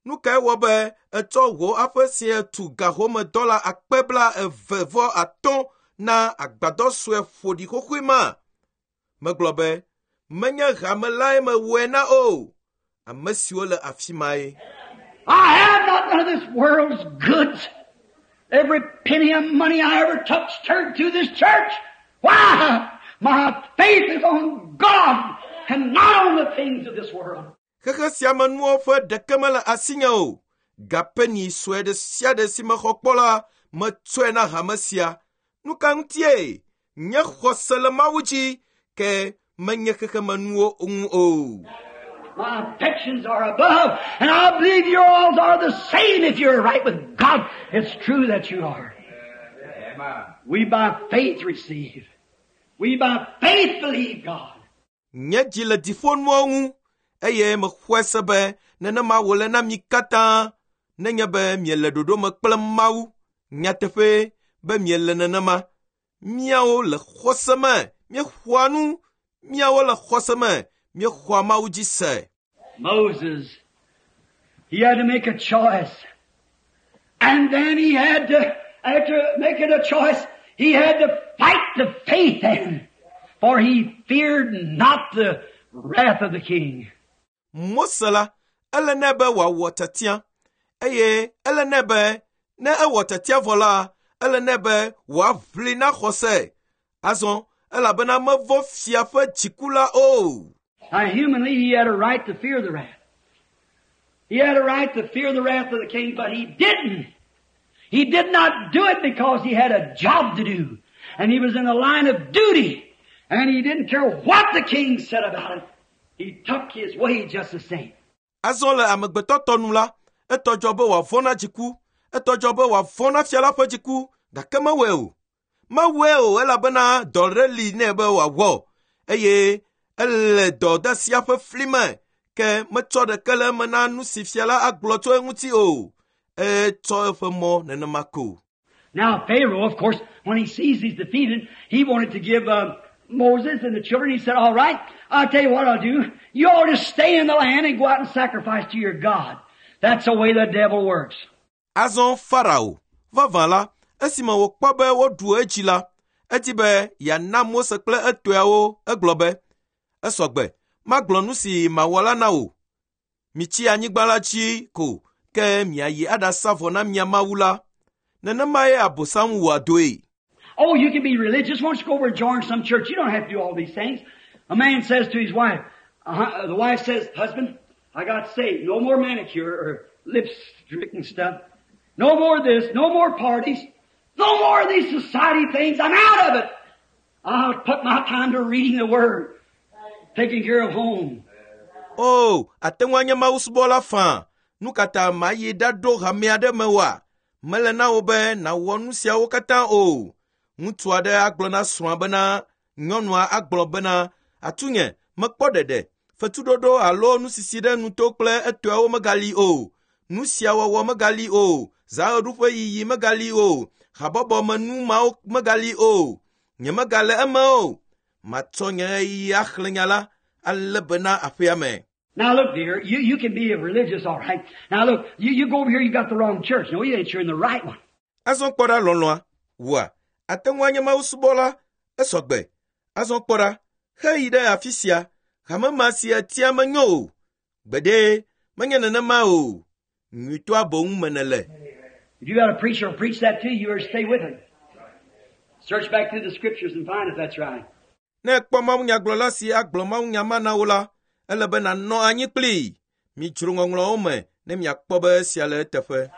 S1: Nu kae wɔ be etsɔ wò aƒe sia tu gahome dɔla akpe bla eve vɔ atɔ̃ na agbadɔ sue ƒoɖi xoxoe ma? Megblɔ be, menye hame lae mewɔe na o. Ame siwo le afi mae.
S2: I have not none of this world's goods. Every penny of money I ever touched turned to this church. Why? My faith is on God and not on the things of this world.
S1: Xexe sia me nuwo ƒe ɖeke mele asinye o. Gapeni sue ɖe sia ɖe si mexɔ kpɔ la, metsɔe na hame sia. Nu ka ŋutie? Nye xɔse le Mawu dzi, ke menye xexemenuwo ŋu o.
S2: My affections are above, and I believe yours are the same if you're right with God. It's true that you are.
S3: Amen.
S2: We by faith receive. We by faith believe God.
S1: Nye dzi le dziƒonuwo ŋu eye mexɔe se be nenema wòle na mi katã nenye be miele ɖoɖo me kple Mawu. Nyateƒe be miele nenema. Míawo le xɔse me, míexɔa nu. Míawo le xɔse me, míexɔa Mawu dzi se.
S2: Moses, he had to make a choice. And then he had to, after making a choice, he had to fight the faith then. For he feared not the wrath of the king.
S1: Mose la, ele nɛ be wòawɔ tiatia eye ele nɛ be ne ewɔ tiatia vɔ la, ele nɛ be wòaʋli na xɔse. Azɔ elabena mevɔ̃ fia ƒe dziku la o.
S2: Now humanly he had a right to fear the wrath. He had a right to fear the wrath of the king, but he didn't. He did not do it because he had a job to do. And he was in the line of duty. And he didn't care what the king said about it. He took his way just the same.
S1: Azɔ le amegbetɔ tɔ nu la, etɔ dzɔ be wòavɔ̃ na dziku, etɔ dzɔ be wòavɔ̃ na fia la ƒe dziku, gake mewɔe o. Mewɔe o elabena dɔ ɖe li nɛ be wòawɔ eye ele dɔdeasia ƒe fli me ke metsɔ ɖeke le eme na nu si fia la agblɔ tso eŋuti o. Etsɔ eƒe mɔ nenema ko.
S2: Now Pharaoh, of course, when he sees he's defeated, he wanted to give uh, Moses and the children. He said, all right, I'll tell you what I'll do. You all just stay in the land and go out and sacrifice to your God. That's the way the devil works.
S1: Azɔ Farao, vavã la, esime wòkpɔ be woɖu edzi la, edi be yeana Mose kple etɔawo egblɔ be, esɔgbe, magblɔ nu si mawɔ la na wò. Mitsi anyigba la dzi ko, ke miayi aɖasa vɔ na mia Mawu la. Nenemae Abosam wɔa dɔe.
S2: Oh, you can be religious. Why don't you go over and join some church? You don't have to do all these things. A man says to his wife, uh, the wife says, husband, I got saved. No more manicure or lipstick and stuff. No more this. No more parties. No more of these society things. I'm out of it. I'll put my time to reading the Word, taking care of home.
S1: O, ate ŋu anye Mawu subɔla faa. Nu ka ta mayi ɖaɖo hame aɖe me oa? Mele na wò be nàwɔ nu siawo katã o. Ŋutsu aɖe agblɔ na srɔ̃a bena, nyɔnua agblɔ bena, atunye, mekpɔ ɖeɖe, fetuɖoɖo alo nusisi ɖe nuto kple etɔawo megali o. Nu sia wɔwɔ megali o. Zaɣeɖuƒe yiyi megali o. Habɔbɔmenu mawo megali o. Nye megale eme o. Matsɔ nye ɣeyiɣi axlẽ nya la alé be na aƒea me.
S2: Now look, dear, you, you can be a religious, all right. Now look, you, you go over here, you got the wrong church. No, you ain't. You're in the right one.
S1: Azɔ kpɔ ɖa lɔlɔ̃a, wòa, ate ŋu anye Mawu subɔla, esɔgbe. Azɔ kpɔ ɖa, heyi ɖe afi sia, hame ma si etia menyo o. Gbeɖe, menye nenema o. Nyuitɔa boŋ me nèle.
S2: If you got a preacher who'll preach that to you, you better stay with him. Search back through the scriptures and find if that's right.
S1: Ne ekpɔ mawunyagblɔla si agblɔ mawunya ma na wo la, ele be nànɔ anyi kplii. Midzro ŋɔŋlɔawo me ne miakpɔ be esia le eteƒe.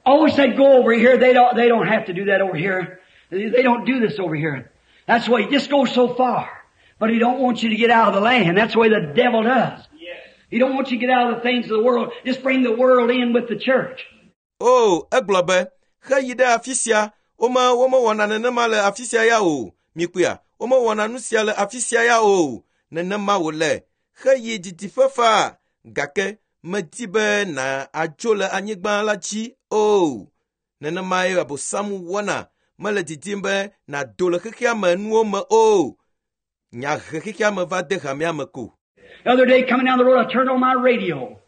S2: Oh, said go over here. They don't, they don't have to do that over here. They don't do this over here. That's why he just goes so far. But he don't want you to get out of the land. That's the way the devil does. He don't want you to get out of the things of the world. Just bring the world in with the church.
S1: O, egblɔ be, xeyi ɖe afi sia, wome womewɔna nenema le afi sia ya o. Mikpɔa, womewɔna nu sia le afi sia ya o. Nenema wòle. Xeyi didiƒe faa, gake medi be na adzo le anyigba la dzi o. Nenemae Abosam wɔna. Mele didim be nàdo le xexea me nuwo me o. Nya he xexea me va de hamea me ko.
S2: The other day coming down the road, I turned on my radio.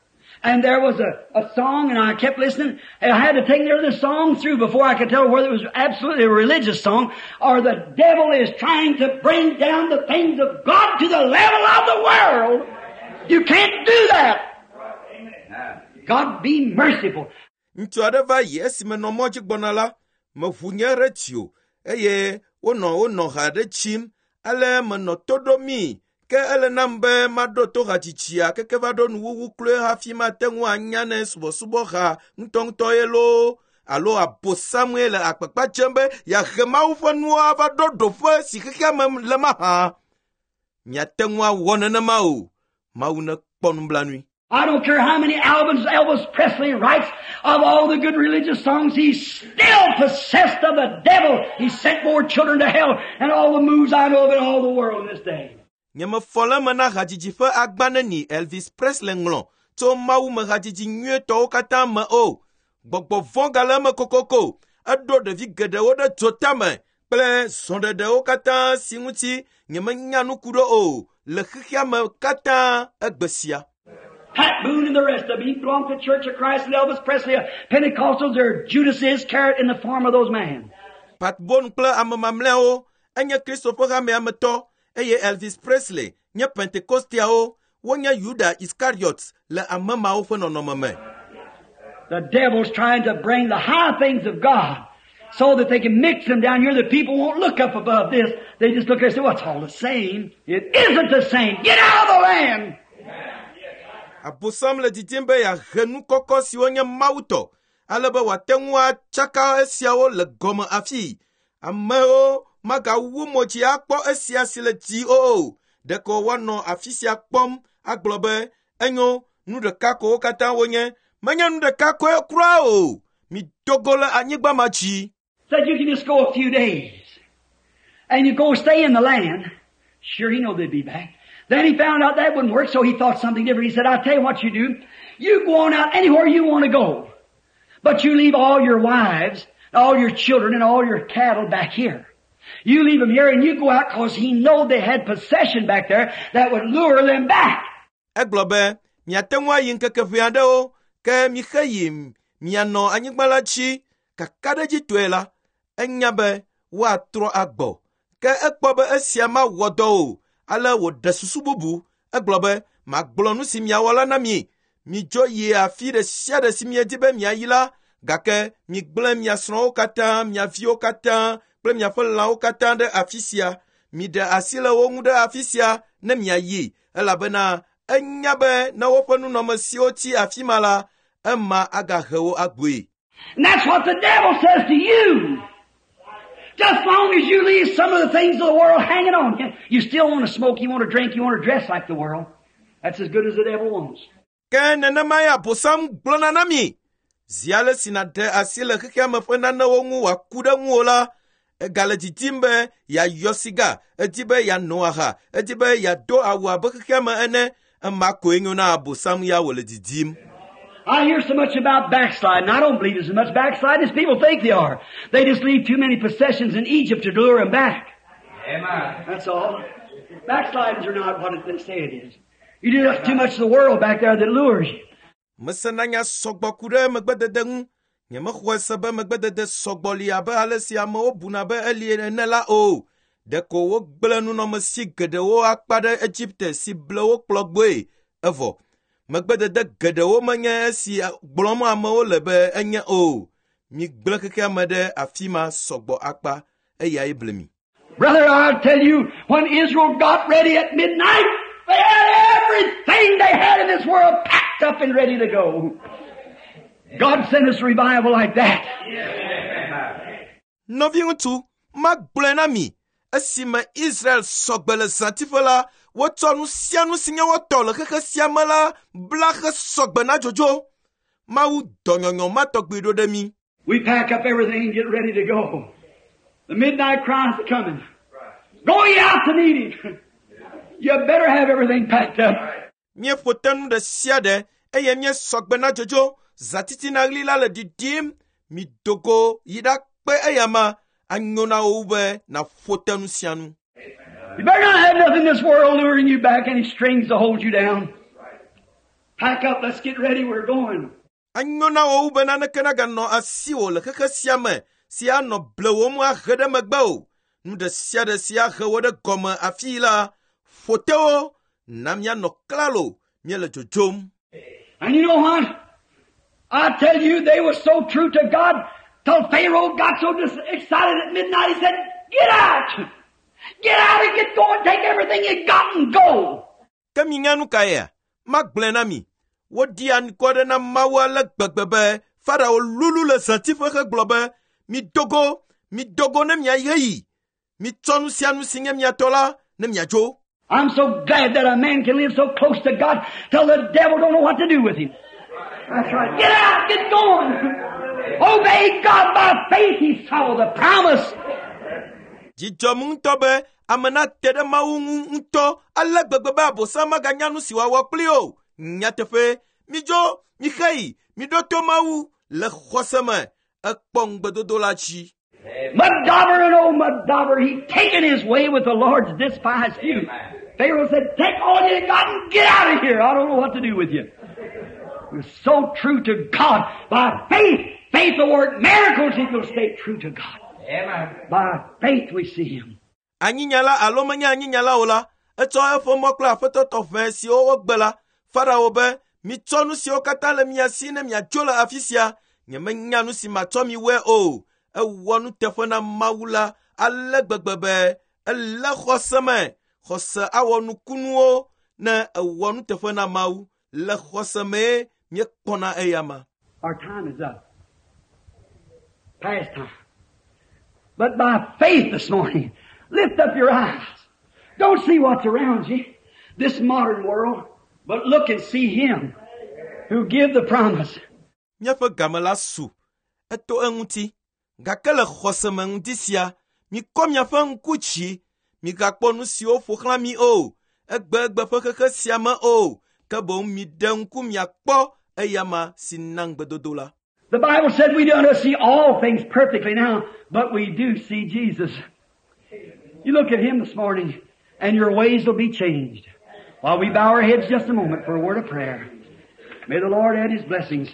S2: And there was a, a song, and I kept listening. And I had to take near the song through before I could tell whether it was absolutely a religious song or the devil is trying to bring down the things of God to the level of the world. You can't do that. God be merciful.
S1: Ŋutsu aɖe va yi esime nɔ mɔ dzi gbɔna la, meʋu nye radio eye wonɔ wonɔ ha ɖe tsim. Ale menɔ to ɖom ke ele nam be maɖo to hadzidzia keke va ɖo nuwuwu kloe hafi mate ŋu anya ne subɔsubɔha ŋutɔŋutɔ ye loo alo abosamue le akpakpa dzem be yeahe Mawu ƒe nuwo ava ɖo ɖoƒe si xexea me le mahã. Miate ŋu awɔ nenema o. Mawu nekpɔ nublanui.
S2: I don't care how many albums Elvis Presley writes of all the good religious songs, he's still possessed of the devil. He sent more children to hell and all the moves I know of in all the world in this day.
S1: Nyemefɔ le eme na hadzidzi ƒe agba neni Elvis Presley ŋlɔ tso Mawu me hadzidzi nyuietɔwo katã me o. Gbɔgbɔ vɔ̃ gale eme kokoko. Eɖo ɖevi geɖewo ɖe dzotame kple zɔɖeɖewo katã si ŋuti nyemenya nu ku ɖo o le xexea me katã egbe sia.
S2: Pat Boone and the rest of them, he belonged to the Church of Christ and Elvis Presley, Pentecostals, they're Judas Iscariot in the form of those men.
S1: Pat Boone kple ame mamlɛawo enye Kristo ƒe hamea me tɔ eye Elvis Presley nye Pentekosteawo wonye Yuda Iskariot le ame mawo ƒe nɔnɔme me.
S2: The devil's trying to bring the high things of God so that they can mix them down here. The people won't look up above this. They just look there and say, well, it's all the same. It isn't the same. Get out of the land.
S1: Abosam le didim be yeahe nu kɔkɔ siwo nye Mawu tɔ ale be wòate ŋu atsaka esiawo le gɔme afi. Amewo magawu mo dzi akpɔ esia si le dzi o. Ɖeko woanɔ afi sia kpɔm agblɔ be enyo nu ɖeka ko wo katã wonye. Menye nu ɖeka koe kura o. Mido go le anyigba ma dzi.
S2: Said you can just go a few days. And you go stay in the land. Sure, he know they'd be back. Then he found out that wouldn't work, so he thought something different. He said, I'll tell you what you do. You go on out anywhere you want to go. But you leave all your wives, all your children, and all your cattle back here. You leave them here and you go out because he know they had possession back there that would lure them back.
S1: Egblɔ be miate ŋu ayi ŋkeke ʋɛ aɖewo ke mixe yi mianɔ anyigba la dzi kakaɖedzitɔe la enya be woatrɔ agbɔ ke ekpɔ be esia mawɔ dɔ o ale wòɖe susu bubu egblɔ be magblɔ nu si miawɔ la na mi midzo yi afi ɖe sia ɖe si miedi be miayi la gake migblẽ mia srɔ̃wo katã mia viwo katã kple miaƒe lãwo katã ɖe afi sia miɖe asi le wo ŋu ɖe afi sia ne miayi elabena enya be ne woƒe nunɔmesiwo tsi afi ma la ema agahe wo agbɔe.
S2: And that's what the devil says to you. Just long as you leave some of the things of the world hanging on you, you still want to smoke, you want to drink, you want to dress like the world. That's as good as the devil wants.
S1: Ke nenemae Abosam gblɔna na mi. Zi ale si nàɖe asi le xexea me ƒe nanewo ŋu wòaku ɖe ŋuwò la, egale didim be yeayɔ siga, edi be yeano aha, edi be yeado awu abe xexea me ene. Ema koe nyo na Abosam ya wòle didim.
S2: I hear so much about backsliding. I don't believe there's as much backsliding as people think they are. They just leave too many possessions in Egypt to lure them back.
S3: Amen.
S2: That's all. Backslidings are not what they say it is. You do too much of the world back there that lures you.
S1: Mesena nya sɔgbɔ ku ɖe megbedede ŋu. Nyemexɔe se be megbedede sɔgbɔ li abe ale si amewo buna be eli ene la o. Ɖeko wogblẽ nunɔmesi geɖewo akpa ɖe Egipte si ble wo kplɔ gbɔe evɔ. Megbedede geɖewo menye esi gblɔm amewo le be enye o. Migblẽ xexea me ɖe afi ma sɔgbɔ akpa eyae ble mi.
S2: Brother, I'll tell you, when Israel got ready at midnight, they had everything they had in this world packed up and ready to go. God sent us revival like that.
S1: Nɔviŋutsu, magblɔe na mi. Esime Israel sɔgbe le zãtiƒe la, wotsɔ nu sia nu si nye wotɔ le xexe sia me la bla hesɔgbe na dzodzo. Mawu dɔ nyɔnyɔ ma tɔgbi ɖo ɖe mí.
S2: We pack up everything and get ready to go. The midnight cry's coming. Go ye out to meet him. You better have everything packed up.
S1: Míeƒo te nu ɖe sia ɖe eye míesɔgbe na dzodzo. Zãtitina ɣli la le ɖiɖim. Mido go yi ɖakpe eyama anyo na wo be nàƒo te nu sia nu.
S2: You better not have nothing in this world luring you back, any strings to hold you down. Pack up, let's get ready, we're going.
S1: Anyo na wo wu be naneke naganɔ asiwò le xexe sia me si anɔ blewòm ahe ɖe megbe o. Nu ɖe sia ɖe si ahe wo ɖe gɔme afii la, ƒo te wo na míanɔ klalo míele dzodzom.
S2: And you know what? I tell you, they were so true to God till Pharaoh got so dis- excited at midnight, he said, get out! Get out and get going, take everything you got and go!
S1: Ke minya nu ka yea? Magblɔe na mi. Woɖi anukware ɖe na Mawu ale gbegbe be Farao lulu le zãtiƒe hegblɔ be, mido go, mido go ne miayi heyi. Mitsɔ nu sia nu si nye mia tɔ la ne miadzo.
S2: I'm so glad that a man can live so close to God till the devil don't know what to do with him. That's right. Get out, get going. Obey God by faith. He saw the promise.
S1: Dzidzɔm ŋutɔ be ame nate ɖe Mawu ŋu ŋutɔ ale gbegbe be Abosam maganya nu si wòawɔ kpli o. Nyateƒe, midzo, mixeyi, miɖo to Mawu le xɔse me. Ekpɔ ŋugbedodo la dzi.
S2: Mud-dauber and old mud-dauber, he taken his way with the Lord's despised few. Pharaoh said, take all you got and get out of here. I don't know what to do with you. He was so true to God. By faith, faith will work miracles if you'll stay true to God.
S3: Amen.
S2: By faith we see him.
S1: Anyinyala alo menye anyinyala o la, etsɔ eƒe mɔ kple aƒetɔ tɔxɛ siwo wogbe la, Farao be, mitsɔ nu siwo katã le mia si ne miadzo le afi sia. Nyemenya nu si matsɔ mi wɔe o. Ewɔ nuteƒe na Mawu la ale gbegbe be elé xɔse me. Xɔse awɔ nukunuwo ne ewɔ nuteƒe na Mawu. Le xɔse mee míekpɔna eyama.
S2: Our time is up. Past time. But by faith this morning, lift up your eyes. Don't see what's around you, this modern world, but look and see Him who give the promise.
S1: Míaƒe game la su. Eto eŋuti. Gake le xɔse me ŋdi sia, mikɔ miaƒe ŋku dzi. Migakpɔ nu siwo ƒo xlã mi o. Egbegbe ƒe xexe sia me o. Ke boŋ miɖe ŋku miakpɔ eyama si na ŋugbedodo la.
S2: The Bible said we don't see all things perfectly now, but we do see Jesus. You look at Him this morning, and your ways will be changed. While we bow our heads just a moment for a word of prayer, may the Lord add His blessings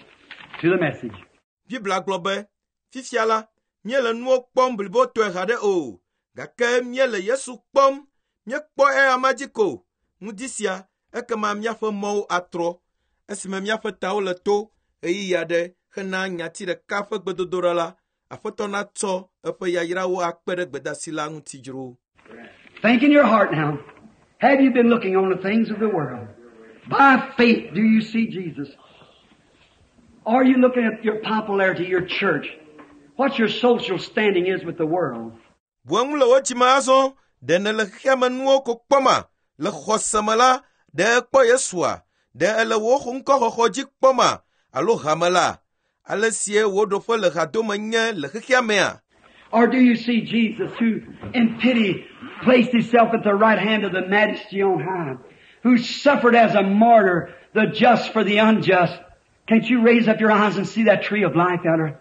S2: to the message.
S1: Biblia gblɔ be, fifia la, míele nuwo kpɔm blibotɔe haɖe o, gake míele Yesu kpɔm, míekpɔ eyama dzi ko. Ŋdi sia, ekema míaƒe mɔwo atrɔ. Esime míaƒe tawo le to ɣeyiɣi aɖe hena nyati ɖeka ƒe gbedodoɖa la, Aƒetɔ natsɔ eƒe yayrawo akpe ɖe gbedasi la ŋuti dzro.
S2: Think in your heart now. Have you been looking on the things of the world? By faith, do you see Jesus? Are you looking at your popularity, your church? What your social standing is with the world?
S1: Bu eŋu le wò dzime azɔ, ɖe nèle xexea me nuwo ko kpɔma? Le xɔse me la, ɖe ekpɔ Yesua? Ɖe ele wò ŋkɔxɔxɔ dzi kpɔma? Alo hame la? Ale sie wò ɖoƒe le hadome nye le xexea mea?
S2: Or do you see Jesus who, in pity, placed himself at the right hand of the majesty on high, who suffered as a martyr, the just for the unjust? Can't you raise up your eyes and see that tree of life out there?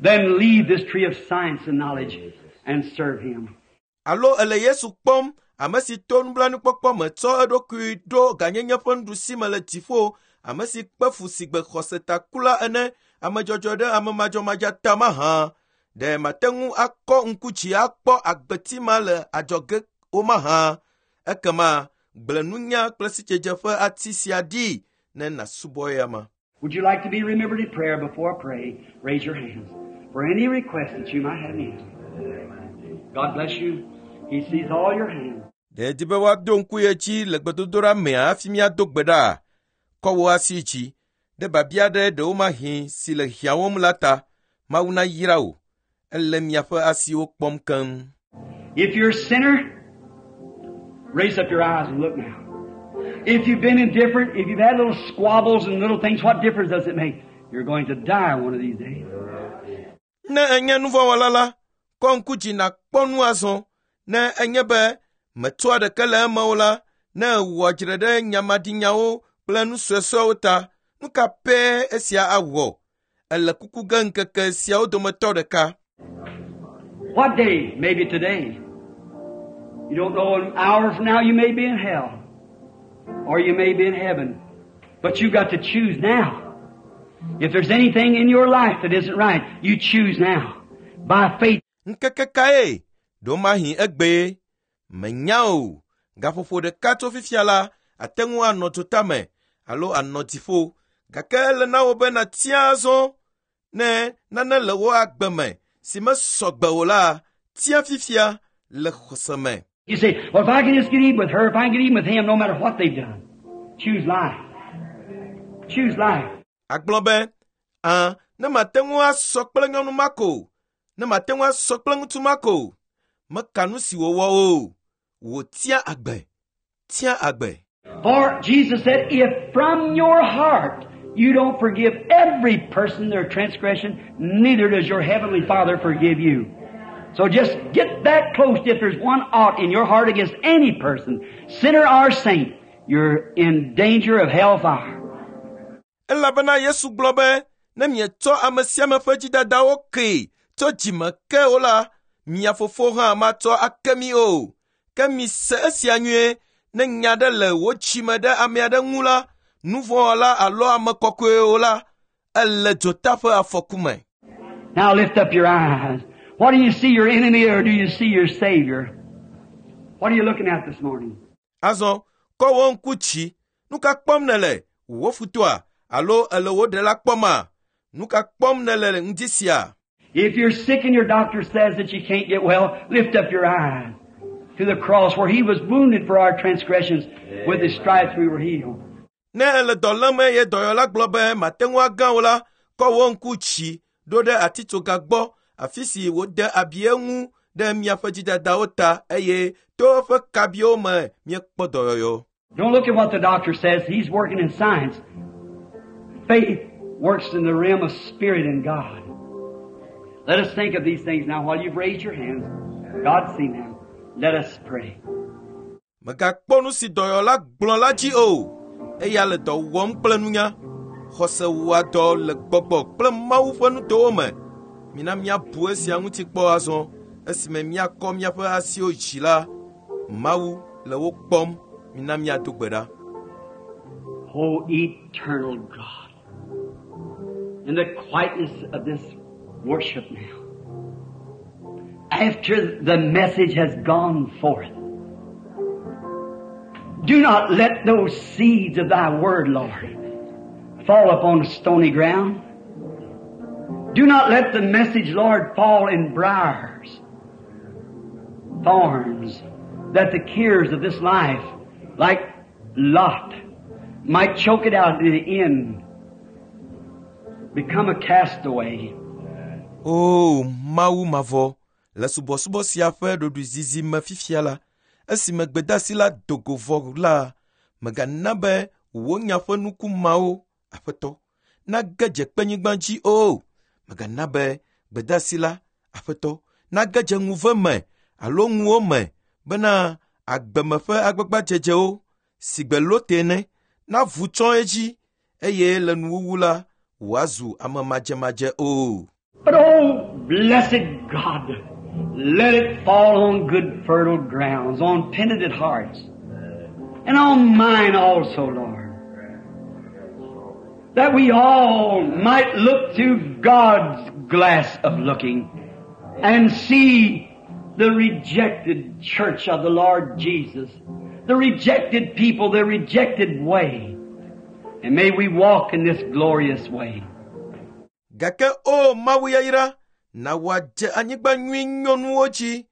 S2: Then leave this tree of science and knowledge and serve him.
S1: Alo ele Yesu kpɔm, ame si to nublanuikpɔkpɔ me tsɔ eɖokui ɖo gãnyenye ƒe nuɖusi me le dziƒo, ame si kpe fu si gbe xɔsetakula ene, ame dzɔdzɔ ɖe ame madzɔmadzɔ ta mahã. Ɖe mate ŋu akɔ ŋku dzi akpɔ agbeti ma le adzɔge o mahã? Ekema gblẽ nunya kple sidzedze ƒe ati sia ɖi ne nàsubɔ eyama.
S2: Would you like to be remembered in prayer before I pray? Raise your hands for any request that you might have need. God bless you. He sees all your hands.
S1: Ɖe edi be woado ŋku ye dzi le gbedodoɖa mea hafi míado gbe ɖa? Kɔ wò asi dzi ɖe biabia ɖe ɖewomahi si le hiãwom la ta. Mawu nayra wò. Ele miaƒe asiwo kpɔm keŋ.
S2: If you're a sinner, raise up your eyes and look now. If you've been indifferent, if you've had little squabbles and little things, what difference does it make? You're going to die one of these days.
S1: Ne enye nuvɔ̃wɔla la, kɔ ŋku dzi nàkpɔ nu azɔ. Ne enye be mètsɔa ɖeke le eme o la, ne èwɔ dzre ɖe nyamadinyawo kple nu suesuewo ta, nu ka pɛ esia awɔ? Ele kuku ge ŋkeke siawo dometɔ ɖeka.
S2: What day? Maybe today. You don't know, an hour from now you may be in hell. Or you may be in heaven. But you've got to choose now. If there's anything in your life that isn't right, you choose now. By faith.
S1: Ŋkeke kae? Ɖewomahi egbee. Menya o. Gaƒoƒo ɖeka tso fifia la, ate ŋu anɔ dzotame alo anɔ dziƒo. Gake ele na wò be nàtia azɔ. Ne nane le wò agbe me si mesɔ gbe o la, tia fifia le xɔse me.
S2: You say, "Well, if I can just get even with her, if I can get even with him, no matter what they've done." Choose life. Choose life.
S1: Agblɔ be, "Ã, ne mate ŋu asɔ kple nyɔnu ma ko, ne mate ŋu asɔ kple ŋutsu ma ko, meka nu si wòwɔ o. Wò tia agbe. Tia agbe."
S2: For Jesus said, if from your heart you don't forgive every person their transgression, neither does your heavenly Father forgive you. So just get that close. If there's one ought in your heart against any person, sinner or saint, you're in danger of hellfire.
S1: Elabena Yesu gblɔ be, ne mietsɔ ame sia ame ƒe dzidadawo kee tso dzime ke o la, mia fofo hã matsɔ ake mi o. Ke mise esia nyuie, ne nya ɖe le wò dzime ɖe ame aɖe ŋu la, nuvɔ̃wɔla alo ame kɔkɔe o la, ele dzota ƒe afɔku me.
S2: Now lift up your eyes. What do you see, your enemy, or do you see your Savior? What are you looking at this morning?
S1: Azɔ, kɔ wò ŋku dzi. Nu ka kpɔm nèle? Wò futɔa alo ele wò ɖela kpɔma? Nu ka kpɔm nèle ŋdi sia?
S2: If you're sick and your doctor says that you can't get well, lift up your eyes to the cross where He was wounded for our transgressions. With His stripes we were healed.
S1: Ne ele dɔ lém eye dɔyɔla gblɔ be mate ŋu agã o la, kɔ wò ŋku dzi ɖo ɖe atitsoga gbɔ, afi si wòde abi eŋu ɖe miaƒe dzidadawo ta eye to eƒe kabiwo me miekpɔ dɔyɔyɔ.
S2: Don't look at what the doctor says. He's working in science. Faith works in the realm of spirit and God. Let us think of these things now while you've raised your hands. God's seen them. Let us pray.
S1: Mègakpɔ nu si dɔyɔla gblɔ la dzi o. Eya le dɔ wɔm kple nunya. Xɔse wɔa dɔ le gbɔgbɔ kple Mawu ƒe nutowo me. Mina míabu esia ŋuti kpɔ azɔ. Esime míakɔ míaƒe asiwo dzi la, Mawu le wo kpɔm. Mina míado gbe ɖa.
S2: O eternal God, in the quietness of this worship now, after the message has gone forth, do not let those seeds of Thy Word, Lord, fall upon stony ground. Do not let the message, Lord, fall in briars, thorns, that the cares of this life, like Lot, might choke it out at the end, become a castaway.
S1: O Mawu mavɔ, le subɔsubɔ sia ƒe ɖoɖoezizi me fifia la, esime gbedeasi la do go vɔ la, mègana be wò nya ƒe nuku mawo, Aƒetɔ, nage dze kpenyigba dzi o. Mègana be gbedeasi la, Aƒetɔ, nage dze ŋuve me alo ŋuwo me bena agbeme ƒe agbagbadzedzewo si gbe Lote ene navu tsɔ edzi eye le nuwuwu la wòazu ame madzemadze o.
S2: But oh, blessed God, let it fall on good fertile grounds, on penitent hearts, and on mine also, Lord. That we all might look through God's glass of looking and see the rejected church of the Lord Jesus, the rejected people, the rejected way. And may we walk in this glorious way.
S1: Gake o Mawu yayra, na wòadze anyigba nyui nyɔnuwo dzi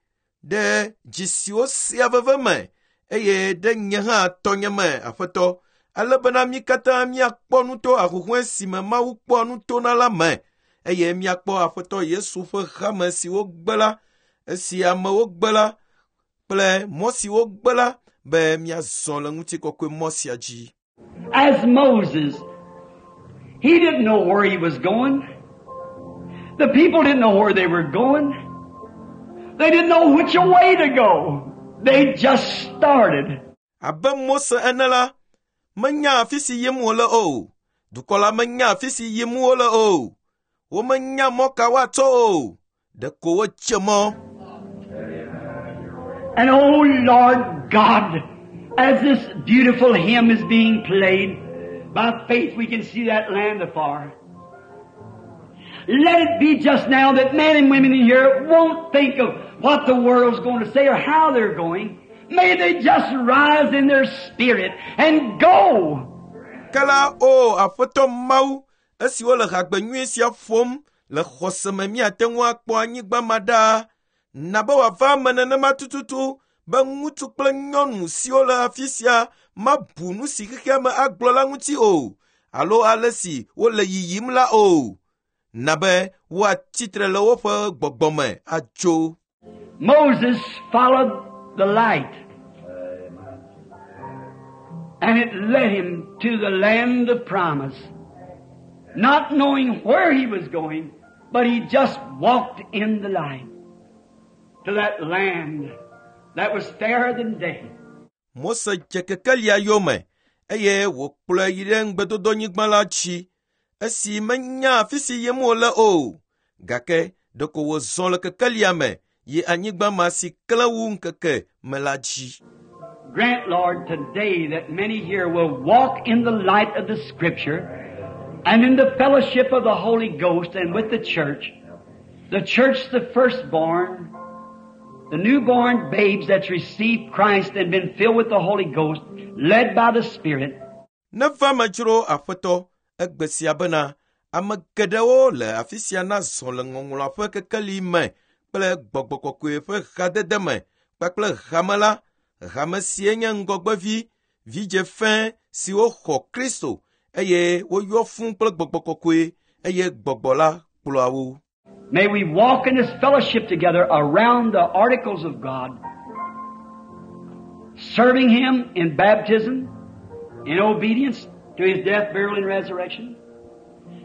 S1: ɖe dzi siwo sea veve me eye ɖe nye hã tɔnye me, Aƒetɔ, ale bena mí katã míakpɔ nu to ahuhɔ̃e si me Mawu kpɔa nu tona la me eye míakpɔ Aƒetɔ Yesu ƒe hame si wogbe la, esi amewo gbe la, kple mɔ si wogbe la be míazɔ le ŋutikɔkɔe mɔ sia dzi.
S2: As Moses, he didn't know where he was going. The people didn't know where they were going. They didn't know which way to go. They just started.
S1: Abe Mose ene la, menya afi si yim wòle o. Dukɔ la menya afi si yim wole o. Womenya mɔ ka woatsɔ o. Ɖeko wotse mɔ.
S2: And oh Lord God, as this beautiful hymn is being played, by faith we can see that land afar. Let it be just now that men and women in here won't think of what the world's going to say or how they're going. May they just rise in their spirit and go.
S1: Ke la o Aƒetɔ Mawu, esi wole hagbe nyui sia ƒom le xɔse me míate ŋu akpɔ anyigba ma ɖaa. Na be wòava eme nenema tututu be ŋutsu kple nyɔnu siwo le afi sia mabu nu si xexea me agblɔ la ŋuti o alo ale si wole yiyim la o. Na be woatsitre le woƒe gbɔgbɔ me atso.
S2: Moses followed the light. And it led him to the land of promise. Not knowing where he was going, but he just walked in the light to that land that was fairer than day.
S1: Mose dze kekelia yome eye wòkplɔe yi ɖe ŋugbedodonyigba la dzi esi menya afi si yim wòle o. Gake ɖeko wòzɔ le kekelia me yi anyigba ma si klẽ wu ŋkeke me la dzi.
S2: Grant, Lord, today that many here will walk in the light of the Scripture and in the fellowship of the Holy Ghost and with the church. The church, the firstborn, the newborn babes that's received Christ and been filled with the Holy Ghost, led by the Spirit.
S1: Neva me dzro Aƒetɔ egbe sia bena ame geɖewo le afi sia nazɔ le ŋɔŋlɔa ƒe kekeli me kple gbɔgbɔ kɔkɔe ƒe hadede me kpakple hame la, hame sie nye ŋgɔgbevi, vidze fẽ siwo xɔ Kristo eye woyɔ fũu kple gbɔgbɔ kɔkɔe eye gbɔgbɔ la kplɔa wo.
S2: May we walk in this fellowship together around the articles of God, serving Him in baptism, in obedience to His death, burial, and resurrection.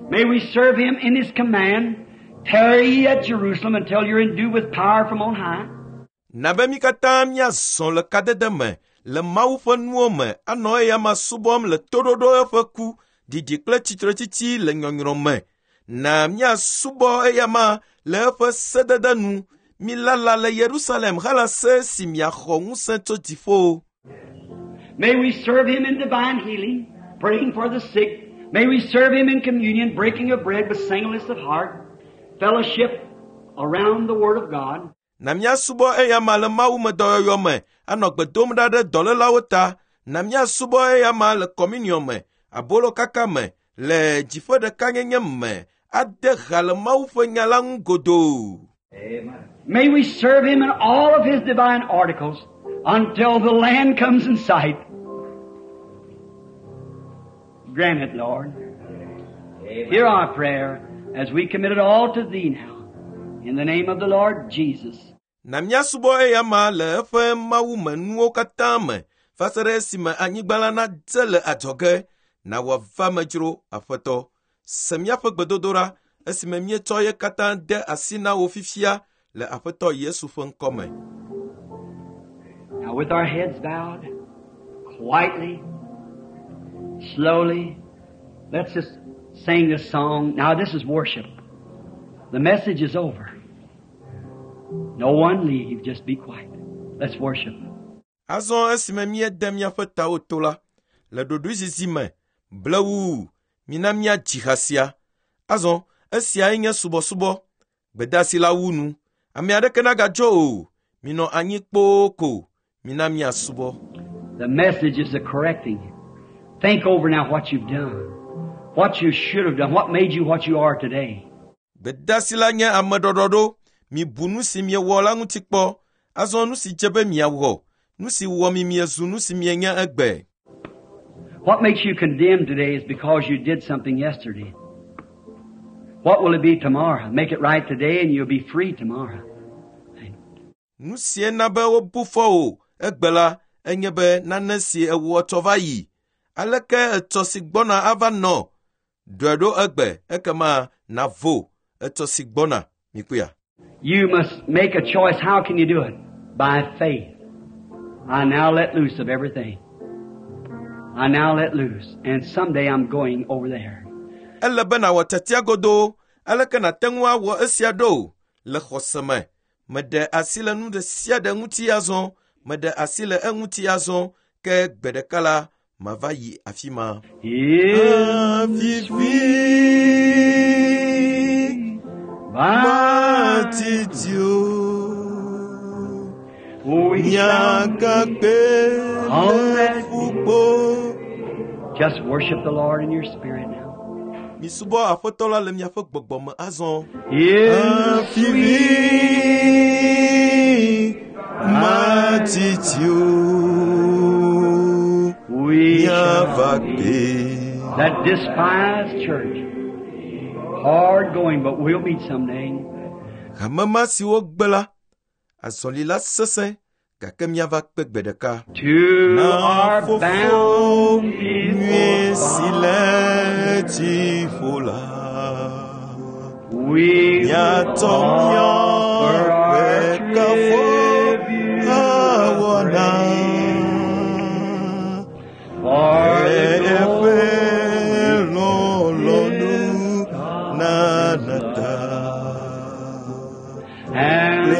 S2: May we serve Him in His command, tarry ye at Jerusalem until you're endued with power from on high.
S1: Na be mí katã míazɔ le kadede me le Mawu ƒe nuwo me anɔ eya subɔm le toɖoɖo eƒe ku, ɖiɖi kple tsitretsitsi le nyɔnyrɔ me. Na míasubɔ eyama le eƒe sedede nu. Milala le Yerusalem halase si miaxɔ ŋusẽ tso dziƒo.
S2: May we serve Him in divine healing, praying for the sick. May we serve Him in communion, breaking of bread with singleness of heart, fellowship around the Word of God.
S1: Na míasubɔ eyama le Mawu me dɔyɔyɔ me, anɔ gbe dom ɖa ɖe dɔlélawo ta. Na míasubɔ eyama le communion me, abolo kaka me, le dziƒo ɖekanyenye me, ade ha le Mawu ƒe nya la ŋu godoo.
S2: May we serve Him in all of His divine articles until the land comes in sight. Grant it, Lord. Hear our prayer as we commit it all to Thee now. In the name of the Lord Jesus.
S1: Na míasubɔ eyama le eƒe Mawu me nuwo katã me va se ɖe esime anyigba la nadze le adzɔge. Na wòava me dzro, Aƒetɔ. Se míaƒe gbedodoɖa esime míetsɔ ye katã de asi na wò fifia le Aƒetɔ Yesu ƒe ŋkɔ me.
S2: Now with our heads bowed, quietly, slowly, let's just sing this song. Now this is worship. The message is over. No one leave, just be quiet. Let's worship.
S1: Azɔ esime míede míaƒe tawo to la, le ɖoɖoezizi me, blewuu, mina míadzi ha sia. Azɔ esiae nye subɔsubɔ. Gbedeasi la wu nu. Ame aɖeke nagadzo o. Minɔ anyi kpoo ko. Mina míasubɔ.
S2: The message is a correcting. Think over now what you've done, what you should have done, what made you what you are today.
S1: Gbedeasi la nye ameɖɔɖɔɖo. Mibu nu si miewɔ la ŋuti kpɔ. Azɔ nu si dze be miawɔ. Nu si wɔ mi miezu nu si mienye egbe.
S2: What makes you condemned today is because you did something yesterday. What will it be tomorrow? Make it right today and you'll be free tomorrow.
S1: Nu sie na be wobu fɔ wò egbe la enye be nane si ewɔ tsɔ va yi. Aleke etsɔ si gbɔna ava nɔ? Ɖɔe ɖo egbe ekema navo etsɔ si gbɔna. Mikpɔea?
S2: You must make a choice. How can you do it? By faith. I now let loose of everything. I now let loose. And someday I'm going over there.
S1: Ele be nàwɔ tiatia godoo. Aleke nàte ŋu awɔ esia ɖo? Le xɔse me. Meɖe asi le nu ɖe sia ɖe ŋuti azɔ. Meɖe asi le eŋuti azɔ. Ke gbe ɖeka la, mava yi afi ma.
S2: In
S1: Avivi matiti o.
S2: We shall
S1: Miagagbe le ƒukpo.
S2: just worship the Lord in your spirit now.
S1: Misubɔ Aƒetɔ la le miaƒe gbɔgbɔ me azɔ.
S2: In
S1: Avivi matiti o.
S2: we shall
S1: Miava
S2: be
S1: gbe.
S2: that despised church. Hard going, but we'll meet someday.
S1: Hamema siwo gbe la, azɔlila sesẽ gake miava kpe gbe ɖeka.
S2: To
S1: Na
S2: our
S1: fofo
S2: bountiful
S1: nyui si le
S2: Father,
S1: dziƒo la.
S2: we
S1: Miatsɔ
S2: offer
S1: míaƒe
S2: our
S1: kafo
S2: tribute
S1: awɔ
S2: of
S1: na.
S2: praise. For
S1: Le
S2: the
S1: eƒe
S2: glory
S1: lɔlɔ̃nu nana ta.
S2: and
S1: Le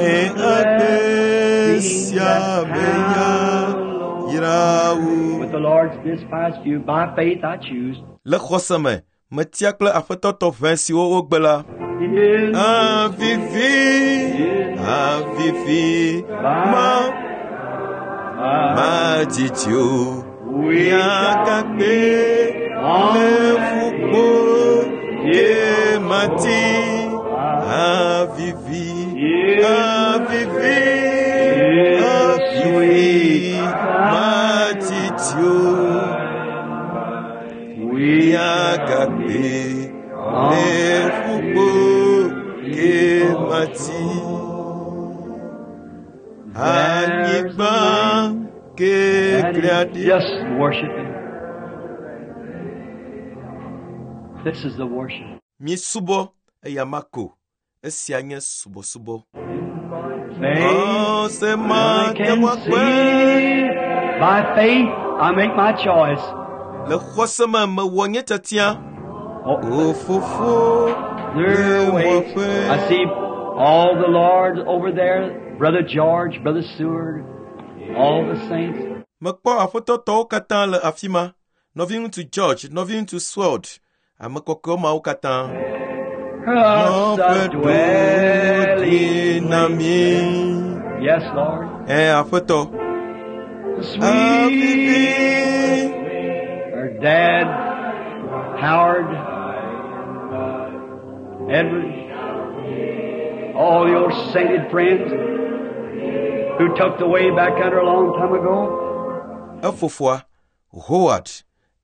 S1: agbe
S2: blessings
S1: sia
S2: that
S1: me ya
S2: hallow.
S1: yra wo.
S2: With the Lord's despised few, by faith I choose.
S1: Le xɔse me, metia kple aƒetɔ tɔʋẽ siwo wogbe la.
S2: In
S1: Avivi, avivi, ma madzidzi o.
S2: we shall
S1: Miagagbe le ƒukpo ke mati. Avivi, avivi, avivi, madzidzi o.
S2: we
S1: Miagagbe le ƒukpo ke mati. Anyigba ke
S2: That
S1: klia
S2: is
S1: ɖi.
S2: just worship Him. This is the worship.
S1: Misubɔ eya ma ko. Esia nye subɔsubɔ.
S2: Faith,
S1: Xɔse
S2: I
S1: ma te
S2: can
S1: ŋu akpe.
S2: see. By faith, I make my choice.
S1: Le xɔse me mewɔ nye tiatia.
S2: Oh,
S1: O fofo
S2: there
S1: le
S2: waits.
S1: wɔƒe.
S2: I see all the Lords over there, Brother George, Brother Seward, all the saints.
S1: Mekpɔ aƒetɔtɔwo katã le afi ma. Nɔviŋutsu George, nɔviŋutsu Sword, ame kɔkɔewo mawo katã.
S2: Us a
S1: Nɔƒe ɖo ɖi
S2: dwelling
S1: na
S2: place.
S1: mí.
S2: Yes, Lord.
S1: Ɛ aƒetɔ.
S2: Sweet
S1: Avivi.
S2: Her dad, Howard, Edward, all your sainted friends who took the way back under a long time ago.
S1: Efofoa, Howard,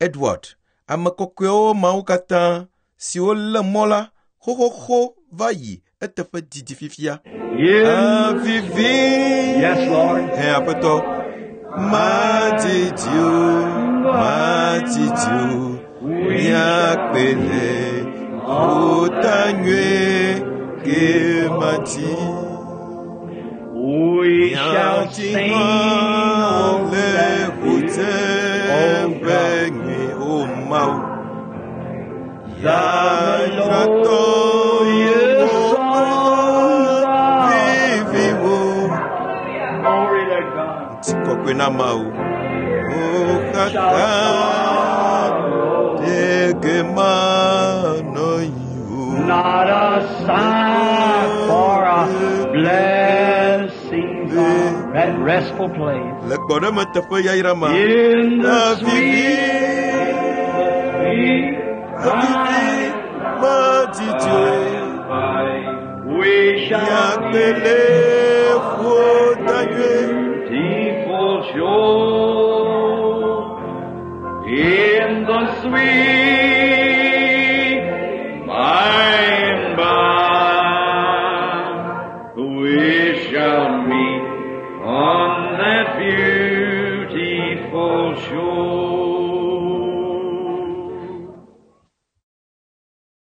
S1: Edward, ame kɔkɔewo mawo katã siwo lé mɔ la xoxoxo va yi eteƒe didi fifia.
S2: In
S1: Avivi.
S2: Yes, Lord.
S1: Ɛ aƒetɔ. Madidi o, madidi o, míakpe le ƒuta nyui ke mati.
S2: we shall
S1: Míatsi
S2: sing
S1: hã
S2: on
S1: le
S2: that
S1: ƒuteƒe
S2: Oh God.
S1: nyui o Mawu.
S2: The
S1: Yayratɔ
S2: melodious songs of
S1: viviwo.
S2: Glory to God.
S1: Ŋutikɔkɔe na Mawu. O
S2: Shall
S1: kaka
S2: follow.
S1: ɖeke manɔ yi o.
S2: Not a sigh for a blessing of that restful place.
S1: Le gbɔɖeme teƒe yayra ma.
S2: In the
S1: Avivi,
S2: sweet, sweet
S1: avivi, madidi o.
S2: we shall
S1: Míakpe le ƒuta nyui.
S3: Beautiful shore in the sweet